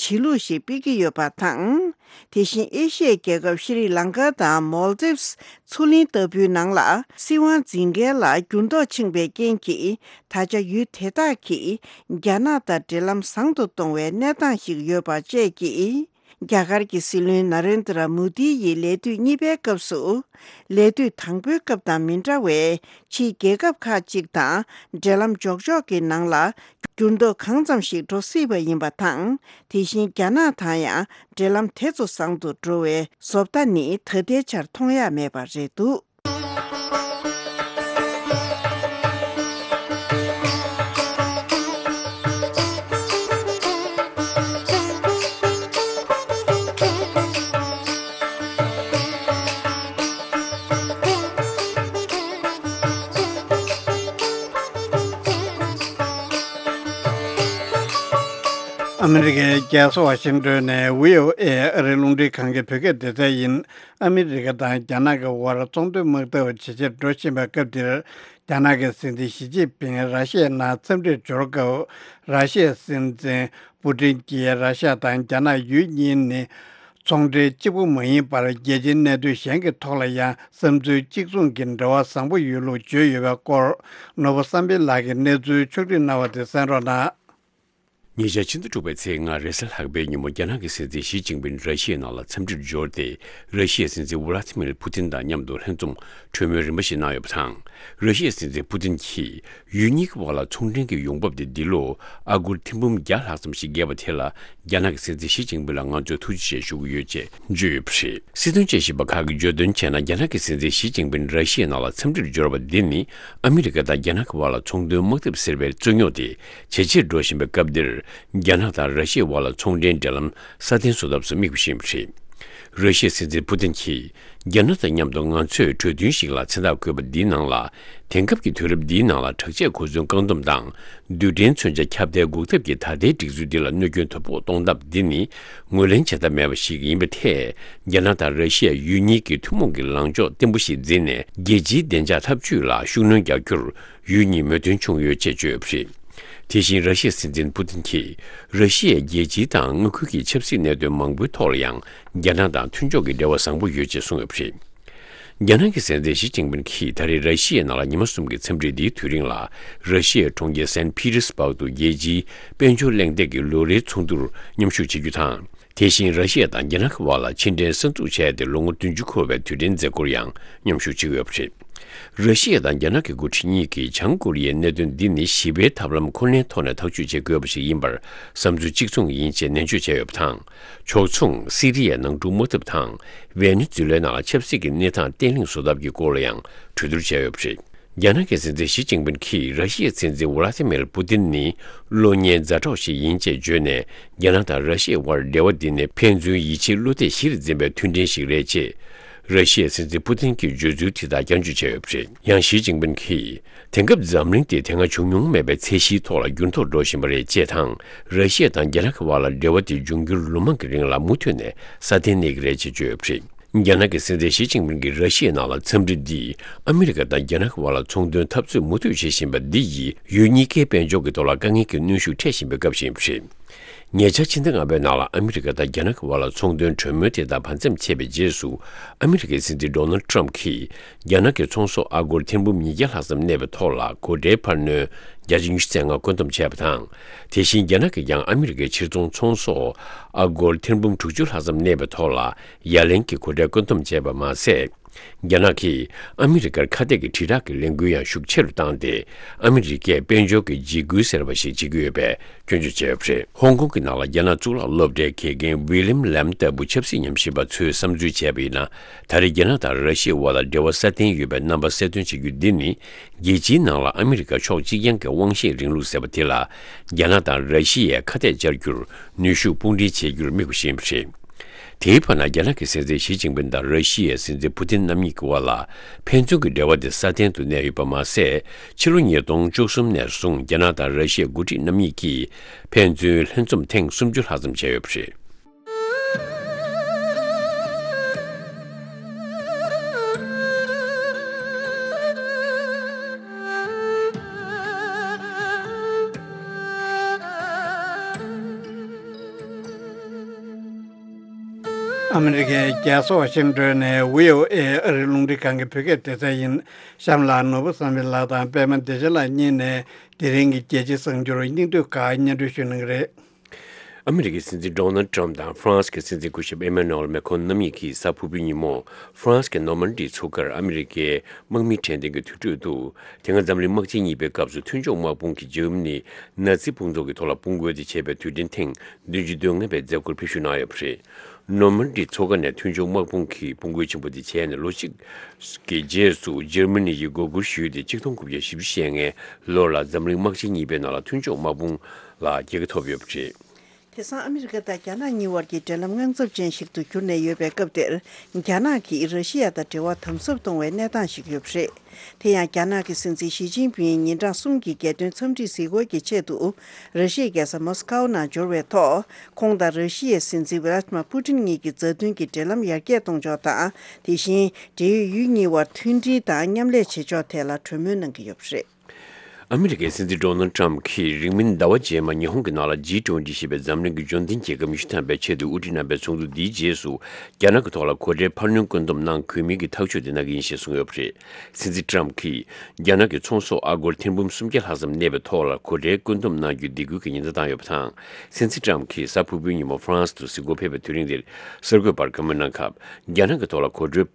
བྱེད་ལུགས་ཤིག་སྤེལ་གྱི་ཡོད་པ་དང་། དེ་བཞིན་ཨེ་ཤི་ཡའི་རྒྱལ་ཁབ་ཤྲི་ལང་ཀ་དང་མོལ་དིབ་སི་མཚོ་གླིང་ལྟ་བུའི་ནང་ལ་སྲིད་དབང་འཛིན་མཁན་ལ་འགྱུར་ལྡོག་ཕྱིན་པའི་རྐྱེན་གྱིས། ད་ཆ་ཡུལ་དེ་དག་གིས་རྒྱ་ནག་དང་འབྲེལ་ལམ་བཟང་དུ་གཏོང་བའི་གནས་སྟངས་ཤིག་ཡོད་པ་བཅས་ཀྱིས། རྒྱ་གར་གྱི་སྲིད་བློན་ན་རེན་དྲ་མོ་དི་ཡི་ལས་དུས་གཉིས་པའི་སྐབས་སུ། ལས་དུས་དང་པོའི་སྐབས་དང་མི་འདྲ་བའི་ཕྱིའི་རྒྱལ་ཁབ་ཁག་ཅིག་དང་འབྲེལ་ལམ་འཇོག་ཕྱོགས་ཀྱི་ནང་ལ་འགྱུར་ལྡོག་གང་ཙམ་ཞིག་འགྲོ་སྲིད་པ་ཡིན་པ་དང་། དེ་བཞིན་རྒྱ་ནག་དང་ཡང་འབྲེལ་ལམ་དེ་ཚོ་བཟང་དུ་འགྲོ་བའི་བཟོ་ལྟ་ནི་ད་ལྟའི་ཆར་མཐོང་ཡ་མེད་པ་རེད་འདུག། ཨ་མི་རི་ཀའི་རྒྱལ་ས་ཝ་ཤིང་ཏོན་ནས་བྷི་ཨོ་ཨེ་ཨ་རིའི་རླུང་འཕྲིན་ཁང་གི་བོད་སྐད་སྡེ་ཚན་ཡིན། ཨ་མི་རི་ཀ་དང་རྒྱ་ནག་གི་དབར་ཚོང་དོན་དམག་འཐབ་ཇེ་ཆེར་འགྲོ་བཞིན་པའི་སྐབས་འདིར། རྒྱ་ནག་གི་སྲིད་འཛིན་ཞི་ཅིན་ཕིང་ར་ཤི་ཡའི་ནང་འཚམས་འདྲིར་འབྱོར་སྐབས། ར་ཤི་ཡའི་སྲིད་འཛིན་པུ་ཏིན་གྱིས་ར་ཤི་ཡ་དང་རྒྱ་ནག་ཡུལ་གཉིས་ནི་ཚོང་འབྲེལ་གཅིག་པུ་མ་ཡིན་པར། རྒྱལ་སྤྱིའི་གནད་དོན་གཞན་གྱི་ཐོག་ལ་ཡང་བསམ་ཚུལ་གཅིག་མཚུངས་ཀྱི་འབྲེལ་བ་བཟང་པོ་ཡོད་ལུགས་བརྗོད་ཡོད་པའི་སྐོར། ནོར་བུ་བསམ་འཕེལ་ལགས་ཀྱིས་གནས་ཚུལ་ཕྱོགས་བསྒྲིགས་གནང་བ་དེ་གསན་རོགས་གནང་། ཉེ་ཆར་ཕྱི་ཟླ་དྲུག་པའི་ཚེས་ལྔ་རེས་གཟའ་ལྷག་པའི་ཉིན་མོ། རྒྱ་ནག་གི་སྲིད་འཛིན་ཞི་ཅིན་ཕིང་ར་ཤི་ཡའི་ནང་ལ་འཚམས་འདྲིར་འབྱོར་ཏེ། ར་ཤི་ཡའི་སྲིད་འཛིན་ཝུ་ལ་ཏི་མིར་ཕུ་ཏིན་དང་མཉམ་དུ་ལྷན་འཛོམས་གྲོས་མོལ་རིམ་པ་ཞིག་གནང་ཡོད་པ་དང་། ར་ཤི་ཡའི་སྲིད་འཛིན་ཕུ་ཏིན་གྱིས། ཡུལ་གཉིས་ཀྱི་དབར་ལ་ཚོང་འབྲེལ་གྱི་ཡོང་འབབ་དེ་འདི་ལོ་ཨ་སྒོར་ཐེར་འབུམ་བརྒྱ་ལྷག་ཙམ་ཞིག་བརྒལ་བ་དེ་ལ། རྒྱ་ནག་གི་སྲིད་འཛིན་ཞི་ཅིན་ཕིང་ལ་ང་ཚོས་ཐུགས་རྗེ་ཆེ་ཞུ་གི་ཡོད་ཅེས་བརྗོད་ཡོད་པ་རེད། སྲིད་དོན་དཔྱད་ཞིབ་པ་ཁག་གིས་བརྗོད་དོན་བྱས་ན། རྒྱ་ནག་གི་སྲིད་འཛིན་ཞི་ཅིན་ཕིང་ར་ཤི་ཡའི་ནང་ལ་འཚམས་འདྲིར་འབྱོར་བ་འདི་ནི། ཨ་མི་རི་ཀ་དང་རྒྱ་ནག་གི་དབར་ལ་ཚོང་དོན་དམག་འཐབ་ཟེར་བའི་རྩོད་རྙོག་དེ་ཇེ་ཆེར་འགྲོ་བཞིན་པའི་སྐབས་འདིར། རྒྱ་ནག་དང་ར་ཤི་ཡའི་དབར་ལ་ཚོང་འབྲེལ་འབྲེལ་ལམ་སྲ་བརྟན་བཟོ་ཐབས་སུ་དམིགས་པ་ཞིག་ཡིན་པ་རེད། ར་ཤི་ཡའི་སྲིད་འཛིན་ཕུ་ཏིན་གྱིས། རྒྱ་ནག་དང་མཉམ་དུ་ང་ཚོས་གྲོས་མཐུན་ཞིག་ལ་མཚན་རྟགས་བཀོད་པ་འདིའི་ནང་ལ། དེང་སྐབས་ཀྱི་དུས་རབས་འདིའི་ནང་ལ་དྲག་ཆས་གོ་མཚོན་བཀག་སྡོམ་དང་། རྡུལ་ཕྲན་མཚོན་ཆ་ཁྱབ་གདལ་འགོག་ཐབས་ཀྱི་ད་ལྟའི་སྒྲིག་འཛུགས་འདི་ལ་གནོད་སྐྱོན་དོ་ཕོག་གཏོང་ཐབས་འདི་ནི་ངོས་ལེན་བྱེད་ཐབས་མེད་པ་ཞིག་ཡིན་པའི་ཐད། རྒྱ་ནག་དང་ར་ཤི་ཡ་ཡུལ་གཉིས་ཀྱི་ཐུན་མོང་གི་ལངས་ཕྱོགས་བརྟན་པོ་ཞིག་འཛིན་ནས། རྒྱལ་སྤྱིའི་བདེ་འཇགས་འཐབ་ཇུས་ལ་ཤུགས་སྣོན་རྒྱག་རྒྱུར་ཡུལ་གཉིས་མོས་མཐུན་བྱུང་ཡོད་ཅེས་བརྗོད་ཡོད་པ་རེད། དེ་བཞིན་ར་ཤི་ཡའི་སྲིད་འཛིན་ཕུ་ཏིན་གྱིས། ར་ཤི་ཡའི་རྒྱལ་སྤྱིའི་དང་མངའ་ཁུལ་གྱི་ཆབ་སྲིད་གནད་དོན་མང་པོའི་ཐོག་ལ་ཡང་། རྒྱ་ནག་དང་མཐུན་ཕྱོགས་ཀྱི་འབྲེལ་བ་བཟང་པོ་ཡོད་ཅེས་གསུངས་ཡོད་པ་རེད། རྒྱ་ནག་གི་སྲིད་འཛིན་ཞི་ཅིན་ཕིང་གིས་ད་རེས་ར་ཤི་ཡའི་ནང་ལ་ཉི་མ་གསུམ་གྱི་འཚམས་འདྲིའི་འདིའི་དུས་རིང་ལ། ར་ཤི་ཡའི་གྲོང་ཁྱེར་སན་ཕི་ཏེར་སྦག་ཏུ་རྒྱལ་སྤྱིའི་དཔལ་འབྱོར་གླེང་སྟེགས་ཀྱི་ལོ་རེའི་ཚོགས་འདུར་མཉམ་ཞུགས་བྱེད་རྒྱུ་དང་། དེ་བཞིན་ར་ཤི་ཡ་དང་རྒྱ་ནག་གི་དབར་ལ་ཕྱི་འབྲེལ་གསར་འཛུགས་བྱས་ཏེ་ལོ་ངོ་བདུན་ཅུ་འཁོར་བའི་དུས་དྲན་མཛད་སྒོར་ཡང་མཉམ་ཞུགས་བྱེད་ཀྱི་ཡོད་པ་རེད། ར་ཤི་ཡ་དང་རྒྱ་ནག་གི་འགོ་ཁྲིད་གཉིས་ཀྱིས་བྱང་ཀོ་རི་ཡའི་གནད་དོན་འདི་ནི་ཞི་བའི་ཐབས་ལམ་ཁོ་ནའི་ཐོག་ནས་ཐག་གཅོད་བྱེད་དགོས་པ་ཞིག་ཡིན་པར་བསམ་ཚུལ་གཅིག་མཚུངས་ཡིན་ཅེས་ནན་བརྗོད་བྱས་ཡོད་པ་དང་། ཕྱོགས་མཚུངས་སི་རི་ཡའི་ནང་འཁྲུག་དམག་འཐབ་དང་། ཝེ་ནེ་ཛུ་ལའི་ནང་ལ་ཆབ་སྲིད་ཀྱི་གནས་སྟངས་བརྟན་ལྷིང་བཟོ་ཐབས་ཀྱི་སྐོར་ལ་ཡང་གྲོས་བསྡུར་བྱས་ཡོད་པ་རེད། རྒྱ་ནག་གི་སྲིད་འཛིན་ཞི་ཅིན་ཕིང་གིས་ར་ཤི་ཡའི་སྲིད་འཛིན་ཝུ་ལ་ཏི་མིར་པུ་ཏིན་ནི་གློག་བརྙན་ཛ་དྲག་ཞིག་ཡིན་ཅེས་བརྗོད་ནས། རྒྱ་ནག་དང་ར་ཤི་ཡའི་དབར་འབྲེལ་བ་འདི་ནི་ཕན་ཚུན་ཡིད་ཆེས་བློ་གཏད་གཞིར་འཛིན་པའི་མཐུན་འབྲེལ་ཞིག་རེད་ཅེས། ར་ཤི་ཡའི་སྲིད་འཛིན་པུ་ཏིན་གྱིས་བརྗོད་ཚུལ་དེ་དག་བསྐྱར་བརྗོད་བྱས་ཡོད་པ་རེད། ཡང་ཞི་ཅིན་ཕིང་གིས། དེང་སྐབས་འཛམ་གླིང་དེ་དེ་སྔ་བྱུང་མྱོང་མེད་པའི་ཚད་གཞིའི་ཐོག་ལ་འགྱུར་ལྡོག་འགྲོ་བཞིན་པ་རེད་ཅེས་དང་། ར་ཤི་ཡ་དང་རྒྱ་ནག་གི་དབར་ལ་འབྲེལ་བ་དེ་འབྱུང་འགྱུར་ལོ་མང་གི་རིང་ལ་མུ་མཐུད་ནས་སྲ་བརྟན་གནས་ཀྱི་རེད་ཅེས་བརྗོད་ཡོད་པ་རེད། རྒྱ་ནག་གི་སྲིད་འཛིན་ཞི་ཅིན་ཕིང་གིས་ར་ཤི་ཡའི་ནང་ལ་འཚམས་འདྲི་འདིས་ཨ་མི་རི་ཀ་དང་རྒྱ་ནག་གི་བར་ལ་ཚོང་དོན་འཐབ་རྩོད་མུ་མཐུད་བྱེད་བཞིན་པ་འདི་ཡིས་ཡུལ་གཉིས་ཀའི་དཔལ་འབྱོར་གྱི་ཐོག་ལ་དཀའ་ངལ་གྱི་གནོན་ཤུགས་འཕྲད་བཞིན་པའི་སྐབས་ཤིག་ཡིན་པ་རེད། ཉེ་ཆར་ཕྱི་ཟླ་ལྔ་པའི་ནང་ལ་ཨ་མི་རི་ཀ་དང་རྒྱ་ནག་གི་བར་ལ་ཚོང་དོན་གྲོས་མོལ་དེ་དག་བར་མཚམས་ཆད་པའི་རྗེས་སུ། ཨ་མི་རི་ཀའི་སྲིད་འཛིན་ཌོ་ནལ་ཊམ་གྱིས་རྒྱ་ནག་གི་ཚོང་ཟོག་ཨ་སྒོར་ཐེར་འབུམ་ཉིས་བརྒྱ་ལྷག་ཙམ་གནས་པའི་ཐོག་ལ་སྒོ་ཁྲལ་འཕར་སྣོན་བརྒྱ་ཆ་ཉི་ཤུ་རྩ་ལྔ་བཀོད་འདོམས་བྱས་པ་དང་། དེ་བཞིན་རྒྱ་ནག་གིས་ཀྱང་ཨ་མི་རི་ཀའི་ཕྱིར་ཚོང་ཚོང་ཟོག་ཨ་སྒོར་ཐེར་འབུམ་དྲུག་ཅུ་ལྷག་ཙམ་གནས་པའི་ཐོག་ལ་ཡ་ལན་གྱི་སྒོ་ཁྲལ་བཀོད་འདོམས་བྱས་པ་མ་ཟད། རྒྱ་ནག་གིས་ཨ་མི་རི་ཀར་ཁ་གཏད་ཀྱི་དྲིལ་བསྒྲགས་ཀྱི་ལས་འགུལ་ཡང་ཤུགས་ཆེ་རུ་བཏང་སྟེ། ཨ་མི་རི་ཀས་དཔལ་འབྱོར་གྱི་འཇིགས་སྐུལ་ཟེར་བ་ཞིག་བྱེད་ཀྱི་ཡོད་པའི་སྐྱོན་བརྗོད་བྱས་ཡོད་པ་རེད། ཧོང་ཀོང་གི་ནང་ལ་རྒྱ་ནག་གཙུག་ལག་སློབ་གྲྭའི་དགེ་རྒན་ཝི་ལིམ་ལེམ་ལྟ་བུ་ཆབ་སྲིད་ཉམས་ཞིབ་པ་ཚོས་བསམ་ཚུལ་བྱས་པ་ཡིན་ན། ད་རེས་རྒྱ་ནག་དང་ར་ཤི་ཡའི་དབར་ལ་འབྲེལ་བ་སྲ་བརྟན་ཡོད་པའི་རྣམ་པ་གསལ་སྟོན་བྱེད་རྒྱུ་འདི་ནི། རྒྱལ་སྤྱིའི་ནང་ལ་ཨ་མི་རི་ཀ་ཕྱོགས་གཅིག་རྐྱང་གི་དབང་ཤེད་རིང་ལུགས་ཟེར་བ་དེ་ལ། རྒྱ་ནག་དང་ར་ཤི་ཡས་ཁ་གཏད་བཅར་རྒྱུར་ནུས་ཤུགས་དཔུང་སྒྲིལ་བྱེད་རྒྱུར་དམིགས་པ་ཞིག་ཡིན་པ་རེད། དེའི་བར་ན། རྒྱ་ནག་གི་སྲིད་འཛིན་ཞི་ཅིན་ཕིང་དང་ར་ཤི་ཡའི་སྲིད་འཛིན་པུ་ཏིན་རྣམ་གཉིས་ཀྱི་བར་ལ་ཕན་ཚུན་གྱི་འབྲེལ་བ་དེ་སྲ་བརྟན་དུ་གནས་ཡོད་པ་མ་ཟད། ཕྱི་ལོ་ཉིས་སྟོང་བཅུ་གསུམ་ནས་བཟུང་རྒྱ་ནག་དང་ར་ཤི་ཡའི་འགོ་ཁྲིད་རྣམ་གཉིས་ཀྱིས་ཕན་ཚུན་ལྷན་འཛོམས་ཐེངས་སུམ་ཅུ་ལྷག་ཙམ་བྱས་ཡོད་པ་རེད། ཨ་མི་རི་ཀའི་རྒྱལ་ས་ཝ་ཤིང་ཏོན་ནས་བྷི་ཨོ་ཨེ་ཨ་རིའི་རླུང་འཕྲིན་ཁང་གི་བོད་སྐད་སྡེ་ཚན་ཡིན། གཤམ་ལ་ནོར་བུ་བསམ་འཕེལ་ལགས་དང་པད་མ་བདེ་ཆེན་ལགས་གཉིས་ནས་དེ་རིང་གི་རྒྱལ་སྤྱིའི་གསར་འགྱུར་སྙིང་བསྡུས་ཁག་སྙན་སྒྲོན་ཞུ་གནང་གི་རེད། ཨ་མི་རི་ཀའི་སྲིད་འཛིན་ཌོ་ནལ་ཊམ་དང་ཧྥ་རན་སི་གི་སྲིད་འཛིན་སྐུ་ཞབས་ཨེ་མ་ནུ་ཨེལ་མེ་ཁོན་རྣམ་གཉིས་ཀྱིས་གཟའ་ཕུར་བུའི་ཉིན་མོ་ཧྥ་རན་སི་གི་ནོར་མན་ཌི་མཚོ་ཁར་ཨ་མི་རི་ཀའི་དམག་མི་ཁྲལ་དོན་གྱི་དུར་ཁྲོད་དུ། དེ་སྔ་འཛམ་གླིང་དམག་ཆེན་གཉིས་པའི་སྐབས་སུ་མཐུན་ཕྱོགས་དམག་དཔུང་གིས་འཇར་མ་ནི་ནཱ་ཛི་དཔུང་ཚོགས་ཀྱི་ཐོག་ལ་དཔུང་རྒོལ་དེ་བྱས་པའི་དུས་དྲན་ཐེངས་བདུན་ཅུ་དོན་ལྔ་པའི་མཛད་སྒོར་ཕེབས་ཞུགས་གནང་ཡོད་པ་རེད། ནོར་མན་ཌི་མཚོ་ཁ་ནས་མཐུན་ཕྱོགས་དམག་དཔུང་གིས་དཔུང་རྒོལ་ཆེན་པོ་དེ་བྱས་ནས་ལོ་གཅིག་གི་རྗེས་སུ་འཇར་མ་ནི་ཡིས་མགོ་སྒུར་ཞུས་ཏེ་ཆིག་སྟོང་དགུ་བརྒྱ་བཞི་བཅུ་ཞེ་ལྔའི་ལོ་ལ་འཛམ་གླིང་དམག་ཆེན་གཉིས་པའི་ནང་ལ་མཐུན་ཕྱོགས་དམག་དཔུང་ལ་རྒྱལ་ཁ་ཐོབ་ཡོད་པ་རེད། དེང་སང་ཨ་མི་རི་ཀ་དང་རྒྱ་ནག་གཉིས་བར་གྱི་འབྲེལ་ལམ་དངངས་འཚབ་ཅན་ཞིག་ཏུ་གྱུར་ནས་ཡོད་པའི་སྐབས་དེར། རྒྱ་ནག་གིས་ར་ཤི་ཡ་དང་འབྲེལ་བ་དམ་ཟབ་གཏོང་བའི་གནས་སྟངས་ཤིག་ཡོད་པ་རེད། དེ་ཡང་རྒྱ་ནག་གི་སྲིད་འཛིན་ཞི་ཅིན་ཕིང་ཉིན་གྲངས་གསུམ་གྱི་རྒྱལ་དོན་འཚམས་འདྲིའི་གཟིགས་སྐོར་གྱི་ཆེད་དུ་ར་ཤི་ཡའི་རྒྱལ་ས་མོ་སི་ཀའོ་ནང་འབྱོར་བའི་ཐོག་ཁོང་དང་ར་ཤི་ཡའི་སྲིད་འཛིན་ཝི་ལ་ཏི་མ་པུ་ཏིན་གཉིས་ཀྱི་མཛའ་མཐུན་གྱི་འབྲེལ་ལམ་ཡར་རྒྱས་གཏོང་ཕྱོགས་དང་། དེ་བཞིན་འབྲེལ་ཡོད་ཡུལ་གཉིས་བར་མཐུན་སྒྲིལ་དང་མཉམ་ལས་བྱེད་ཕྱོགས་ཐད་ལ་གྲོས་མོལ་གནང་གི་ཡོད་པ་རེད། ཨ་མི་རི་ཀའི་སྲིད་འཛིན་ཌོ་ནལ་ཊམ་གྱིས་རིང་མིན་ཟླ་བ་རྗེས་མ་ཉི་ཧོང་གི་ནང་ལ་ཇི་ཊུ་ཝེན་ཊི་ཞེས་པའི་འཛམ་གླིང་གི་འབྱོར་ལྡན་རྒྱལ་ཁབ་ཉི་ཤུ་ཐམ་པའི་ཆེས་མཐོའི་དབུ་ཁྲིད་རྣམ་པའི་ཚོགས་འདུ་འདིའི་རྗེས་སུ། རྒྱ་ནག་གི་ཐོག་ལ་སྒོ་ཁྲལ་འཕར་སྣོན་བཀོད་འདོམས་གནང་དགོས་མིན་གྱི་ཐག་གཅོད་དེ་གནང་གི་ཡིན་ཞེས་གསུངས་ཡོད་པ་རེད། སྲིད་འཛིན་ཊམ་གྱིས་རྒྱ་ནག་གི་ཚོང་ཟོག་ཨ་སྒོར་ཐེར་འབུམ་སུམ་བརྒྱ་ལྷག་ཙམ་གནས་པའི་ཐོག་ལ་སྒོ་ཁྲལ་བཀོད་འདོམས་གནང་རྒྱུའི་སྡིགས་སྐུལ་གྱི་ཉེན་བརྡ་བཏང་ཡོད་པ་དང་། སྲིད་འཛིན་ཊམ་གྱིས་གཟའ་ཕུར་བུའི་ཉིན་མོ་ཧྥ་རན་སི་དུ་གཟིགས་སྐོར་ཕེབས་པའི་དུས་རིང་འདིར། གསར་འགོད་པར་བཀའ་མོལ་གནང་སྐབས། རྒྱ་ནག་གི་ཐོག་ལ་སྒོ་ཁྲལ་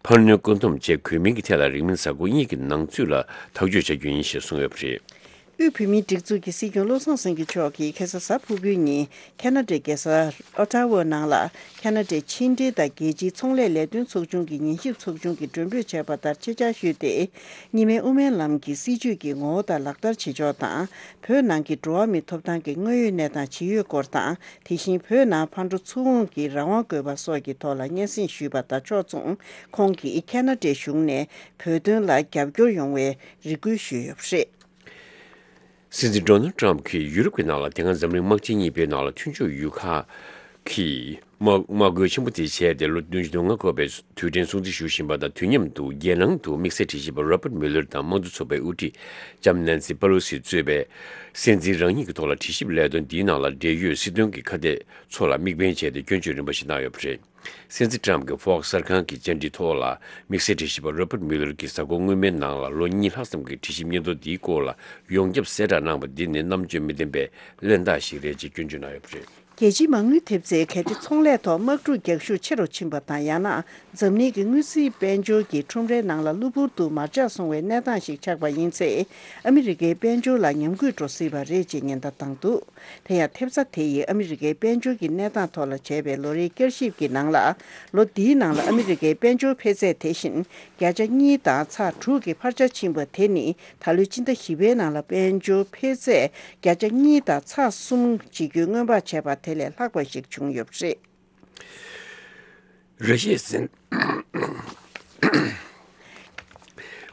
འཕར་སྣོན་བཀོད་འདོམས་བྱེད་དགོས་མིན་གྱི་ཐད་ལ་རིང་མིན་གཟའ་འཁོར་གཉིས་ཀྱི་ནང་ཚུད་ལ་ཐག་གཅོད་བྱ་རྒྱུ་ཡིན་ཞེས་གསུངས་ཡོད་པ་རེད། དབུས་བོད་མིའི་སྒྲིག་འཛུགས་ཀྱི་སྲིད་སྐྱོང་བློ་བཟང་སེང་གེ་མཆོག་གིས་ཁ་སང་གཟའ་ཕུར་བུའི་ཉིན་ཁ་ན་ཌའི་རྒྱལ་ས་ཨོ་ཊ་ཝ་ནང་ལ་ཁ་ན་ཌའི་ཕྱི་འབྲེལ་དང་རྒྱལ་སྤྱིའི་ཚོང་ལས་ལས་དོན་ཚོགས་ཆུང་གི་ཉན་ཞིབ་ཚོགས་ཆུང་གིས་མགྲོན་འབོད་བྱས་པ་ལྟར་ཆེད་བཅར་ཞུས་ཏེ། གཉིས་སྨན་དབུ་མའི་ལམ་གྱི་སྲིད་བྱུས་ཀྱི་ངོ་བོ་དང་ལག་བསྟར་བྱེད་ཕྱོགས་དང་། བོད་ནང་གི་འགྲོ་བ་མིའི་ཐོབ་ཐང་གི་དངོས་ཡོད་གནས་སྟངས་ཇི་ཡོད་སྐོར་དང་། དེ་བཞིན་བོད་ནང་ཕར་འགྲོ་ཚུར་འོང་གི་རང་དབང་དགོས་པ་སོགས་ཀྱི་ཐོག་ལ་སྙན་སེང་ཞུས་པ་དང་ཕྱོགས་མཚུངས། ཁོང་གིས་ཁ་ན་ཌའི་གཞུང་ནས་བོད་དོན་ལ་རྒྱབ་སྐྱོར་ཡོང་བའི་རེ་སྐུལ་ཞུས་ཡོད་པ་རེད། སྲིད་འཛིན་ཌོ་ནལ་ཊམ་གྱིས་ཡུ་རོབ་ཀྱི་ནང་ལ་དེ་སྔ་འཛམ་གླིང་དམག་ཆེན་གཉིས་པའི་ནང་ལ་མཐུན་ཕྱོགས་ཡུལ་ཁག་གིས་དམག་དམག་རྒོལ་ཆེན་པོ་དེ་བྱས་ཏེ་ལོ་བདུན་ཅུ་དོན་ལྔ་འཁོར་བའི་དུས་དྲན་སྲུང་བརྩི་ཞུ་བཞིན་པ་དང་། དུས་མཉམ་དུ་རྒྱལ་ནང་དུ་དམིགས་བསལ་དྲི་ཞིབ་པ་རོ་པར་མུ་ལར་དང་དམངས་གཙོ་ཚོགས་པའི་དབུ་ཁྲིད་ལྕམ་ནན་སི་པ་ལོ་སི་གཙོས་པའི་སྲིད་འཛིན་རང་ཉིད་ཀྱི་ཐོག་ལ་དྲི་ཞིབ་ལས་དོན་འདིའི་ནང་ལ་འབྲེལ་ཡོད་སྲིད་དོན་གྱི་ཁ་གཏད་ཚོ་ལ་དམིགས་འབེན་བྱས་ཏེ་སྐྱོན་བརྗོད་རིམ་པ་ཞིག་གནང་ཡོད་པ་རེད། སྲིད་འཛིན་ཊམ་གྱིས་ཧྥོག་སི་གསར་ཁང་གི་བཅར་འདྲིའི་ཐོག་ལ་དམིགས་བསལ་དྲི་ཞིབ་པ་རོ་པར་མུ་ལར་གྱིས་གཟའ་འཁོར་སྔོན་མའི་ནང་ལ་ལོ་གཉིས་ལྷག་ཙམ་གྱི་དྲི་ཞིབ་སྙན་ཐོ་འདིའི་སྐོར་ལ་ཡོངས་ཁྱབ་གསལ་བསྒྲགས་གནང་བ་འདི་ནི་རྣམ་དཔྱོད་མི་ལྡན་པའི་གླེན་རྟགས་ཤིག་རེད་ཅེས་སྐྱོན་བརྗོད་གནང་ཡོད་པ་རེད། རྒྱལ་སྤྱིའི་མ་དངུལ་ཐེབས་རྩས་གལ་ཏེ་ཚོང་ལས་ཐོག་དམག་འཁྲུག་རྒྱག་ཤུགས་ཆེ་རུ་ཕྱིན་པ་དང་། ཡང་ན་འཛམ་གླིང་གི་དངུལ་རྩིས་དཔལ་འབྱོར་གྱི་ཁྲོམ་རའི་ནང་ལ་གློ་བུར་དུ་མར་ཆག་སོང་བའི་གནས་སྟངས་ཤིག་ཆགས་པ་ཡིན་ཚེ། ཨ་མི་རི་ཀའི་དཔལ་འབྱོར་ལ་ཉམས་རྒུད་འགྲོ་སྲིད་པ་རེད་ཅེས་ཉེན་བརྡ་བཏང་འདུག་དེ་ཡང་ཐེབས་རྩ་དེ་ཡིས་ཨ་མི་རི་ཀའི་དཔལ་འབྱོར་གྱི་གནས་སྟངས་ཐོག་ལ་བྱས་པའི་ལོ་རེའི་བསྐྱར་ཞིབ་ཀྱི་ནང་ལ། ལོ་འདིའི་ནང་ལ་ཨ་མི་རི་ཀའི་དཔལ་འབྱོར་འཕེལ་ཚད་དེ་བཞིན་བརྒྱ་ཆ་གཉིས་དང་ཚེག་དྲུག་གི་འཕར་ཆ་ཕྱིན་པ་དེ་ནི། ད་ལོའི་སྤྱི་ཟླ་བཞི་པའི་ནང་ལ་དཔལ་འབྱོར་འཕེལ་ཚད་བརྒྱ་ཆ་གཉིས་དང་ཚེག་གསུམ་བྱེད་རྒྱུའི་སྔོན་དཔག་བྱས་པ་དེ་ལས་ལྷག་པ་ཞིག་བྱུང་ཡོད་པ་རེད། ར་ཤི་ཡའི་སྲིད།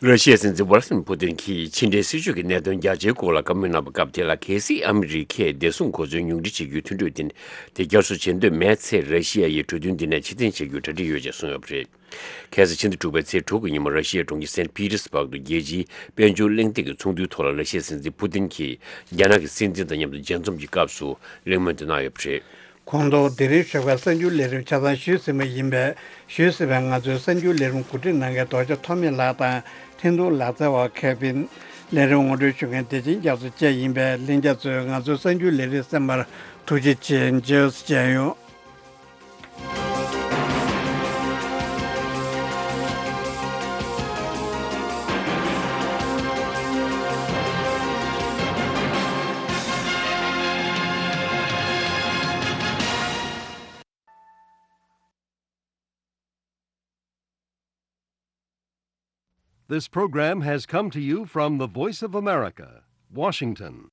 ར་ཤི་ཡའི་སྲིད་འཛིན་ཝ་ལ་སི་མི་པུ་ཏིན་གྱིས་ཕྱི་འབྲེལ་སྲིད་ཇུས་ཀྱི་གནད་དོན་རྒྱ་ཆེའི་སྐོར་ལ་བཀའ་མོལ་གནང་བའི་སྐབས་དེ་ལ། གལ་སྲིད་ཨ་མི་རི་ཀས་བདེ་སྲུང་གོ་མཚོན་ཉུང་འཕྲི་བྱེད་རྒྱུའི་མཐུན་གྲོས་དེ་དེ་བསྐྱར་གསོ་བྱེད་འདོད་མེད་ཚེ། ར་ཤི་ཡ་ཡིས་གྲོས་མཐུན་འདི་ནས་ཕྱིར་འཐེན་བྱེད་རྒྱུའི་གྲ་སྒྲིག་ཡོད་ཅེས་གསུངས་ཡོད་པ་རེད། ཁ་སང་ཕྱི་ཟླ་དྲུག་པའི་ཚེས་དྲུག་གི་ཉིན་མོ། ར་ཤི་ཡའི་གྲོང་ཁྱེར་སེན་པི་ཏེར་སྦུག་ཏུ་རྒྱལ་སྤྱིའི་དཔལ་འབྱོར་གླེང་སྟེགས་ཀྱི་ཚོགས་འདུའི་ཐོག་ལ། ར་ཤི་ཡའི་སྲིད་འཛིན་པུ་ཏིན་གྱིས་རྒྱ་ནག་གི་སྲིད་འཛིན་དང་མཉམ་དུ་མཇལ་འཛོམས་ཀྱི་སྐབས་སུ་གླེང་མོལ་དེ་གནང་ཡོད་པ་རེད། ཁོང་ཚོ་དེ་རིང་ཞོགས་པའི་གསར་འགྱུར་ལས་རིམ་ཆ་ཚང་ཞུས་ཟིན་པ་ཡིན་པས། ཞུས་ཟིན་པའི་ང་ཚོའི་གསར་འགྱུར་ལས་རིམ་གོ་སྒྲིག་གནང་མཁན་རྡོ་རྗེ་ཐོགས་མེད་ལགས་དང་། འཕྲིན་གཏོང་ལག་རྩལ་བ་ཁེ་ཕིན། ལས་རིམ་ངོ་སྤྲོད་ཞུ་མཁན་བདེ་ཆེན་རྒྱ་མཚོ་བཅས་ཡིན་པས། ལྷན་རྒྱས་ཚོས་ང་ཚོའི་གསར་འགྱུར་ལས་རིམ་གསན་པར་ཐུགས་རྗེ་ཆེ། མཇལ་ཡོང་། This program has come to you from the Voice of America, Washington.